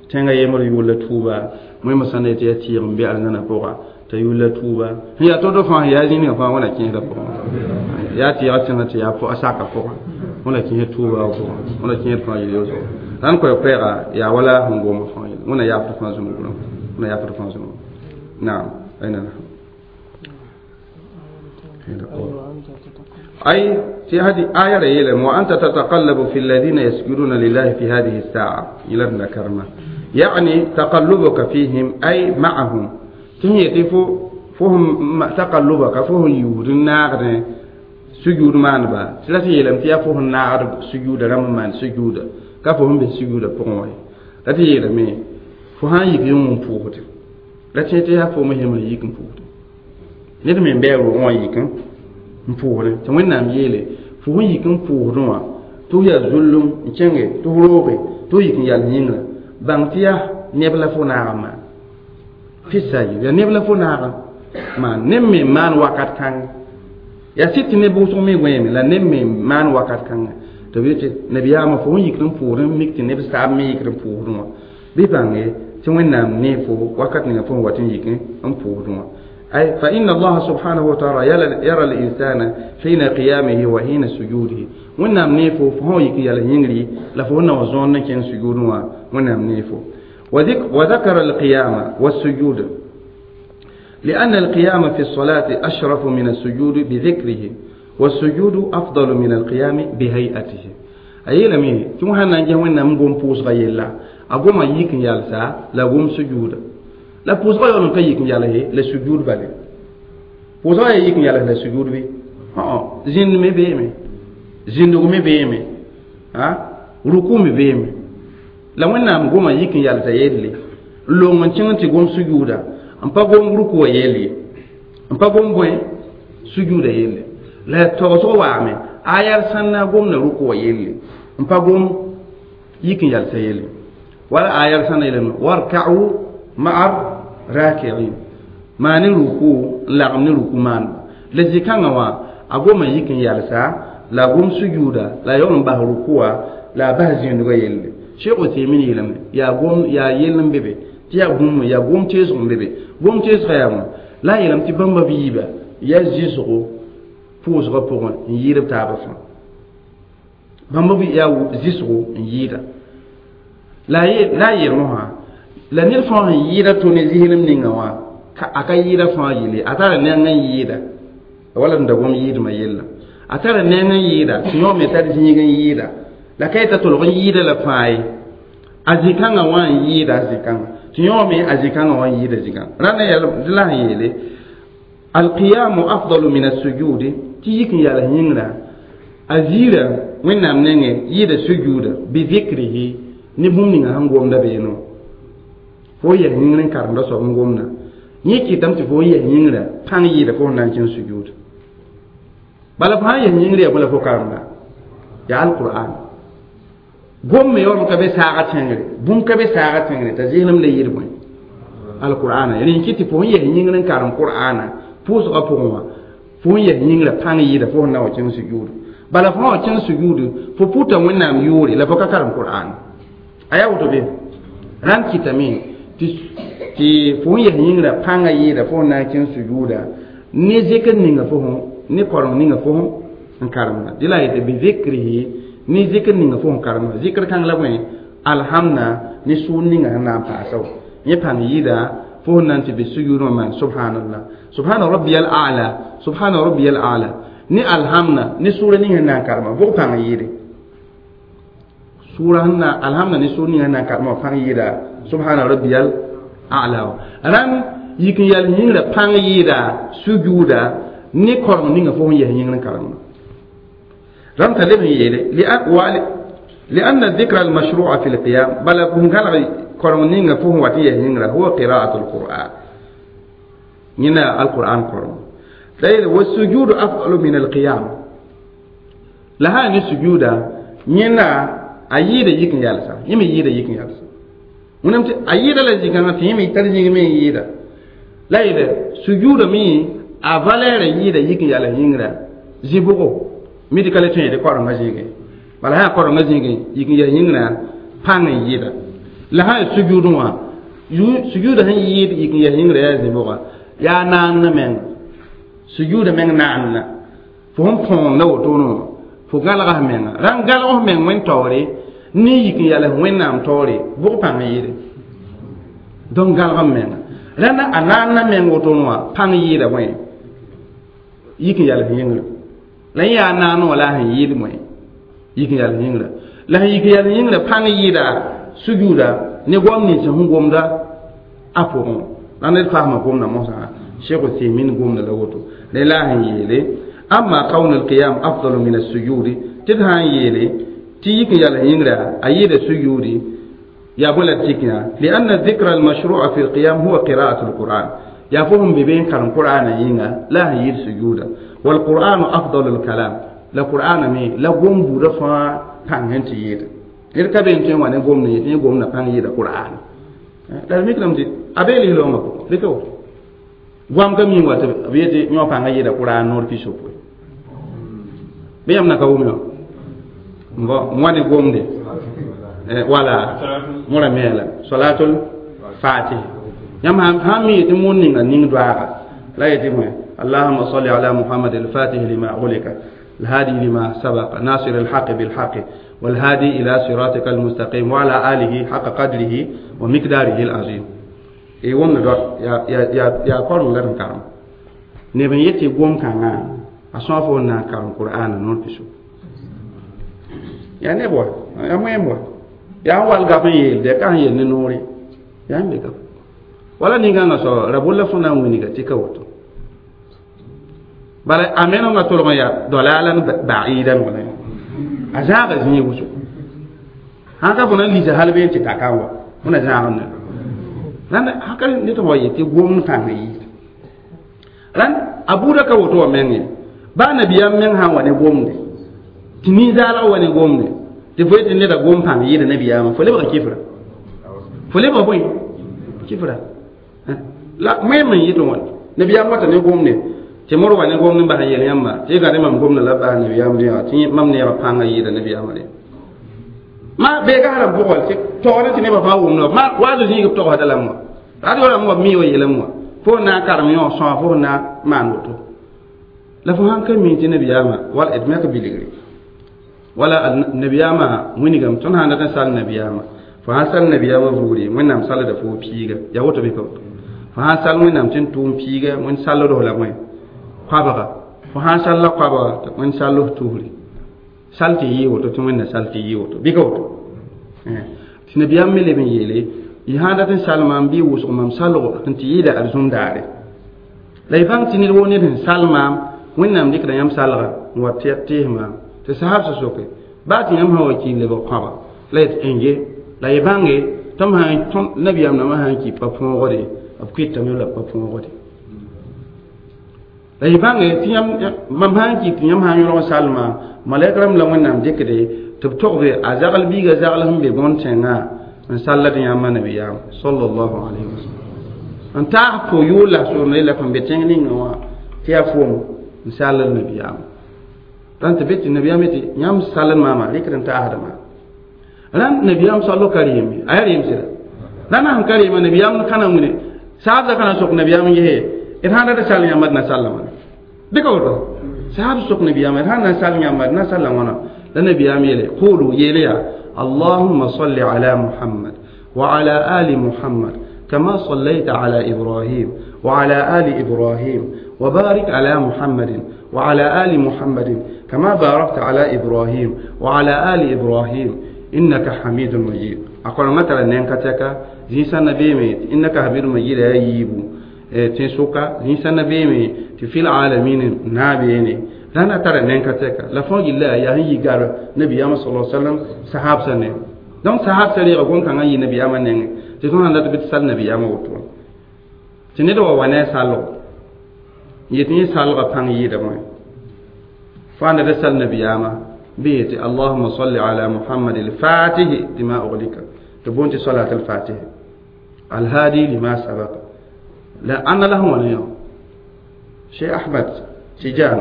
tẽngã yembr yʋʋl la tuuba wẽmã sã n na yetɩ yaa tɩɩg n be arzãnã pʋga t'a yʋʋl la tuuba sẽn yaa to-to fãa yaa zĩnigã fãa wẽna kẽesdã pʋgẽ yaa tɩɩga tẽngã tɩ yaa a saka pʋgẽ wẽna kẽes tuuba pʋgẽ wẽna kẽed fãa yel yolsgo rãnd koɛɛ-koɛɛga yaa wala sẽn gomb fãa yel wẽna yaafd fãa zũnugurã wẽna yaafd fãa zũnug naam aina أي في هذه آية يلم وأنت تتقلب في الذين يسجدون لله في هذه الساعة إلى ابن كرمة يعني تقلبك فيهم أي معهم تهي تفو فهم تقلبك فهم يود النار سجود ما نبا ثلاثة يلم تيا فهم نار سجود رم من سجود كفهم بسجود بقوي لا تيلم فهم يكيون فوت لا تيا فهم هم يكيون فوت ned me n bɩ a rʋʋgẽ wã yik n pʋʋsdẽ tɩ wẽnnaam yeele fo sẽn yik n pʋʋsdẽ wã tɩ f yaa zullum n kẽnge tɩ f rooge tɩ f yik n yal yĩngrã bãng tɩ yaa neb la fo naag n maan fɩsa ye yaa neb la fo naag n maan neb me n maan wakat kãng yaa sɩd tɩ neb wʋsg me gõeeme la neb me n maan wakat kãnga tɩ b yetɩ nabiyaamã fo sẽn yikd n pʋʋsdẽ n mik tɩ neb saab me yikd n pʋʋsdẽ wã bɩ bãnge tɩ wẽnnaam nee fo wakat ninga fo sẽn wat n yik n pʋʋsdẽ wã أي فإن الله سبحانه وتعالى يرى الإنسان حين قيامه وحين سجوده ونام نيفو فهو يكي يلا ينجري لفونا وزون كان سجود ونام نيفو وذكر القيام والسجود لأن القيام في الصلاة أشرف من السجود بذكره والسجود أفضل من القيام بهيئته أي لمي ثم هنا نجي ونام قوم بوس غيلا أقوم يكن يالسا لا قوم سجود la pʋʋsgã yaool n ka yik n yals ye la sujuud bale pʋʋsgã yaa yik n yals la sujuud bɩ zĩnd me beeme zĩndg me beeme ruku me beeme la wẽnnaam goma yik n yalsa yelle n long n kẽng tɩ gom sujuuda n pa gom rukuwã yell ye n pa gom bõe sujuuda yelle la tagsg waame a yal sãn na gomda rukuwã yelle n pa gom yik n yalsa yelle wala a yal sãn na yeelame warka'u Ma'a raki'in maani ruku n lagem ne ruku maanba la zĩ-kãngã wã a goma yik n yalsa la a gom sujuuda la a yaool n bas rukuwa la a bas zĩndgã yelle Cheikh Uthaymin yeelame yaa gom yaa yell n be be tɩ yaa bũmb yaa gom teesg n be be gom teesgã yaa bõe la a yeelame tɩ bãmba b yiiba yaa zɩsgo pʋʋsgã pʋgẽ n yɩɩd b taabã fãa bãmba b yaa zɩsgo n yɩɩda la a yeel mosã la ned fãa sẽn yɩɩda to ne zɩslem ninga wã a ka yɩɩda fãa yelle a tara neng n yɩɩda wala n da gom yɩɩdmã yella a tara neng n yɩɩda tɩ yõ me tar zĩig n yɩɩda la ka yeta tolg n yɩɩda la fãa ye a zĩ-kãngã wã n yɩɩda a zĩ-kãngã tɩ yõ me a zĩ-kãngã wã n yɩɩda zĩ-kãngã rãnda la sẽn yeele alqiyamu afdalu min asujudi tɩ yik n yals yĩngrã a ziira wẽnnaam nengẽ yɩɩda sujuuda bizikrihi ne bũmb ninga sẽn gomda beene wã fo yɛs yĩngr n karemda soab n gomda yẽ kɩtame tɩ fo yɛs yĩngrã pãng yɩɩda fo sẽn na n kẽng sujuuda bala fo sã n yɛs yĩngr yaa bõe la fo karemda yaa alqur'an gom me yaoolem ka be saaga tẽngre bũmb ka be saaga tẽngre t'a zɩslem la yɩɩd bõe alqur'ana rẽ kɩ tɩ fo sẽn yɛs yĩngr n karem qur'ana pʋʋsgã pʋgẽ wã fo sẽn yɛs yĩngrã pãng yɩɩda fo sẽn na wa kẽng sujuudu bala fo sã wa kẽng sujuudu fo pʋta wẽnnaam yʋʋre la fo ka karem qur'an a yaa woto be rãnd kɩtame tɩ fo sẽn yɛs yĩngrã pãngã yɩɩda fo sẽn na n kẽng sujuuda ne zikr ninga fo ne koreng ninga fo n karemda dɩ la a yetɩ bizikrihi ne zikr ninga fo n karemda zikr kãng la bõe alhamda ne sʋʋr ninga sẽn na n paasa wa yẽ pãng yɩɩda fo sẽn na n tɩ be sujuud wã maan subhanallah subhana rabbiyal a'la subhana rabbiyal a'la ne alhamda ne sʋʋra ning sẽn na n karema bʋg pãng yɩɩde sʋʋra sẽn na alhamda ne sʋʋr ning sẽn na n karema pãng yɩɩda subhana rabbiyal a'la wa rãnd yik n yal yĩngrã pãng yɩɩda sujuuda ne koreng ninga fo sẽn yɛs yĩngr n karemda rãmb t'a leb n yeele لأن الذكر المشروع في القيام بل بنغال koreng ninga fo sẽn wat n yɛs yĩngrã huwa qira'atu alquran yẽna alquran koreng la yeele wasujudu afdalu min alqiyam la sã ne sujuuda yẽna a yɩɩda yik n yalsa yẽ me yɩɩda yik n yalsa wẽnnaam tɩ a yɩɩda la zĩ-kãngã tɩ yẽ me tar zĩig me n yɩɩda la yeele sujuuda me a valɛɛrã yɩɩda yik n yals yĩngrã zĩ-bʋgo mi tɩ ka le tõe yetɩ korengã zĩigẽ bala sã korengã zĩigẽ yik n yals yĩngrã pãng n yɩɩda la sã yaa sujuudẽ wã sujuuda sẽn yɩɩd yik n yals yĩngrã yaa zĩ-bʋga yaa naanna menga sujuuda meng naanna fo sẽn põonda wotone wã fo galga f menga rãn galg f meng wẽn taoore ne yik n yals wẽnnaam taoore bʋg pãng n yɩɩde donc galg m menga rãnda a naanna meng wotone wã pãng yɩɩda bõe yik n yals yĩngrã la yẽ yaa naan wã la a sẽn yɩɩd bõe yik n yals yĩngrã la sẽn yik n yals yĩngrã pãng yɩɩda sujuuda ne goam nins sẽn gomda a pʋgẽ la ned fasma gomda mosã Cheikh Uthaymin gomda la woto la la sẽn yeele amma kawn alqiyam afdalu min assujudi tɩ d sã n yeele tɩ yik n yals yĩngrã a yɩɩda sujudi yaa bõe la d tik yã lianna dhikra almashrua fi lqiyam huwa qira'atu alquran yaa fo sẽn be be n karem qur'ana yĩnga la a sẽn yɩɩd sujuuda walqur'anu afdalu lkalam la qur'ana me la gom buudã fãa pãng sẽn tɩ yɩɩda ned ka be n tõe n wa ne gomd yetɩ yẽ gomdã pãng yɩɩda qur'ana la d mikdame tɩ a bee lislaoongã pʋgẽ rɩka woto goam ka mi wa tɩ b yetɩ yõ pãngã yɩɩda qur'an noor pisopoe bɩ yãmb na ka wʋm yã n wa ne gomde wala mõra me la salatul fatih yãmb sãn mi yetɩ moon ninga ning doaaga la yetɩ bõe اللهم صل على محمد الفاتح لما أغلق الهادي لما سبق ناصر الحق بالحق والهادي إلى صراطك المستقيم وعلى آله حق قدره ومقداره العظيم e wõmda dɔ yaa koreng la d n karem neb n yetɩ gom-kãngã a sõa fo n na n karem qur'ana noor piso yaa neb wa yaa wẽem wa yaa n wall gap n yeelde ka sẽn yel ne noore yaa n be gap wala nin-kãngã soaba ra bolla fõ na n wilga tɩ ka woto bala a menengã tolg n yaa dalalan ba'idan wala a zãaga zĩig wʋsgo sãn ka fõ na n lisa hal been tɩ ta kan wa fõ na zãag n ne rãnd haka ned wa yetɩ gomd pãng yɩɩd rãnd a buudã ka woto wã meng ye baa nabiyaam meng sã n wa ne gomde tɩ nin-zaalg wa ne gomde tɩ fo yetɩ neda gom pãng yɩɩda nabiyaamã fo lebga kifra fo lebga bõe Kifra la même yɩt wãn nabiyaam wata ne gomne tɩ mor wa ne gomne n bas n yel yãmba tɩ y gãde mam gomda la bas nabiyaam dẽa tɩ mam neegã pãngã yɩɩda nabiyaamã re ma beega sã pʋgã tɩ togd tɩ nebã fãa wʋmda ma waado zĩig b togsda lame wã radio rãmb wa mi wa yeelame wã fo na n karem yõ sõa fo na n maan woto la fo sãn ka mi tɩ nabiyaamã wala d me ka bilgre wala nabiyaamã wĩnigame tõnd sãn dat n sal nabiyaamã fo sãn sal nabiyaamã vugre wẽnnaam salda fo piiga yaa woto bɩ ka woto fo sãn sal wẽnnaam tɩ n tʋʋm piiga wẽnd salld la wẽ koabga fo sãn salla koabga tɩ wẽnd sall f tusre sal tɩ yɩ woto tɩ wẽnna sal tɩ yɩ woto bɩ ka woto tɩ nabiyaam me leb n yeele y sãn dat n sal maam bɩ wʋsg mam salgo n tɩ yɩɩda arzũm daare la y bãng tɩ ned woo ned sẽn sal maam wẽnnaam dɩkda yãmb salga n wa tees maam tɩ sahab sã soke baa tɩ yãmb sã wa ki n lebg kõaba la yet n la y bãnge tɩ m sãn nabiyaam nambã sã n ki pa põogde b kɩtame la pa põogde la y bãnge tɩ yãmb mam sã n ki tɩ yãmb sã n yõlg sal maam malɛk rãmb la wẽnnaam dɩkde tɩ b togbe a zagl biiga zagl sẽn be bõn-tẽngã n sallad yãmba nabiyaam sallallahu alayhi wa sallam n taas fo yʋʋl la soorne la fõn be tẽng ninga wã tɩ yaa foom n sallad nabiyaam rãn tɩ be tɩ nabiyaam yetɩ yãmb sallad maama rɩkd n taasda maam rãnd nabiyaam sallo ka rɩɩme a yaa rɩɩm sɩda rãnd sẽn ka rɩɩma nabiyaam kãna wĩne saabda kana sok nabiyaam n gese d sãn dat sall yãmba d na salla wãna dɩka woto saab sok nabiyaam d sãn na n sall yãmba d na salla wãna la nabiyaam yeele qulu yeele yaa اللهم صل على محمد وعلى آل محمد كما صليت على إبراهيم وعلى آل إبراهيم وبارك على محمد وعلى آل محمد كما باركت على إبراهيم وعلى آل إبراهيم إنك حميد مجيد أقول مثلا نينكتك زيسان نبيمي إنك حميد مجيد يا ييبو تنسوكا زيسان نبيمي في العالمين نابيني rãnd tara nẽn-ka tɛka la fõ gilla yaa sẽn yi gar nabiyaamã sal sallam sahabsã ne donc sahabsã reega gom-kãngã n yɩ nabiyaamã nengẽ tɩ tõnd sãn dat bɩ tɩ sal nabiyaamã woto tɩ ned wa wa ne a salgo n yet yẽ salgã pãng yɩɩda bõe fo ãnda da sal nabiyaamã bɩ yetɩ allahuma salli ala muhammad alfatihi lima uglika tɩ boond tɩ salat alfatihi alhadi lima sabaka la ãnna la sẽn wãna yõ cheikh ahmad tijan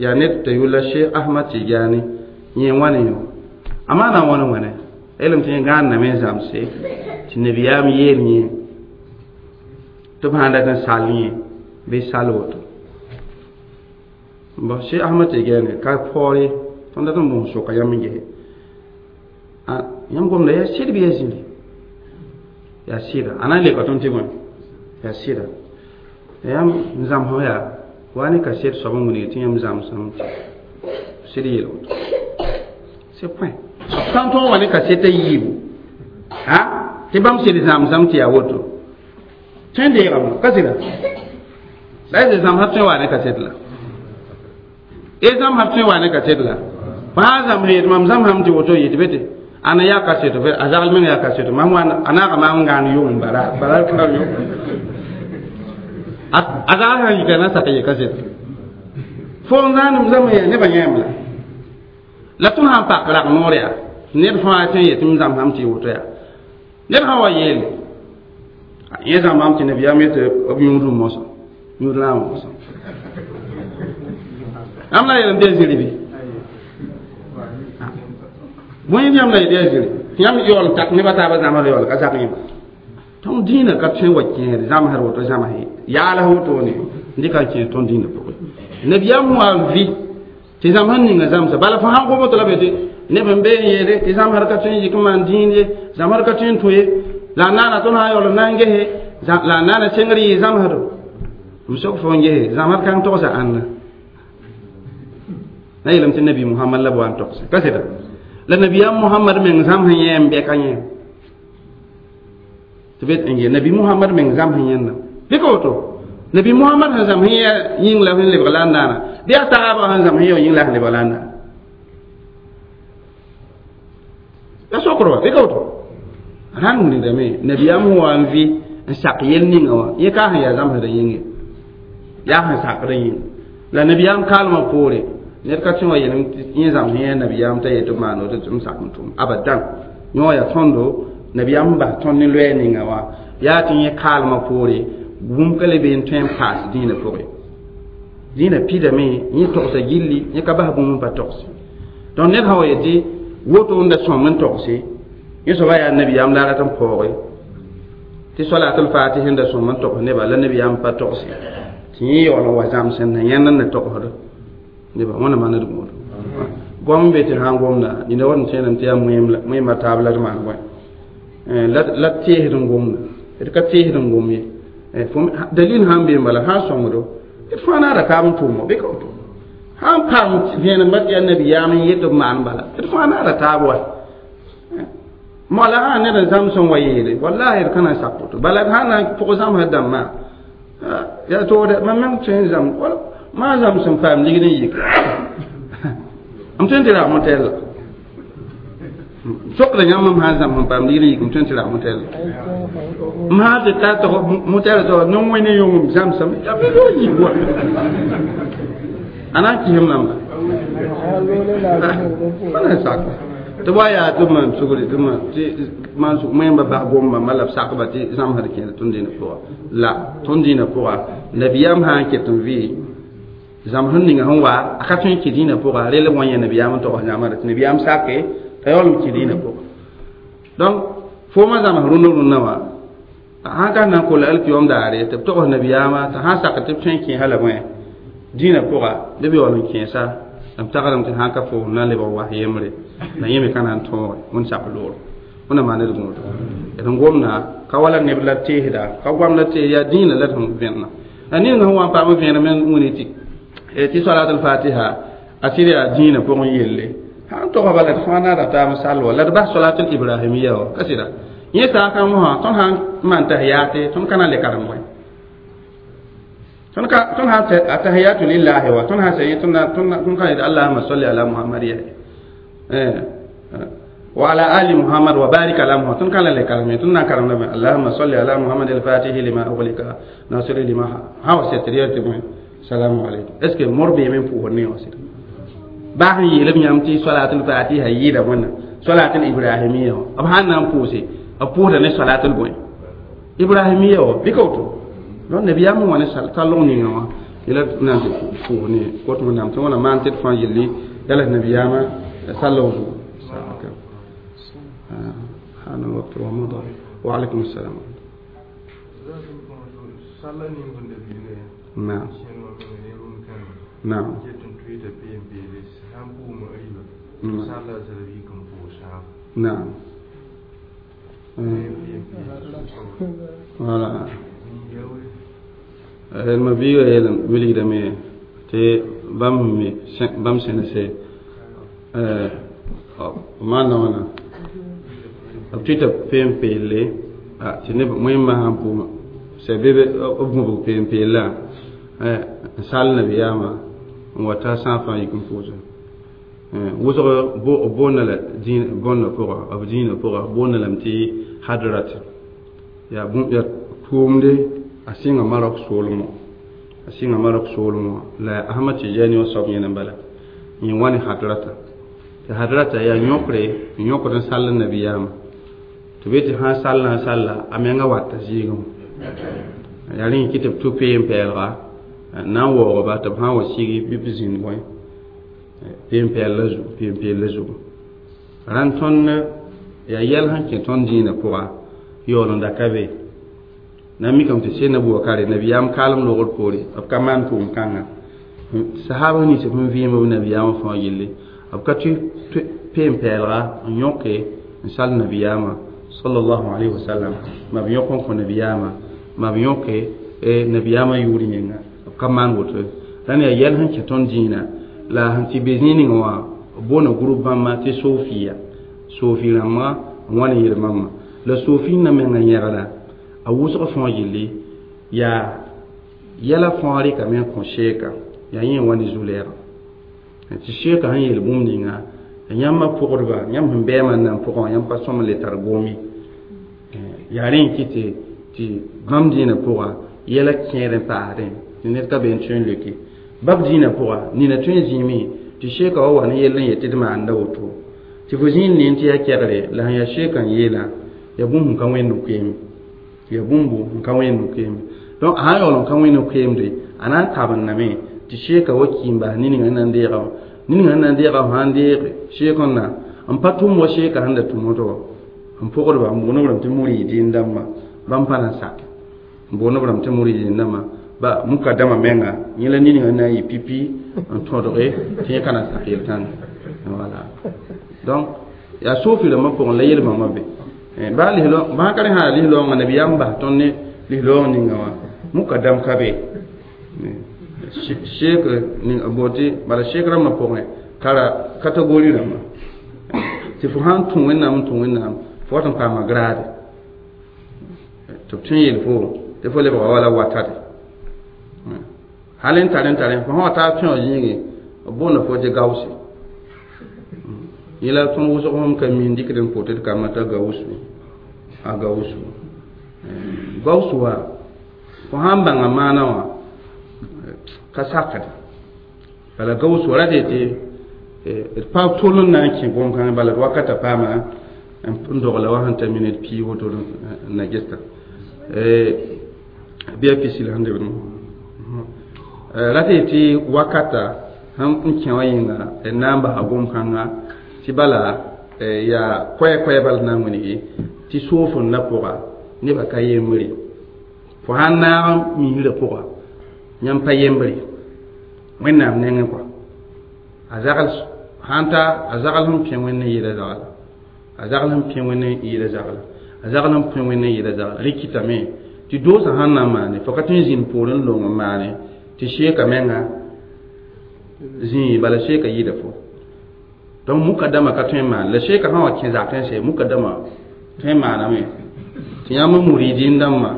yaa ned t'a yʋlla cheikh ahmad tijani yẽ wãna yõ a maana wãna wãna elem tɩ yẽ gãanname n zãmse tɩ nabiyaam yeel yẽ tɩ b sãn dat n sall yẽ bɩ sall woto bon cheikh ahmad tijani ka paoor ye tõnd dat n bõs soka yãmb n gese yãmb gomda yaa sɩd bɩ yaa zĩri yaa sɩda a na n leka tõnd tɩ bõe yaa sɩda yãmb n zãmsg yaa wa ne kaset soab n wilg tɩ yãmb zãmsame sɩd yeel woto c'est point sã n tõog wa ne kaset a yiibu ha tɩ bãmb sɩd zãmsame tɩ yaa woto tõe n deegame ka sɩda la y zãmsã tõe wa ne kaset la y zãmsã tõe wa ne kaset la fãa zãms yet mam zãmsame tɩ woto yetɩ be tɩ ana yaa kaseto a zagl meng yaa kaseto mam wã a naaga maam n gãan yʋgem bala bala ka yʋgem a zagl sã n yika na sak ye kaseto fo n zãanem zãm yaa nebã yãem la la tõnd sãn pak rag noor yaa ned fãa tõe n yetɩ m zãmsame tɩ woto yaa ned sã wa yeele yẽ zãmbame tɩ nabiyaam yetɩ b yũudẽ mosã yũud raamã mosã yãmb la yeelame tɩ yaa zĩri bɩ bõe yãmb la yetɩ yaa zĩri tɩ yãmb yaool n tak nebã taabã zãmsd yaool ka zak yẽma tõnd dĩinã ka tõe n wa kẽed zãmsd woto zãms yaals wotone n dɩka n kẽed tõnd dĩinã pʋgẽ nabiyaam wa n vɩ tɩ zãmsd ninga zãmsa bala fo sãn gom tɩ la be tɩ neb n bee n yeele tɩ zãmsd ka tõe n yik n maan dĩin ye zãmsd ka tõe n tũ ye la a naana tõnd sã n yaool n na n gese la a naana sengr yɩ zãmsdo m sok fo n gese zãmsd kãng togsa ãnna na yeelame tɩ nabi muhammad la b wa n togse ka sɩda la nabiyaam muhammad meng zãms yẽ n bɛka yẽ tɩ bet n ge nabi muhammad meng zãms yẽnda bɩ ka woto nabi muhammad sẽn zãms yẽ yĩng la sẽn lebg la n naana bɩ a taabã sẽn zãms yẽ yĩng la sẽn lebg la n naana la sokr wa bɩ ka woto rãnd wilgdame nabiyaam sẽn wa n vɩ n sak yel ninga wã yẽ ka sẽn yaa zãmsdã yĩnge yaa sẽn sakdã yĩng la nabiyaam kaalmã poore ned ka tõe wa yeelem yẽ zãms yẽ nabiyaam t'a yetɩ b maan woto tɩ m sak n tʋm abadan yõ yaa tõndo Nabiyaam bas tõnd ne loɛɛ ninga wã yaa tɩ yẽ kaalmã poore bũmb ka le be n tõe n paas dĩinã pʋgẽ dĩinã pidame yẽ togsa gilli yẽ ka bas bũmb n pa togse donc ned sã wa yetɩ woto n da sõm n togse yẽ soaba yaa nabiyaam la a rat n paooge tɩ salatul fatih n da sõm n togs neba la nabiyaam pa togse tɩ yẽ yaool n wa zãms n na yãnd n na togsd neba wãna maand d gũudo goam n be tɩ sã n gomda nina wat n tẽedame tɩ yaa wẽemã taab la d maan bõe la teesd n gomda d ka teesd n gom ye dalil sãn be n bala sã n sõngdo d fãa naara taab n tʋʋmo bɩ ka woto sãn paam vẽenemba tɩ yaa nabiyaam n yet b maan bala d fãa naara taab wa moala sã ned n zãms n wa yeele wallahi d ka na n sak woto bala d sã na n pʋg zãmsd dãmbã yaa toore mam meng tõe n zãm maa zãms n paam ligd n yik m tõe n tɩ rag motɛlla sokda yãmb m sã n zãms n paam ligd n yik m tõe n tɩ rag motɛlla m sã tɩ ta tg motɛl tg no-wẽne yõngem zãmsame yaa bɩ loog yik wa a na n kɩsem namba pa na n sak tɩ wa yaa tɩ maan sugri tɩ maan sug wẽmba bas gomba ma la b sakba tɩ zãmsd kẽer tõnd dĩinã pʋga la tõnd dĩinã pʋga nabiyaam sã n ket n vɩ zãmsd ninga sẽn wa a ka tõe n kẽ dĩinã pʋga rel b wa yẽ nabiyaam n togs zãmsda tɩ nabiyaam sake t'a yaool n kẽ dĩinã pʋga donc foomã zãms rũndã rũndã wã sãn ka na n kolla alkiyom daare tɩ b togs nabiyaamã t'a sãn sak tɩ b tõe n kẽ hala bõe dĩinã pʋga bɩ b yaool n kẽesa b tagsdame tɩ sãn ka fo na n lebg was yembre la yẽ me ka na n tõoge wẽnd sak loore wẽnna maan d gũudo d n gomda ka wala neb la teesda ka goam la tees yaa dĩinã la d sẽn vẽnna la ning sẽn wa n paam vẽenem n wini tɩ salatul fatiha a sɩd yaa dĩinã pʋgẽ yelle sãn togs bala d fãa naada taab n sall wa la d bas salatul ibrahimiya wa ka sɩda yẽ saakã mosã tõnd sãn n maan tahiyaate tõnd ka na n le karem bõe tõnd sãn atahiyatu lillahi wa tõnd sãn sɛ yẽ tõnd ka yet allahuma salli ala muhammad ya wa ala ali muhammad wa barik ala muhammad tõnd ka la le karem tõnd na n karem lame allahuma salli ala muhammad alfatihi lima uglika nasiri lima sã wa sɛ tɩ d yɛl tɩ bõe salamu aleykum est ce que mor beeme n pʋʋsd ne wã sɩda baa sẽn yeel b yãmb tɩ salatul fatiha yɩɩda wẽnna salatul ibrahimiya wã b sãn na n pʋʋse b pʋʋsda ne salatul bõe ibrahimiya wã bɩ ka woto donc nabiyaam n wa ne tallg ninga wã yela na n tɩ pʋʋs ne kot wẽnnaam tɩ wãna maan tɩ d fãa yelli yala nabiyaamã sallg zugu حان الوقت ومضى وعليكم السلام. نعم نعم نعم voilà ma biiga yeelem wilgdame tɩ bãmb me bãmb sẽn se maanda wãna b tʋɩta peen-peelle tɩ neb wẽmba sãn pʋʋma sɛ bɩ b gũbg peen-peellã n sall nabiyaamã n wa ta sã fãa yik n pʋʋse wʋsg b boonda la bõnda pʋga b dĩinã pʋga boonda lame tɩ hadrat yaa tʋʋmde a sɩnga Marok soolmõ a sɩnga Marok soolmõ la Ahmad Tijani wã soab yẽna n bala yẽ wa ne hadrata tɩ hadrata yaa yõkre n yõkd n sall nabiyaamã tɩ be tɩ sãn sall n salla a menga wata zɩɩgẽ yaa rẽ kɩ tɩ b tʋ peen-pɛɛlga n na n waoogba tɩ b sã n wa sigi bɩ b zĩnd bõe peen-pɛɛl la zugu peen-peel la zugu rãnd tõnd yaa yɛl sẽn kẽ tõnd dĩinã pʋga yaool n da ka be na n mikame tɩ senda bʋakare nabiyaam kaalem loogr poore b ka maan tʋʋm kãnga sahaba nins sẽn vɩɩm b nabiyaamã fãa yelle b ka tʋ peen-pɛɛlga n yõke n sall nabiyaamã sallallahu alayhi wa sallam ma b yõk n kõ nabiyaamã ma b yõke nabiyaamã yʋʋr yẽnga b ka maan woto rãnd yaa yɛl sẽn kẽ tõnd dĩinã la sẽn tɩ be zĩig ning wã b boona group bãmba tɩ sofiya sofi rãmbã n wa ne yel bãmba la sofi na menga yẽgda a wʋsg fãa yelle yaa yɛla fãa rɩkame n kõ sheeka yaa yẽ wa ne zu-lɛɛga tɩ sheeka sẽn yeel bũmb ninga yãmba pʋgdba yãmb sẽn bɛɛmã n nan pʋgã wã yãmb pa sõm n le tar goom ye yaa rẽ n kɩ tɩ bãmb dĩinã pʋga yɛla kẽer n paasdẽ tɩ ned ka be n tõe n leoke bab dĩinã pʋga nina tõe n zĩime tɩ sheeka wa wa ne yell n yet tɩ d maanda woto tɩ fo zĩig ne tɩ yaa kɛgre la sẽn yaa sheeka n yeelã Yaa bũmb sẽn ka wẽnd koeemd, yaa bũmb n ka wẽnd koeemde. Donc a sã n yaool n ka wẽnd koeemde, a na n kabendame tɩ sheeka wa ki n bas nin-ninga n na n deega wã. Nin-ninga n na n deega wã sã n deege sheek n na n pa tʋm wa sheeka sẽn da tʋm woto wã, n pʋgdba, n boond b rãmb tɩ muridin dãmba. Bãmb pa na n sake n boond b rãmb tɩ muridin dãmba. Ba mukadama menga yẽ la nin-ninga n na n yɩ pipi n tõdge tɩ yẽ ka na n sak yel-kãnga. Voilà. Donc yaa sofi rãmbã pʋgẽ la yel-bãmbã be. Baa bãa ka rẽ sã yaa lis-raoongã nabiyaam bas tõnd ne lis-raoong ninga wã, mukadam ka be. Sheek boon tɩ bala sheek rãmbã pʋgẽ tara catégorie rãmbã tɩ fo sãn tũ Wẽnnaam n tũ Wẽnnaam, fo wat n paama grade tɩ b tõe n yeel fo tɩ fo lebga wala watade hal n tar n tare fo sã wa taa pẽo zĩigẽ, b boonda fo tɩ gausi. Yẽ la tõnd wʋsg sõm ka mi n dɩkd n pʋt d kambã t'a gausu, a gausu, gausu wa. Fo sãn bãnga maana wã ka sakd bala gausu wa rat tɩ d pa tol n na n kẽ gom-kãngã bala d wakata paama n dogla wa sẽn ta mini d pii woto n na gesta bɩ a pisil sẽn debd rat tɩ wakata sẽn kẽ wã yĩnga d na n basa gom-kãngã tɩ bala yaa koɛ-koɛ bal na n wilgi tɩ soofenda pʋga nebã ka yembre. Fo sãn naag misrã pʋga, yãmb pa yembre Wẽnnaam nengẽ kɔa. A zagl sãn ta, a zagl sẽn pẽ Wẽnd n yɩɩda zagla, a zagl sẽn pẽ Wẽnd n yɩɩda zagla, a zagl sẽn pẽ Wẽnd n yɩɩda zagla. Rẽ kɩtame tɩ doosã sãn na n maane, fo ka tõe n zĩnd poorẽ n long n maane tɩ sheeka menga zĩig bala sheeka yɩɩda fo. Donc mukadama ka tõe n maan la sheeka sã wa kẽ zakẽ sɛ mukadama tõe n maaname tɩ yãmb muridin dãmbã,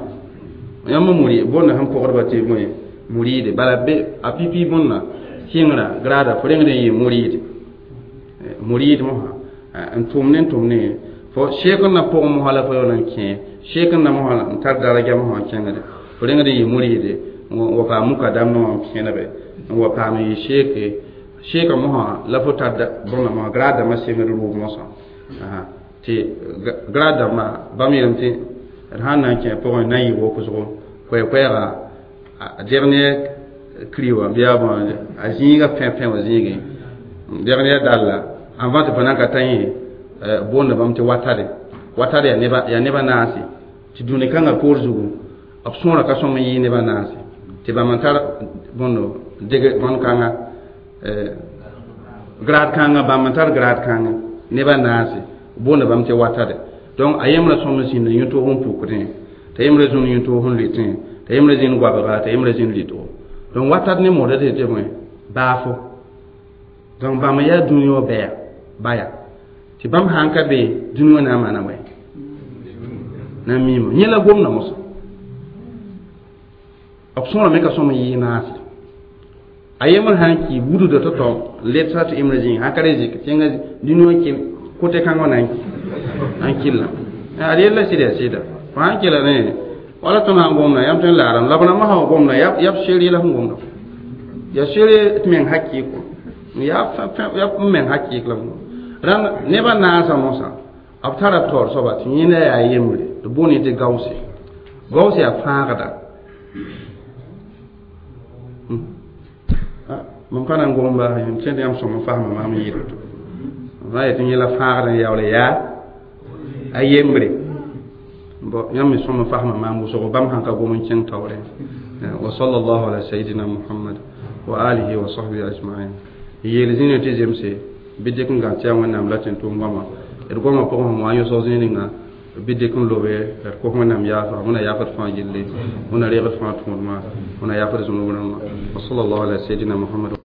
yãmb muri bõnda sẽn pʋgdba tɩ bõe muride bala be a pipi bõnda kɩngrã grada fo rengd n yɩ muride, murid mosã n tʋm ne n tʋm ne fo sheek n na pʋgẽ mosã la fo yaool n kẽ sheek n na mosã n tar daraja mosã n kẽngde fo rengd n yɩ muride n wa paam mukadam wã n kẽnebe n wa paam n yɩ sheeke. Sheeka mosã la fo tar bõnda mosã grad dãmbã sengd rʋʋg mosã tɩ grad dãmbã bãmb yeelame tɩ d sãn na n kẽ pʋgẽ na n yɩ wokosgo koɛɛ-koɛɛga a dernier cri wã bɩ a bõ a zĩiga pẽ-pẽ wã zĩigẽ dernier dalla avant tɩ fo nan ka ta yẽ boonda bãmb tɩ watade. Watade yaa nebã naase tɩ dũni kãngã poor zugu b sõora ka sõm n yɩ nebã naase tɩ bãmb n tar bõndo deg bõn-kãnga grade kãngã, bãmb n tar grade kãngã nebã naase boonda bãmb tɩ watade. Donc a yembrã sõm n zĩnd yũ-toog n pukdẽ, t'a yembrã zũnd yũ-toog n lʋɩtẽ, t'a yembrã zĩnd goabga, t'a yembrã zĩnd lɩtgo. Donc watat ne moodã tɩ bõe baafo. Donc bãmb n yaa dũni wã bɛya baya tɩ bãmb sãn ka be dũni wã na n maana wɛ na n miime yẽ la gomda mosã b sõora me ka sõm n yɩɩ naase. A yembr sãn ki wudda tao-tao n ledsa tɩ yembrã zĩig sãn ka re zɩk tẽngã dũni wã kɩl kote kãngã na n kɩlla ad yella sɩd yaa sɩda. Fo sãn kɩla ne wala tõnd sãn gomda yãmb tõe n laadame la b rãmbã sã wa gomda yaa b seer yɛla sẽn gomda yaa seer tɩ meng hakɩɩk yaa b meng hakɩɩk la rãnd nebã naasã mosã b tara taoor soaba tɩ yẽnda yaa yembre tɩ boond tɩ gause. Gause yaa fãagda. Mam ka na n gom baas yẽm tẽd yãmb sõm n fasma maam n yɩɩd to ma yetɩ yẽ la fãagd n yaool yaa a yembre. Bon, yãmb me sõm n fasma maam wʋsgo bãmb sãn ka gom n kẽng taoorẽ. Wa sallallahu ala sayidina Muhammad wa alihi wa sahbihi ajma'in. Yeel zĩna tɩ zemse bɩ dɩk n gãn tɩ yaa Wẽnnaam la tɩ n tʋm goama d goamã pʋgẽ sẽn wa n yõsg zĩig ninga bɩ dɩk n lobe d kos Wẽnnaam yaafa. Wẽnna yaafd fãa gilli, Wẽnna reegd fãa tõodmã, Wẽnna yaafd zũnub rãmbã. Wa sallallahu ala sayidina Muhammad.